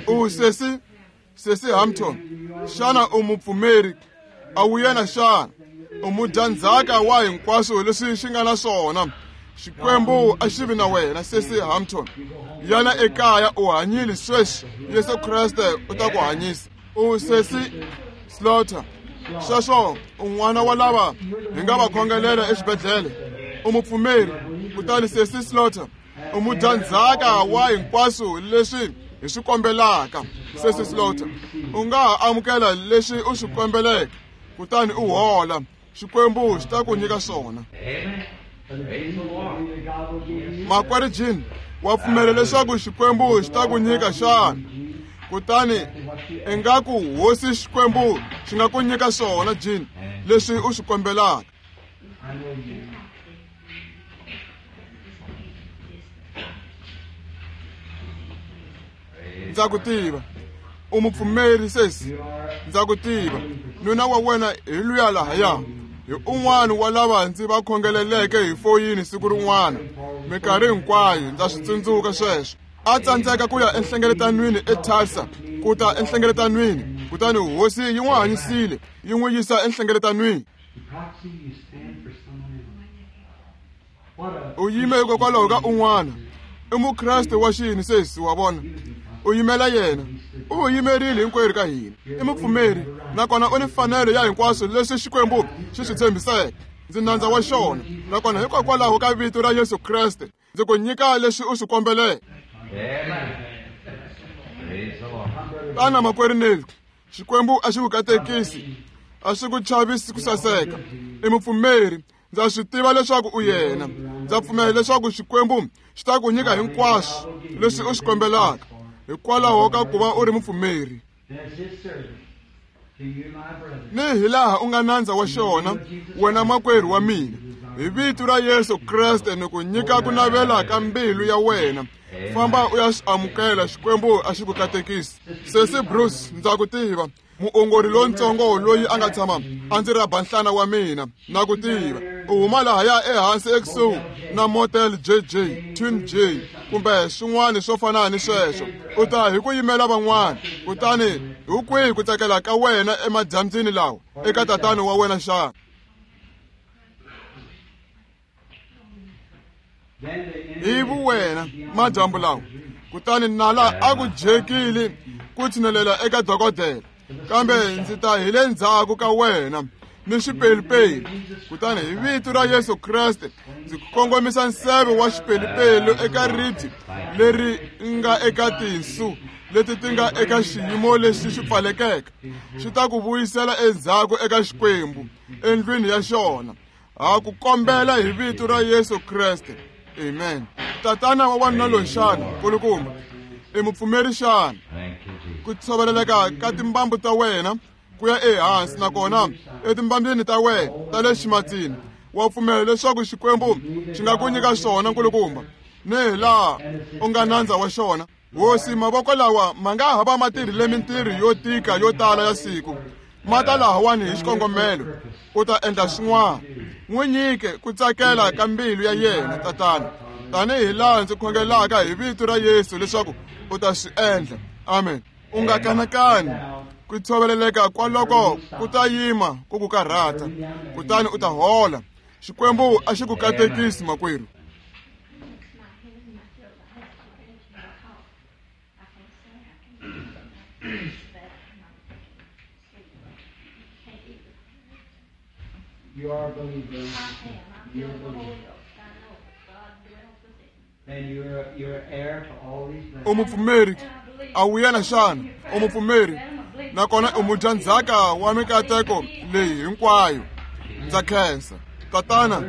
U sesi, sesi Hampton, xana u mupfumeri? A wu yena xana? U mudyandzhaka wa hinkwaswo leswi xi nga na swona. Xikwembu a xi vi na wena, sesi Hampton. Yana ekaya u hanyile sweswi, Yesu Kreste u ta ku hanyisa. U sesi Slaughter, sweswo un'wana wa lava hi nga va khongelela exibedhlele, u mupfumeri. Kutani sesi Slaughter, u mudyandzhaka wa hinkwaswo leswi hi swi kombelaka. Sesi Slaughter, u nga ha amukela leswi u swi kombeleke, kutani u hola. Xikwembu xi ta ku nyika swona. Makwerhu Jean, wa pfumela leswaku Xikwembu xi ta ku nyika xana? Kutani ingaku Hosi Xikwembu xi nga ku nyika swona, Jean, leswi u swi kombelaka. Ndza ku tiva, u mupfumeri sesi, ndza ku tiva. Nuna wa wena hi luya lahaya, hi un'wana wa lava ndzi va khongeleleke hi foyini siku rin'wana. Minkarhi hinkwayo ndza swi tsundzuka sweswo. A tsandzeka ku ya enhlengeletanweni eTulsa, ku ta enhlengeletanweni, kutani Hosi yi n'wi hanyisile, yi n'wi yisa enhlengeletanweni. U yime hikokwalaho ka un'wana. I mukreste wa xini sesi, wa vona? U yimela yena. U yimerile hinkwerhu ka hina. I mupfumeri, nakona u ni mfanelo ya hinkwaswo leswi Xikwembu xi swi tshembiseke. Ndzi nandza wa xona, nakona hikokwalaho ka vito ra Yesu Kreste. Ndzi ku nyika leswi u swi kombeleke. Tana makwerhu Neil, Xikwembu a xi ku katekisi, a xi ku chavisi ku saseka. I mupfumeri, ndza swi tiva leswaku u yena. Ndza pfumela leswaku Xikwembu xi ta ku nyika hinkwaswo leswi u swi kombelaka hikwalaho ka ku va u ri mupfumeri. Ni hilaha u nga nandza wa xona, wena makwerhu wa mina, hi vito ra Yesu Kreste ni ku nyika ku navela ka mbilu ya wena. Famba u ya swi amukela, Xikwembu a xi ku katekisi. Sesi Bruce, ndza ku tiva, muongori lontsongo loyi a nga tshama a ndzi rhaba nhlana wa mina, na ku tiva. U huma lahaya ehansi ekusuhi na Motel JJ, Twin J, kumbe swin'wana swo fana ni sweswo. U ta hi ku yimela van'wana, kutani hi kwihi ku tsakela ka wena emadyambyini lawa eka tatana wa wena xana? Hi vuwena madyambu lawa, kutani nala a ku jekile ku tshinelela eka dokodela, kambe ndzi ta hi le ndzhaku ka wena ni xipelupelu. Kutani hi vito ra Yesu Kreste ndzi kongomisa nseve wa xipelupelu eka ribye leri nga eka tinsu leti ti nga eka xiyimo lexi xi pfalekeke. Xi ta ku vuyisela endzhaku eka Xikwembu endlwini ya xona. Ha ku kombela hi vito ra Yesu Kreste. Amen. Tatana wa wanuna loyi xana, nkulukumba, i mupfumeri xana? Ku tshoveleleka ka timbambu ta wena ku ya ehansi, nakona etimbambini ta wena ta le ximatsini, wa pfumela leswaku Xikwembu xi nga ku nyika swona, nkulukumba, ni hilaha u nga nandza wa xona. Hosi, mavoko lawa ma nga ha va ma tirhile mintirho yo tika yo tala ya siku, ma ta lahawani hi xikongomelo, u ta endla swin'wana. N'wi nyike ku tsakela ka mbilu ya yena, Tatana, tanihi laha ndzi khongelaka hi vito ra Yesu leswaku u ta swi endla. Amen. U nga kanakani, ku tshoveleleka kwaloko ku ta yima ku ku karhata, kutani u ta hola. Xikwembu a xi ku katekisi, makwerhu. You are a believer. You're a believer. And you're heir to all these blessings. U mupfumeri, a wu yena xana? U mupfumeri, nakona u mudyandzhaka wa mikateko leyi hinkwayo. Ndza khensa, Tatana.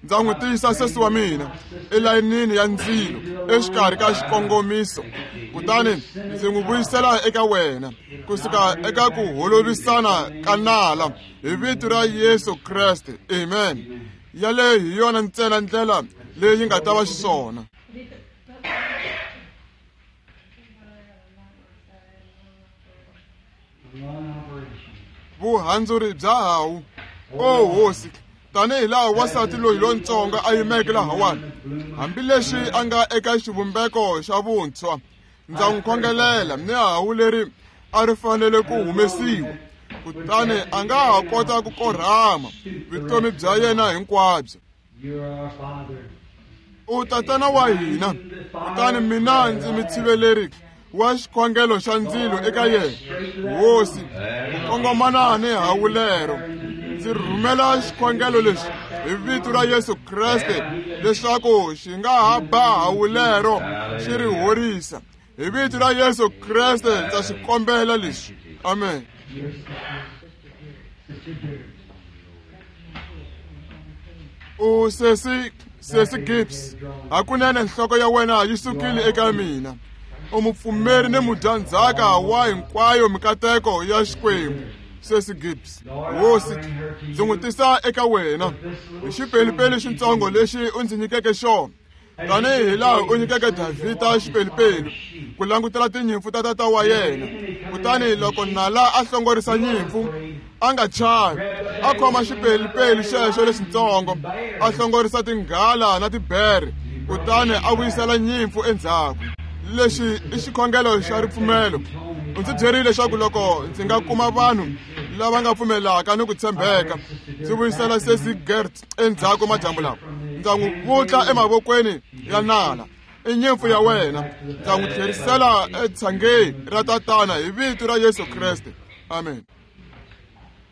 Ndza n'wi tiyisa sesi wa mina elayinini ya ndzilo exikarhi ka xikongomiso, kutani ndzi n'wi vuyisela eka wena kusuka eka ku holovisana ka nala hi vito ra Yesu Kreste. Amen. Yaleyo hi yona ntsena ndlela leyi nga ta va xiswona. Vuhandzuri bya hawu, o hosi, tanihi laha wansati loyi lontsongo a yimeke lahawani, hambileswi a nga eka xivumbeko xa vuntshwa, ndza n'wi khongelela ni hawu leri a ri fanele ku humesiwa, kutani a nga ha kota ku korhama vutomi bya yena hinkwabyo. U tatana wa hina, kutani mina ndzi mitshiveleri wa xikhongelo xa ndzilo eka yena. Hosi, ku kongomana ni hawu lero, ndzi rhumela xikhongelo lexi hi vito ra Yesu Kreste leswaku xi nga ha ba hawu lero xi ri horisa. Hi vito ra Yesu Kreste ndza swi kombela leswi. Amen. U sesi, sesi Gibbs, hakunene nhloko ya wena yi sukile eka mina. U mupfumeri ni mudyandzhaka wa hinkwayo mikateko ya Xikwembu. Sesi Gibbs, hosi, ndzi n'wi tisa eka wena hi xipelupelu xitsongo lexi u ndzi nyikeke xona, tanihi laha u nyikeke Davhida xipelupelu ku langutela tinyimpfu ta tata wa yena. Kutani loko nala a hlongorisa nyimpfu, a nga chavi, a khoma xipelupelu xexo lexitsongo, a hlongorisa tinghala na tibere, kutani a vuyisela nyimpfu endzhaku. Lexi i xikhongelo xa ripfumelo. U ndzi byerile leswaku loko ndzi nga kuma vanhu lava nga pfumelaka ni ku tshembeka, ndzi vuyisela sesi Gert endzhaku madyambu lawa, ndza n'wi vutla emavokweni ya nala. I nyimpfu ya wena, ndza n'wi tlherisela etshangeni ra tatana hi vito ra Yesu Kreste. Amen.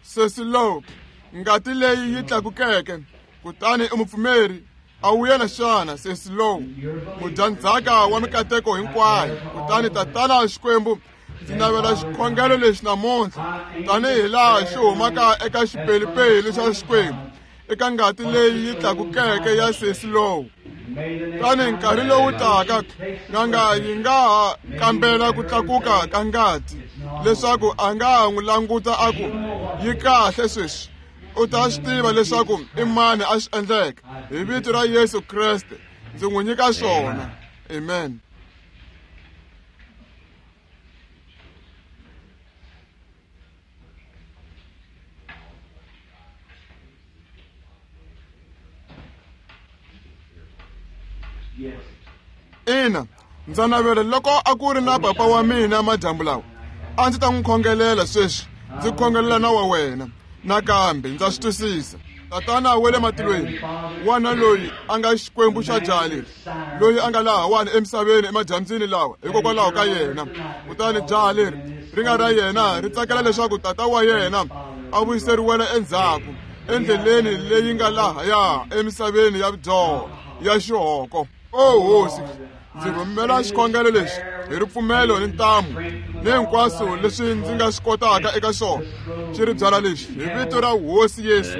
Sesi Lowe, ngati leyi yi tlakukeke, kutani u mupfumeri, A wu yena xana sesi lowu mudyandzhaka wa mikateko hinkwayo? Kutani Tatana Xikwembu, ndzi navela xikhongelo lexi namuntlha tanihi laha xi humaka eka xipelupelu xa Xikwembu, eka ngati leyi yi tlakukeke ya sesi lowu. Tani nkarhi lowu taka n'anga yi nga ha kambela ku tlakuka ka ngati leswaku a nga ha n'wi languta a ku yi kahle sweswi. U ta swi tiva leswaku i mani a swi endleke. Hi vito ra Yesu Kreste ndzi n'wi nyika swona. Amen. Ina, ndza navela loko a ku ri na papa wa mina madyambu lawa, a ndzi ta n'wi khongelela sweswi, ndzi khongelela na wa wena nakambe. Ndza swi twisisa. Tatana wa le matilweni, wana loyi a nga Xikwembu xa jaha leri, loyi a nga lahawani emisaveni emadyambyini lawa hikokwalaho ka yena. Kutani jaha leri ri nga ra yena ri tsakela leswaku tata wa yena a vuyiseriwela endzhaku endleleni leyi nga lahaya emisaveni ya vudyoho ya xihoko. O Hosi, ndzi rhumela xikhongelo lexi hi ripfumelo ni ntamu ni hinkwaswo leswi ndzi nga swi kotaka eka xona. Xi ri byala lexi hi vito ra Hosi Yesu,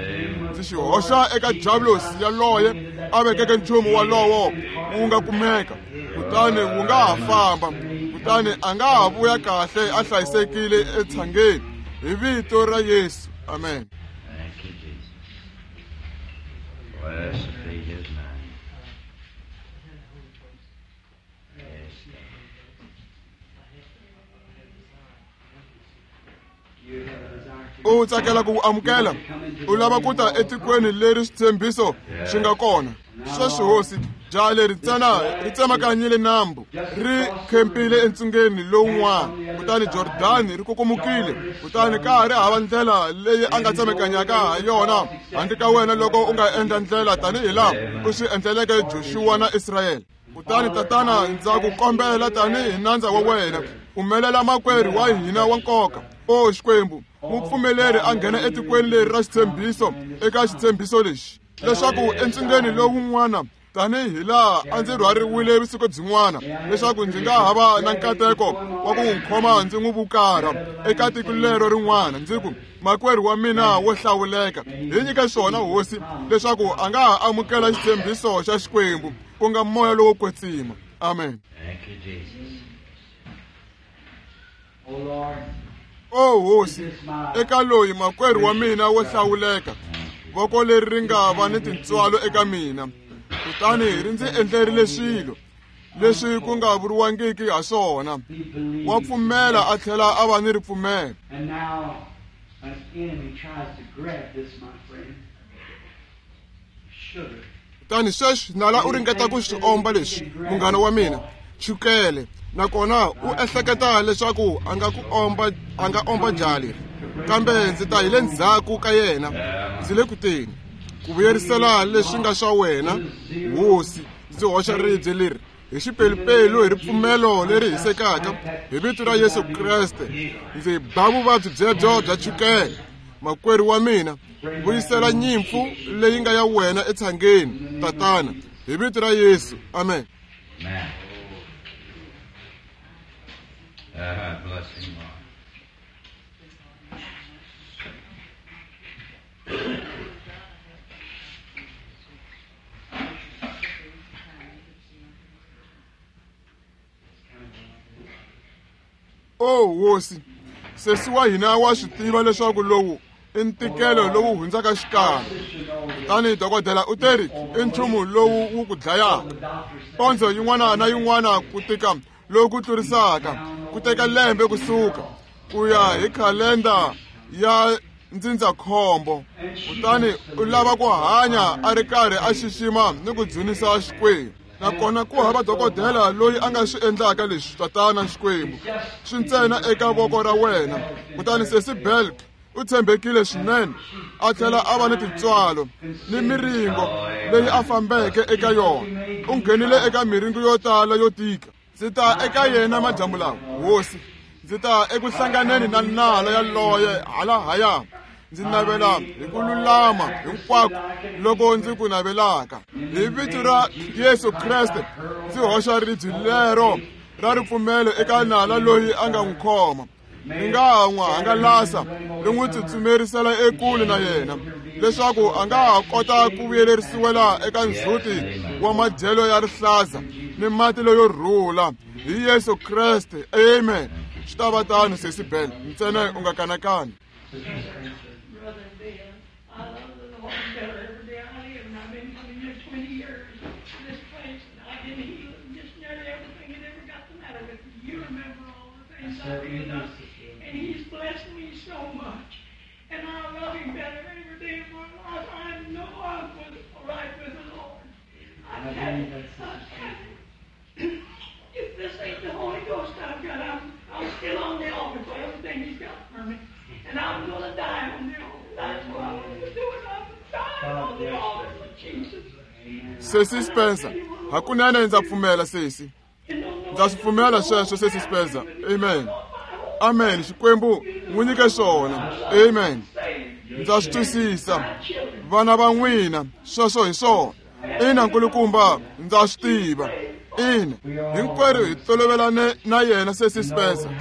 ndzi xi hoxa eka diabulosi yaloye a vekeke nchumu walowo wu nga kumeka, kutani wu nga ha famba, kutani a nga ha vuya kahle a hlayisekile etshangeni hi vito ra Yesu. Amen. Thank you, Jesus. Blessed be his name. Yes, U tsakela ku amukela, u lava ku ta etikweni leri switshembiso swi nga kona. Sweswi Hosi, jaha leri ntsena ri tsemakanyile nambu, ri khempile entsungeni lowun'wana, kutani Jordani ri kukumukile, kutani ka ha ri hava ndlela leyi a nga tsemakanyaka ha yona handle ka wena loko u nga endla ndlela tanihi laha u swi endleleke Joshua na Israyele. Kutani Tatana, ndza ku kombela tanihi nandza wa wena, pfumelela makwerhu wa hina wa nkoka, o Xikwembu, mu pfumeleri a nghena etikweni leri ra xitshembiso, eka xitshembiso lexi, leswaku entsungeni lowun'wana tanihi laha a ndzi rhwariwile vusiku byin'wana, leswaku ndzi nga ha va na nkateko wa ku n'wi khoma ndzi n'wi vukarha eka tiko lero rin'wana, ndzi ku, makwerhu wa mina wo hlawuleka, hi nyike swona Hosi, leswaku a nga ha amukela xitshembiso xa Xikwembu, ku nga moya lowo kwetsima. Amen. Thank you, Jesus. O Hosi, eka loyi makwerhu wa mina wo hlawuleka, voko leri ri nga va ni tintswalo eka mina, kutani ri ndzi endlerile swilo leswi ku nga vuriwangiki ha swona. Wa pfumela a tlhela a va ni ripfumelo. And now an enemy tries to grab this, my friend. Sugar. Kutani sweswi nala u ringeta ku swi omba leswi, munghana wa mina, chukele, nakona u ehleketa leswaku a nga ku omba, a nga omba jaha leri. Kambe ndzi ta hi le ndzhaku ka yena, ndzi le kuteni ku vuyerisela leswi nga swa wena, Hosi. Ndzi hoxa ribye leri hi xipelupelu hi ripfumelo leri hisekaka hi vito ra Yesu Kreste. Ndzi ba vuvabyi byebyo bya chukele. Makwerhu wa mina, vuyisela nyimpfu leyi nga ya wena etshangeni, Tatana, hi vito ra Yesu. Amen. Amen. Bless him, Lord. O Hosi, sesi wa hina wa swi tiva leswaku lowu i ntikelo lowu hundzaka xikarhi. Kutani dokodela u teri i nchumu lowu wu ku dlayaka. Pondzo yin'wana na yin'wana ku tika loku tlurisaka ku teka lembe kusuka ku ya hi khalenda ya ndzindzakhombo. Kutani u lava ku hanya a ri karhi a xixima ni ku dzunisa Xikwembu. Nakona ku hava dokodela loyi a nga swi endlaka leswi, Tatana Xikwembu, swi ntsena eka voko ra wena. Kutani sesi Belk u tshembekile swinene, a tlhela a va ni tintswalo ni miringo leyi a fambeke eka yona. U nghenile eka miringo yo tala yo tika. Ndzi ta eka yena madyambu lawa, Hosi. Ndzi ta eku hlanganeni na nala yaloye halahaya. Ndzi navela hi ku lulama hinkwako loko ndzi ku navelaka. Hi vito ra Yesu Kreste ndzi hoxa ribye lero ra ripfumelo eka nala loyi a nga n'wi khoma. Ri nga ha n'wi hangalasa ri n'wi tsutsumerisela ekule na yena leswaku a nga ha kota ku vuyelerisiwela eka ndzhuti wa madyelo ya rihlaza ni mati leyo rhula hi Yesu Kreste. Amen. Swi ta va tano, Sesi Bell, ntsena u nga kanakani. Brother Bill, I love the Lord better every day I live, and I've been coming here 20 years to this place, and I've been healed of just nearly everything that ever got the matter with me. You remember all the things I've been done, and He's blessed me so much, and I love Him better every day of my life. I know I'm right with the Lord. I tell you, if this ain't the Holy Ghost I've got, I'm still on the altar for everything He's got for me. And I'm going to die on the altar. That's what I'm going to do. I'm dying on the altar for Jesus. Sesi Spencer, hakunene ndza pfumela sesi. Ndza swi pfumela sweswo sesi Spencer. Amen. Amen. Xikwembu n'wi nyike swona. Amen. Ndza swi twisisa. Vana va n'wina, sweswo hi swona. Ina nkulukumba, ndza swi tiva. Ina, hinkwerhu hi tolovelane na yena sesi Spencer.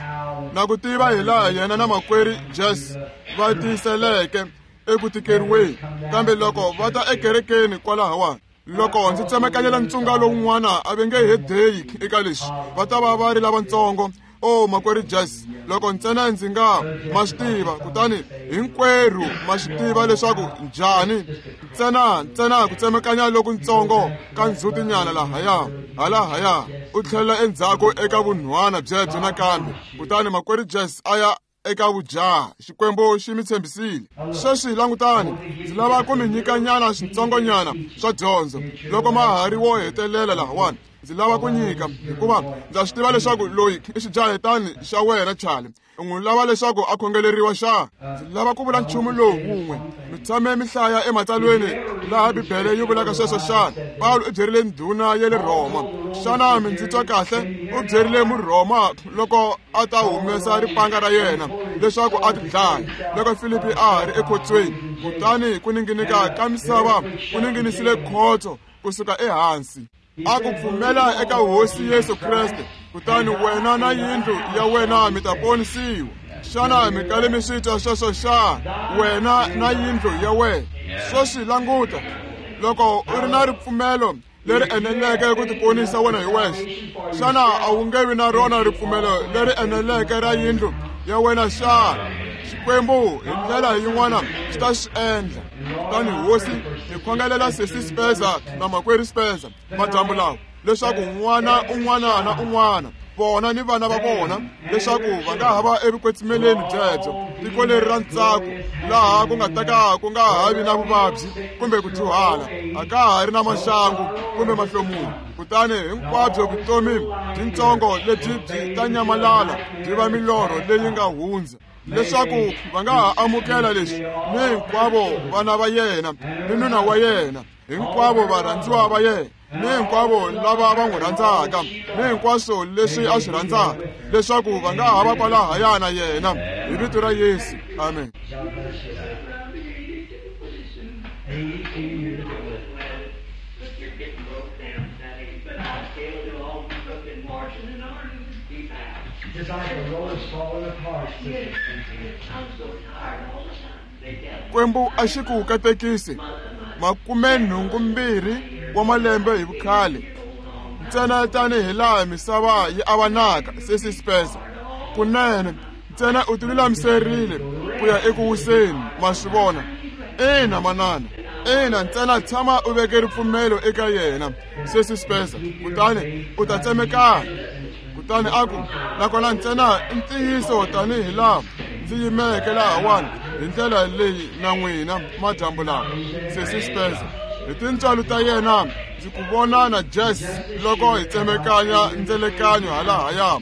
Na ku tiva hi laha yena na makwerhu Jess va tiyiseleke eku tikeriweni, kambe loko va ta ekerekeni kwalahawani, loko ndzi tsemekanyela ntsunga lowun'wana a va nge he deyi eka leswi, va ta va va ri lavatsongo. O makwerhu Jess, loko ntsena ndzi nga ma swi tiva, kutani hinkwerhu ma swi tiva leswaku njhani ntsena ku tsemekanya lokutsongo ka ndzhutinyana lahaya halahaya u tlhelela endzhaku eka vunhwana byebyo nakambe. Kutani makwerhu Jess a ya eka vujaha. Xikwembu xi mi tshembisile. Sweswi langutani, ndzi lava ku mi nyikanyana switsongonyana swa dyondzo loko ma ha ri wo hetelela lahawani. Ndzi lava ku nyika hikuva ndza swi tiva leswaku loyi i xijahetani xa wena Charlie. U n'wi lava leswaku a khongeleriwa xa. Ndzi lava ku vula nchumu lowu wun'we. Mi tshame mi hlaya ematsalweni laha Bibele yi vulaka sweswo xana? Pawulo u byerile ndhuna ya le Rhoma. Xana mi ndzi twa kahle? U byerile Murhoma loko a ta humesa ripanga ra yena leswaku a tidlaya loko Filipi a ha ri ekhotsweni. Kutani ku ninginika ka misava ku ninginisile khotso kusuka ehansi. A ku pfumela eka Hosi Yesu Kreste, kutani wena na yindlu ya wena mi ta ponisiwa. Xana mi kale mi swi twa sweswo xa? Wena na yindlu ya wena. Sweswi languta, loko u ri na ripfumelo leri eneleke ku tiponisa wena hi wexe, xana a wu nge vi na rona ripfumelo leri eneleke ra yindlu ya wena xana? Xikwembu hi ndlela yin'wana xi ta swi endla. Kutani Hosi, hi khongelela sesi Spencer na makwerhu Spencer madyambu lawa, leswaku n'wana un'wana na un'wana vona ni vana va vona leswaku va nga ha va evukwetsimeleni byebyo, tiko leri ra ntsako laha ku nga ta ka ku nga ha vi na vuvabyi kumbe ku dyuhala, a ka ha ri na maxangu kumbe mahlomulo. Kutani hinkwabyo vutomi byintsongo lebyi byi ta nyamalala byi va milorho leyi nga hundza, leswaku va nga ha amukela leswi ni hinkwavo vana va yena ni nuna wa yena, hinkwavo varhandziwa va yena ni hinkwavo lava va n'wi rhandzaka ni hinkwaswo leswi a swi rhandzaka, leswaku va nga ha va kwalahaya na yena hi vito ra Yesu. Amen. Just like the road is falling apart. Xikwembu a xi ku katekisi 82 wa malembe hi vukhale, ntsena tanihi laha misava yi avanaka. Sesi Spencer, kunene ntsena u tilulamiserile ku ya eku wiseni, ma swi vona. Ina manana, ina, ntsena tshama u veke ripfumelo eka yena, sesi Spencer, kutani u ta tsemekana. Kutani a ku, nakona ntsena i ntiyiso tanihi laha ndzi yimeke lahawani hi ndlela leyi na n'wina madyambu lawa, sesi Spencer. Hi tintswalo ta yena ndzi ku vona na Jess loko hi tsemekanya ndzelekanyo halahaya,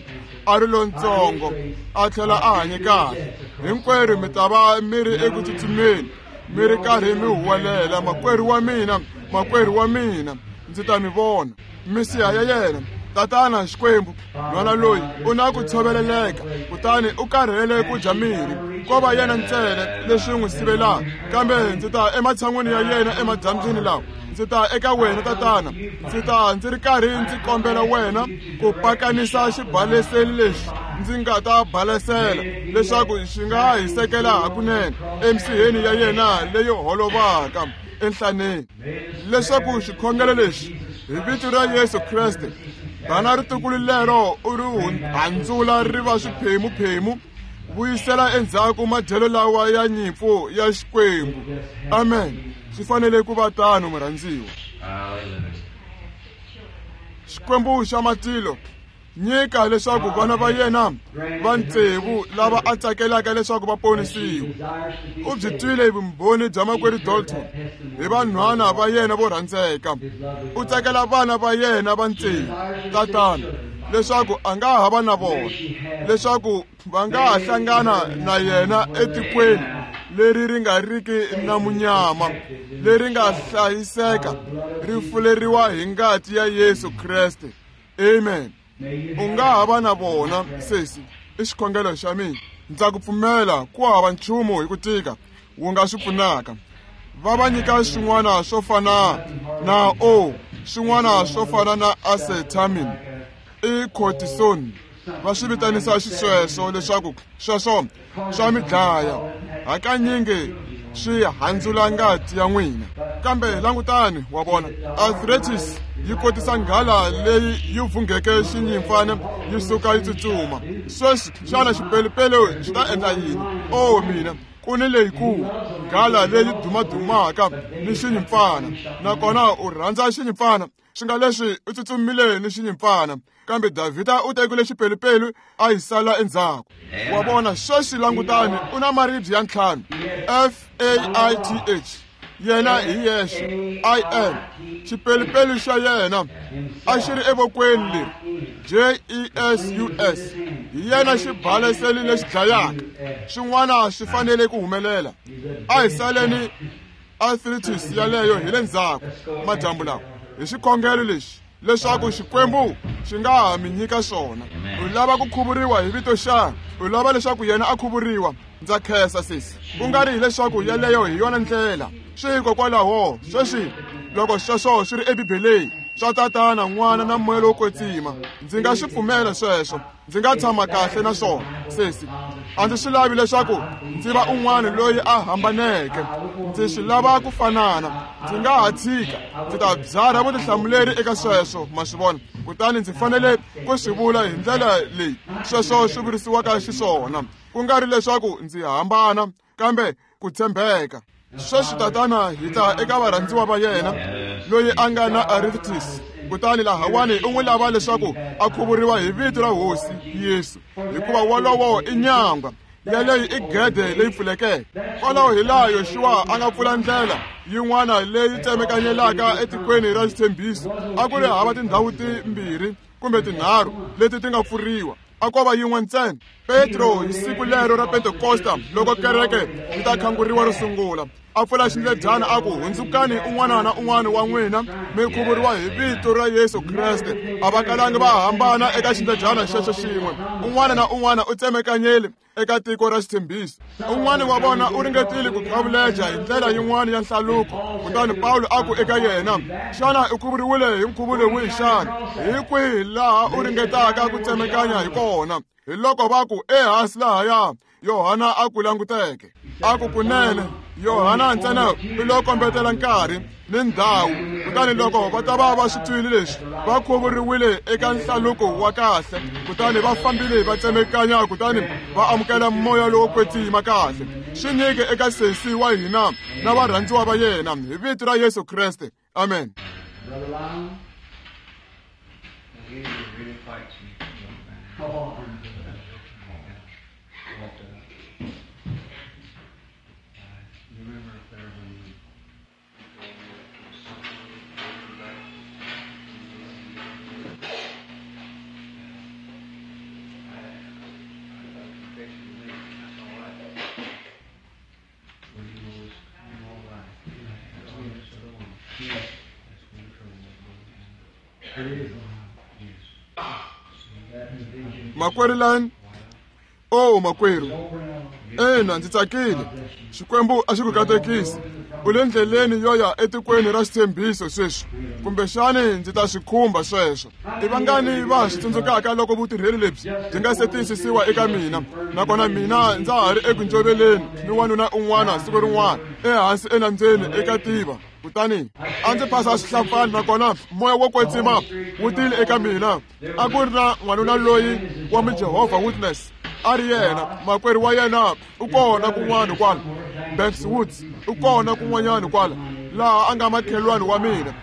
a ri lontsongo a tlhela a hanye kahle. Hinkwerhu mi ta va mi ri eku tsutsumeni, mi ri karhi mi huwelela, makwerhu wa mina, makwerhu wa mina, ndzi ta mi vona. Misiha ya yena Tatana Xikwembu, nhwana loyi u na ku tshoveleleka, kutani u karhele ku dya mirhi, ko va yena ntsena leswi n'wi sivelaka. Kambe ndzi ta ematshan'wini ya yena emadyambyini lawa, ndzi ta eka wena Tatana, ndzi ta ndzi ri karhi ndzi kombela wena ku pakanisa xibaleseli lexi ndzi nga ta balesela, leswaku xi nga hisekela hakunene emisiheni ya yena leyi holovaka enhlaneni, leswaku xikhongelo lexi hi vito ra Yesu Kreste bana ritukulu lero u ri handzula ri va swiphemuphemu, vuyisela endzhaku madyelo lawa ya nyimpfu ya Xikwembu. Amen. Swi fanele ku va tano, murhandziwa. Xikwembu xa matilo, nyika leswaku vana va yena va tsevu lava a tsakelaka leswaku va ponisiwa. U byi twile vumbhoni bya makwerhu Dalton hi vanhwana va yena vo rhandzeka. U tsakela vana va yena va tsevu, Tatana, leswaku a nga ha va na vona, leswaku va nga ha hlangana na yena etikweni leri ri nga riki na munyama, leri nga hlayiseka, ri fuleriwa hi ngati ya Yesu Kreste. Amen. U nga ha va na vona, sesi, i xikhongelo xa mina. Ndza ku pfumela ku hava nchumu hi ku tika wu nga swi pfunaka. Va va nyika swin'wana swo fana na o, swin'wana swo fana na acetamin, i cortisone, va swi vitanisa xisweswo leswaku sweswo swa mi dlaya. Hakanyingi swi handzula ngati ya n'wina. Kambe langutani, wa vona, arthritis yi kotisa nghala leyi yi vungheke xinyimpfana yi suka yi tsutsuma. Sweswi xana xipelupelu xi ta endla yini? O mina, ku ni leyikulu nghala leyi dumadumaka ni xinyimpfana, nakona u rhandza xinyimpfana, swi nga leswi u tsutsumile ni xinyimpfana. Kambe Davhida u tekile xipelupelu a yi sala endzhaku. Wa vona, sweswi langutani, u na maribye ya 5, F A I T H, yena hi yexe, I N. Xipelupelu xa yena a xi ri evokweni leri, J E S U S, hi yena xibaleseli lexi dlayaka. Swin'wana swi fanele ku humelela. A hi saleni arthritis yaleyo hi le ndzhaku madyambu lawa hi xikhongelo lexi, leswaku Xikwembu xi nga ha mi nyika swona. U lava ku khuvuriwa hi vito xana? U lava leswaku yena a khuvuriwa? Ndza khensa, sesi. Ku nga ri hileswaku yaleyo hi yona ndlela. Swi hikokwalaho sweswi loko sweswo swi ri eBibeleni swa Tatana, N'wana na Moya lowo Kwetsima, ndzi nga swi pfumela sweswo. Ndzi nga tshama kahle na swona, sesi. A ndzi swi lavi leswaku ndzi va un'wana loyi a hambaneke. Ndzi swi lava ku fanana. Ndzi nga ha tshika, ndzi ta byarha vutihlamuleri eka sweswo, ma swi vona. Kutani ndzi fanele ku swi vula hi ndlela leyi sweswo swi vurisiwaka xiswona, ku nga ri leswaku ndzi hambana, kambe ku tshembeka. Sweswi Tatana, hi ta eka varhandziwa va yena loyi a nga na arthritis, kutani lahawani u n'wi lava leswaku a khuvuriwa hi vito ra Hosi Yesu, hikuva wolowo i nyangwa yaleyo i gede leyi pfulekeke. Kwalaho hi laha Yoxuwa a nga pfula ndlela yin'wana leyi tsemekanyelaka etikweni ra xitshembiso. A ku ri hava tindhawu timbirhi kumbe tinharhu leti ti nga pfuriwa, a ko va yin'we ntsena. Petro hi siku lero ra Pentekosta, loko kereke yi ta khanguriwa ro sungula, a pfula xindledyana a ku, hundzukani un'wana na un'wana wa n'wina mi khuvuriwa hi vito ra Yesu Kreste. A va kalangi va hambana eka xindledyana xexo xin'we. Un'wana na un'wana u tsemekanyele eka tiko ra xitshembiso. Un'wana wa vona u ringetile ku qhavuleja hi ndlela yin'wana ya nhlaluko, kutani Pawulo a ku eka yena, xana u khuvuriwile hi nkhuvulo wihi xana? Hi kwihi laha u ringetaka ku tsemekanya hi kona? Hi loko va ku, ehansi lahaya Yohana a ku languteke. A ku, kunene Yohana ntsena u lo kombetela nkarhi ni ndhawu. Kutani loko va ta va va swi twile leswi, va khuvuriwile eka nhlaluko wa kahle, kutani va fambile va tsemekanya, kutani va amukela moya lowo kwetsima kahle. Swi nyike eka sesi wa hina na varhandziwa va yena hi vito ra Yesu Kreste. Amen. It is. Yes. Makwerhu Lane, o makwerhu, ina ndzi tsakile. Xikwembu a xi ku katekisi. U le ndleleni yo ya etikweni ra xitshembiso sweswi, kumbexani ndzi ta swi khumba sweswo. I vangani va swi tsundzukaka loko vutirheli lebyi byi nga se tiyisisiwa eka mina, nakona mina ndza ha ri eku njoveleni ni wanuna un'wana siku rin'wana ehansi enambyeni eka tiva. Kutani a ndzi phasa swihlampfana, nakona moya wo kwetsima wu tile eka mina. A ku ri na n'wanuna loyi wa muJehovah Witness, a ri yena makwerhu wa yena u kona kun'wana kwala, Banks Woods u kona kun'wanyana kwala, laha a nga makhelwani wa mina.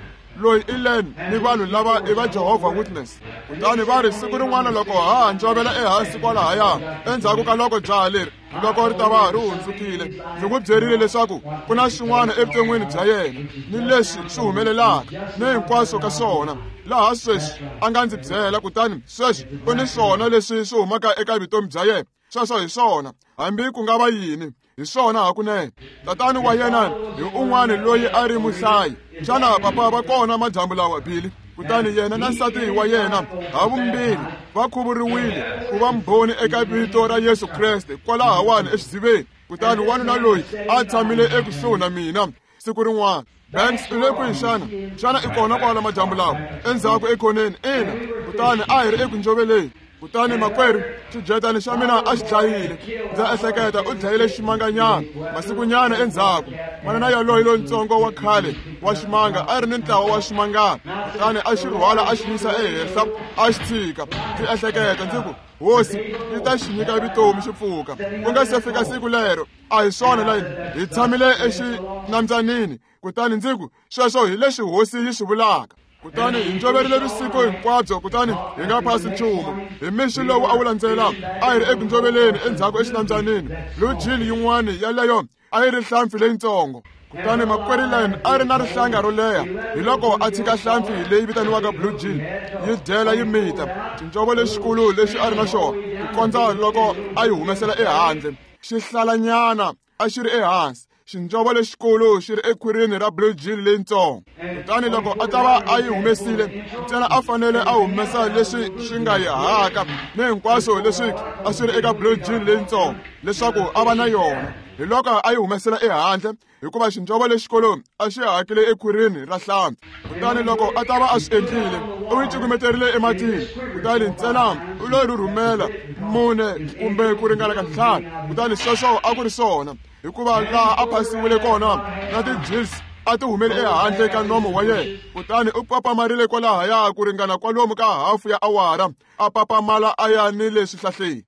Loyi i Len ni vanhu lava i va Jehovah Witness. Kutani va ri siku rin'wana loko ha ha njovela ehansi kwalahaya, endzhaku ka loko jaha leri loko ri ta va ri hundzukile, ndzi n'wi byerile leswaku ku na swin'wana evuton'wini bya yena ni leswi swi humelelaka ni hinkwaswo ka swona, laha sweswi a nga ndzi byela. Kutani sweswi u ni swona leswi swi humaka eka vutomi bya yena. Sweswo hi swona, hambi ku nga va yini, hi swona hakunene. Tatani wa yena hi un'wana loyi a ri muhlayi. Xana papa va kona madyambu lawa, Billy? Kutani yena na nsati wa yena havumbirhi va khuvuriwile ku va mbhoni eka vito ra Yesu Kreste kwalahawani exidziveni. Kutani wanuna loyi a tshamile ekusuhi na mina siku rin'wana. Banks u le kwihi xana? Xana i kona kwala madyambu lawa endzhaku ekhoneni? Ina. Kutani a hi ri eku njoveleni. Kutani makwerhu, xidyetani xa mina a xi dlayile. Ndza ehleketa u dlayile ximanganyana masikunyana endzhaku. Manana yaloye lontsongo wa khale wa ximanga a ri ni ntlawa wa ximangana, kutani a xi rhwala a xi yisa ehenhla a xi tshika. Ndzi ehleketa ndzi ku, Hosi yi ta xi nyika vutomi xi pfuka. Ku nga se fika siku lero, a hi swona layini, hi tshamile exinambyamini. Kutani ndzi ku, sweswo hi leswi Hosi yi swi vulaka. Kutani hi njoverile vusiku hinkwabyo, kutani hi nga phasi nchumu. Hi mixo lowu a wu landzela, a hi ri eku njoveleni endzhaku exinambyamini. Blue Jean yin'wana yaleyo a yi ri hlampfi leyitsongo. Kutani makwerhu Lane a ri na rihlanga ro leha, hi loko a tshika hlampfi leyi vitaniwaka Blue Jean yi dyela yi mita xinjovo lexikulu lexi a ri na xona, ku kondza loko a yi humesela ehandle. Xihlalanyana a xi ri ehansi, xinjovo lexikulu xi ri ekhwirini ra Blue Jean leyitsongo. Kutani loko a ta va a yi humesile, ntsena a fanele a humesa leswi swi nga yi haka ni hinkwaswo leswi a swi ri eka Blue Jean leyitsongo leswaku a va na yona. Hi loko a yi humesela ehandle, hikuva xinjovo lexikulu a xi hakile ekhwirini ra hlampfi. Kutani loko a ta va a swi endlile, u yi cukumeterile ematini. Kutani ntsena u lo rhurhumela 4 kumbe ku ringana ka 5. Kutani sweswo a ku ri swona, hikuva laha a phasiwile kona na ti-gills a ti humele ehandle ka nomo wa yena. Kutani u papamarile kwalahaya ku ringana kwalomu ka hafu ya awara, a papamala a ya ni le swihlahleni.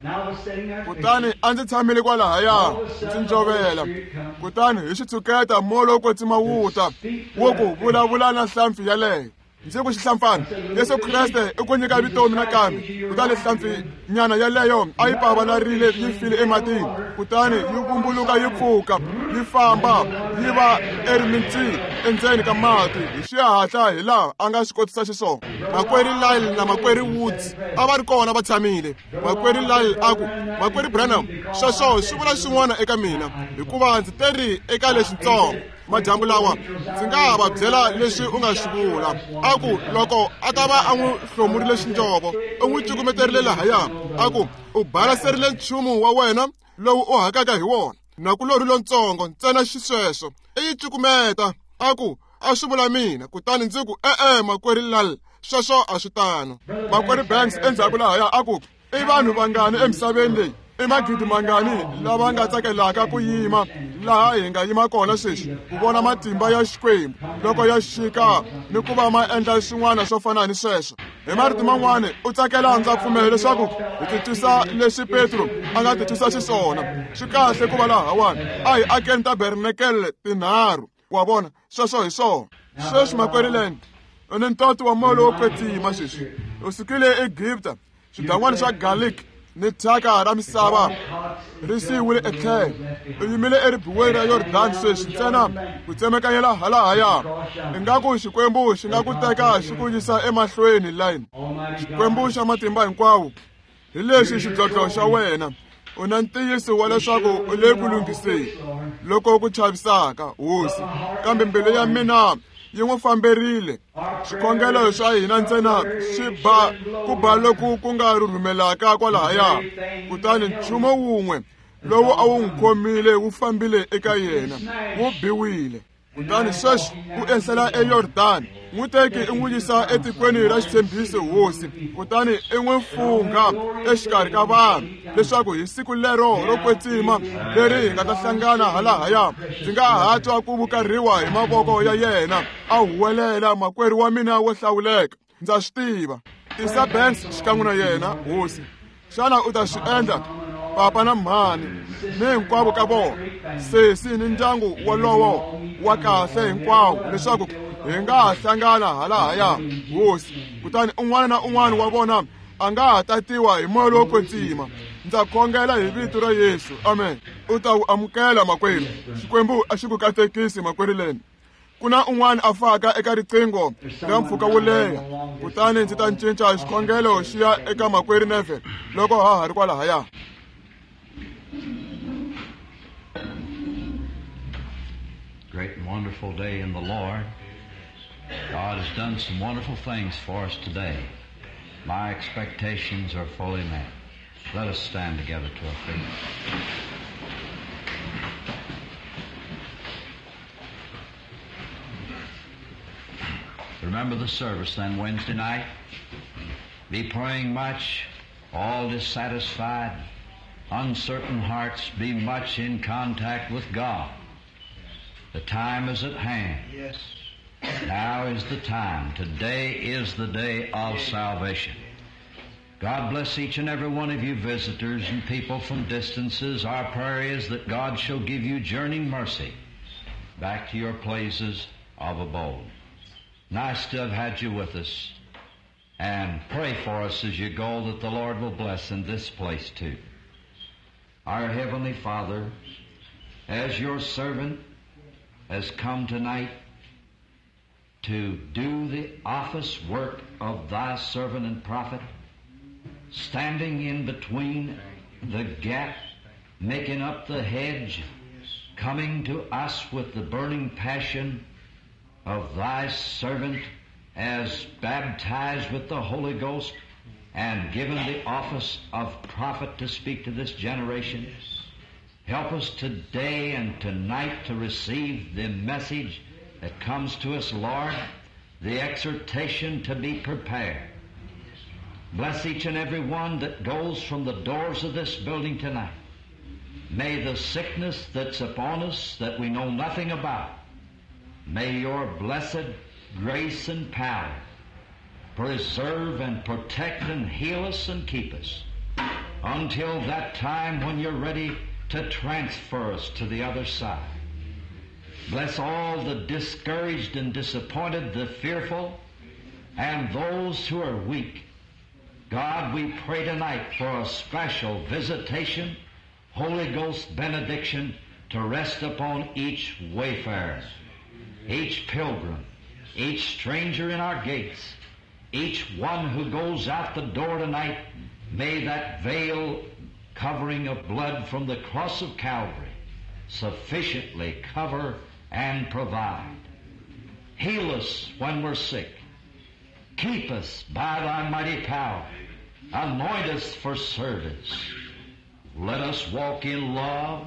Kutani a ndzi tshamile kwalahaya ndzi njovela. Kutani hi xitshuketa moya lowo kwetsima wu ta, wu ku, vulavula na hlampfi yaleyo. Ndzi ku, xihlampfana, Yesu Kreste i ku nyika vutomi nakambe. Kutani hlampfi nyana yaleyo a yi pavalarile yi file ematini, kutani yi vumbuluka yi pfuka yi famba yi va erimintsini endzeni ka mati hi xihatla hi laha a nga swi kotisa xiswona. Makwerhu Lyle na makwerhu Woods a va ri kona va tshamile. Makwerhu Lyle a ku, Makwerhu Branham, sweswo swi vula swin'wana eka mina, hikuva ndzi teri eka lexitsongo madyambu lawa. Ndzi nga ha va byela leswi u nga swi vula. A ku, loko a ta va a n'wi hlomurile xinjovo, u n'wi cukumeterile lahaya. A ku, u balaserile nchumu wa wena lowu u hakaka hi wona, nakulorhi lontsongo ntsena xisweswo i yi cukumeta. A ku, a swi vula mina. Kutani ndzi ku, e-e, makwerhu Lal, sweswo a swi tano. Makwerhu Banks endzhaku lahaya a ku, i vanhu vangani emisaveni leyi, i magidi mangani lava nga tsakelaka ku yima laha hi nga yima kona sweswi ku vona matimba ya Xikwembu loko ya xika ni ku va ma endla swin'wana swo fana ni sweswo. Hi marito man'wani, u tsakela ndza pfumela leswaku hi titwisa leswi Petro a nga titwisa xiswona. Swi kahle ku va lahawani, a hi akeni tabernakele tinharhu. Wa vona, sweswo hi swona. Sweswi makwerhu Land, u ni ntoto wa moya lowo kwetsima sweswi. U sukile eEgipta, swidan'wana swa garlic ni thyaka ra misava ri siyiwile etlhelo. U yimile eribuweni ra Yordani sweswi, ntsena ku tsemekanyela halahaya. Ingaku Xikwembu xi nga ku teka xi ku yisa emahlweni line. Xikwembu xa matimba hinkwawo, hi lexi xidlodlo xa wena. U na ntiyiso wa leswaku u le ku lunghiseni loko ku chavisaka, Hosi, kambe mbilu ya mina Yi n'wi famberile. Xikhongelo xa hina ntsena xi ba ku ba loku ku nga rhurhumelaka kwalahaya. Kutani nchumu wun'we lowu a wu n'wi khomile wu fambile eka yena, wu biwile. Kutani sweswi u ehlela eYordani, n'wi teki i n'wi yisa etikweni ra xitshembiso hosi, kutani i n'wi fungha exikarhi ka vanhu leswaku hi siku lero ro kwetsima leri hi nga ta hlangana halahaya, ndzi nga ha twa ku vukarhiwa hi mavoko ya yena a huwelela, makwerhu wa mina wo hlawuleka, ndza swi tiva. Tisa Banks xikan'we na yena hosi. Xana u ta swi endla? Papa na mhani ni hinkwavo ka vona, sesi ni ndyangu wolowo wa kahle hinkwawo, leswaku hi nga ha hlangana halahaya hosi. Kutani un'wana na un'wana wa vona a nga ha tatiwa hi moya lowo kwetsima. Ndza khongela hi vito ra Yesu, amen. U ta wu amukela makwerhu. Xikwembu a xi ku katekisi makwerhu leni. Ku na un'wana a faka eka riqingho ra mpfhuka wo leha, kutani ndzi ta cinca xikhongelo xi ya eka makwerhu Neville loko ha ha ri kwalahaya. Great and wonderful day in the Lord. God has done some wonderful things for us today. My expectations are fully met. Let us stand together to our feet. Remember the service then Wednesday night. Be praying much, all dissatisfied, uncertain hearts, be much in contact with God. The time is at hand. Yes. Now is the time. Today is the day of salvation. God bless each and every one of you visitors and people from distances. Our prayer is that God shall give you journeying mercy back to your places of abode. Nice to have had you with us. And pray for us as you go that the Lord will bless in this place too. Our Heavenly Father, as your servant has come tonight to do the office work of thy servant and prophet, standing in between the gap, making up the hedge, coming to us with the burning passion of thy servant as baptized with the Holy Ghost and given the office of prophet to speak to this generation. Help us today and tonight to receive the message that comes to us, Lord, the exhortation to be prepared. Bless each and every one that goes from the doors of this building tonight. May the sickness that's upon us that we know nothing about, may your blessed grace and power preserve and protect and heal us and keep us until that time when you're ready to transfer us to the other side. Bless all the discouraged and disappointed, the fearful, and those who are weak. God, we pray tonight for a special visitation, Holy Ghost benediction to rest upon each wayfarer, each pilgrim, each stranger in our gates, each one who goes out the door tonight. May that veil covering of blood from the cross of Calvary sufficiently cover and provide. Heal us when we're sick. Keep us by thy mighty power. Anoint us for service. Let us walk in love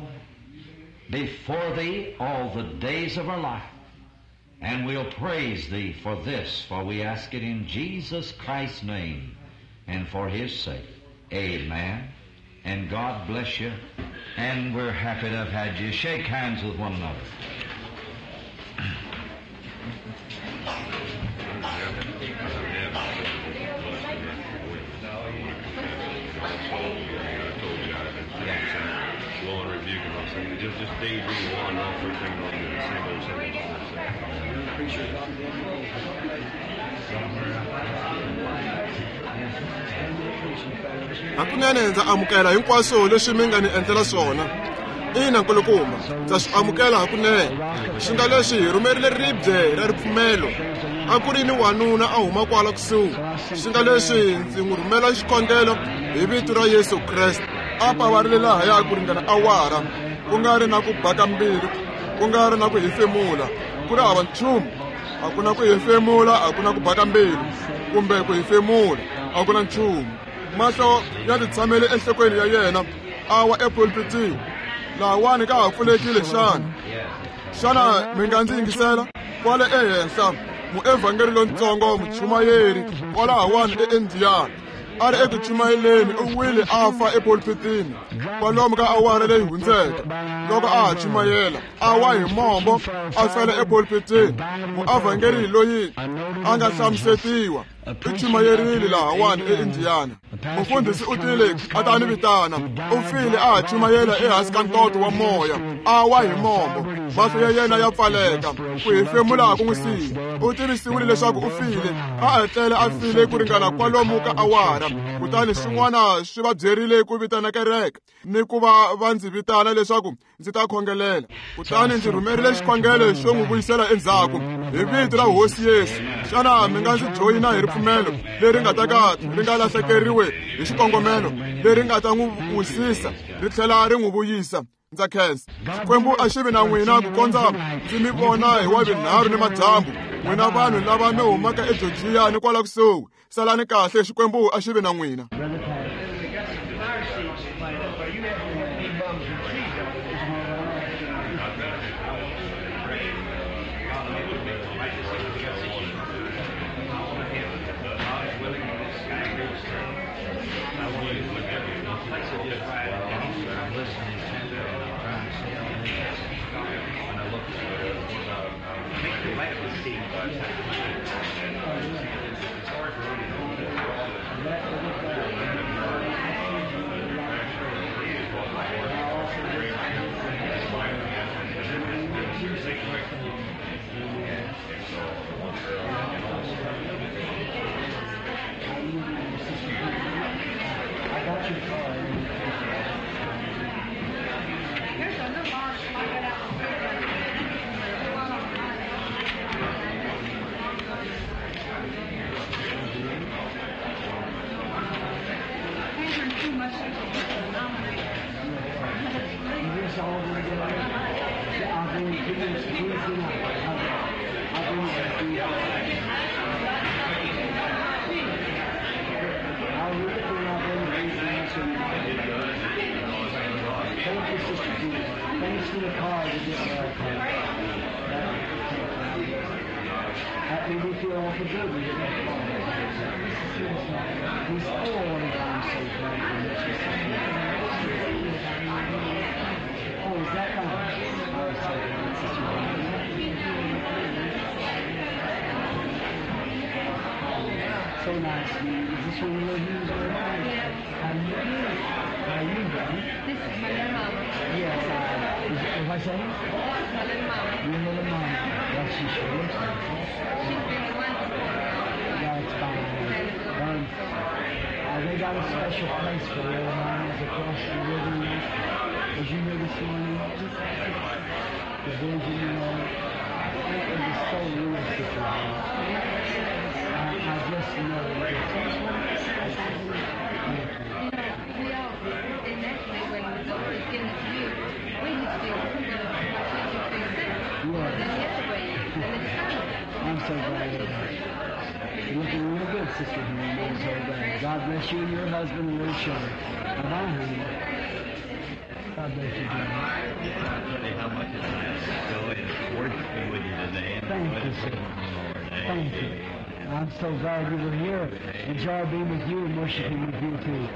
before thee all the days of our life. And we'll praise thee for this, for we ask it in Jesus Christ's name and for his sake. Amen. And God bless you. And we're happy to have had you. Shake hands with one another. Just daydream on off first thing on the same old, same old, Hakunene ndza amukela hinkwaswo leswi mi nga ni endlela swona. Ina nkulukumba, ndza swi amukela hakunene. Swi nga leswi hi rhumerile ribye ra ripfumelo. A ku ri ni wanuna a huma kwala kusuhi. Swi nga leswi ndzi n'wi rhumela xikhongelo hi vito ra Yesu Kreste. A pavarile lahaya ku ringana awara, ku nga ri na ku baka mbilu, ku nga ri na ku hefemula, ku ri hava nchumu. A ku na ku hefemula, a ku na ku baka mbilu kumbe ku hefemula, a ku na nchumu. Mahlo ya titshamele enhlokweni ya yena, a wa epulpitini. Lahawani ka ha pfulekile xana? Xana mi nga ndzi yingisela? Kwale ehenhla, muevhangeri lontsongo muchumayeri kwalahawani eIndiana a ri eku chumayeleni, u wile a fa epulpitini kwalomu ka awara leyi hundzeke. Loko a ha chumayela, a wa hi mombo a fela epulpitini. Muevhangeri loyi a nga hlamusetiwa u chumayerile lahawani eIndiana. Mufundhisi u tile a ta ni vitana, u file a ha chumayela ehansi ka ntoto wa moya, a wa hi mombo, mahlo ya yena ya pfaleka, ku hefemula ku n'wi siya. U tivisiwile leswaku u file, a etlele a file ku ringana kwalomu ka awara. Kutani swin'wana swi va byerile ku vitana kereke ni ku va va ndzi vitana leswaku ndzi ta khongelela. Kutani ndzi rhumerile xikhongelo xo n'wi vuyisela endzhaku hi vito ra Hosi Yesu. Xana mi nga ndzi joyina hi ripfumelo leri nga ta ka ri nga lahlekeriwe hi xikongomelo, leri nga ta n'wi wisisa ri tlhela ri n'wi vuyisa? Ndza khensa. Xikwembu a xi vi na n'wina ku kondza ndzi mi vona hi wavunharhu ni madyambu. N'wina vanhu lava mi humaka eGeorgia ni kwala kusuhi, salani kahle, Xikwembu a xi vi na n'wina. So nice. Is this one of you? How are you doing? This is my little mama. Yes, is my saying? My little mama. Your little mama. Well, she sure looks like it. She's been the one before. That's fine. They got a special place for little mamas across the river. Was you here this morning? The vision, you know. It was so real, Sister. I just know. You know, we all, and naturally, when the doctor's giving it to you, we just feel, why can't you feel sick? Yes. Then the other way, and it's fine. I'm so glad of that. You're looking real good, Sister Henry. I'm so glad. God bless you and your husband and little children. Bye-bye, honey. God bless you, John. I tell you how much it's nice to go and worshiping with you today. Thank you, sir. Thank you. I'm so glad you were here. Enjoy being with you and worshiping with you, too.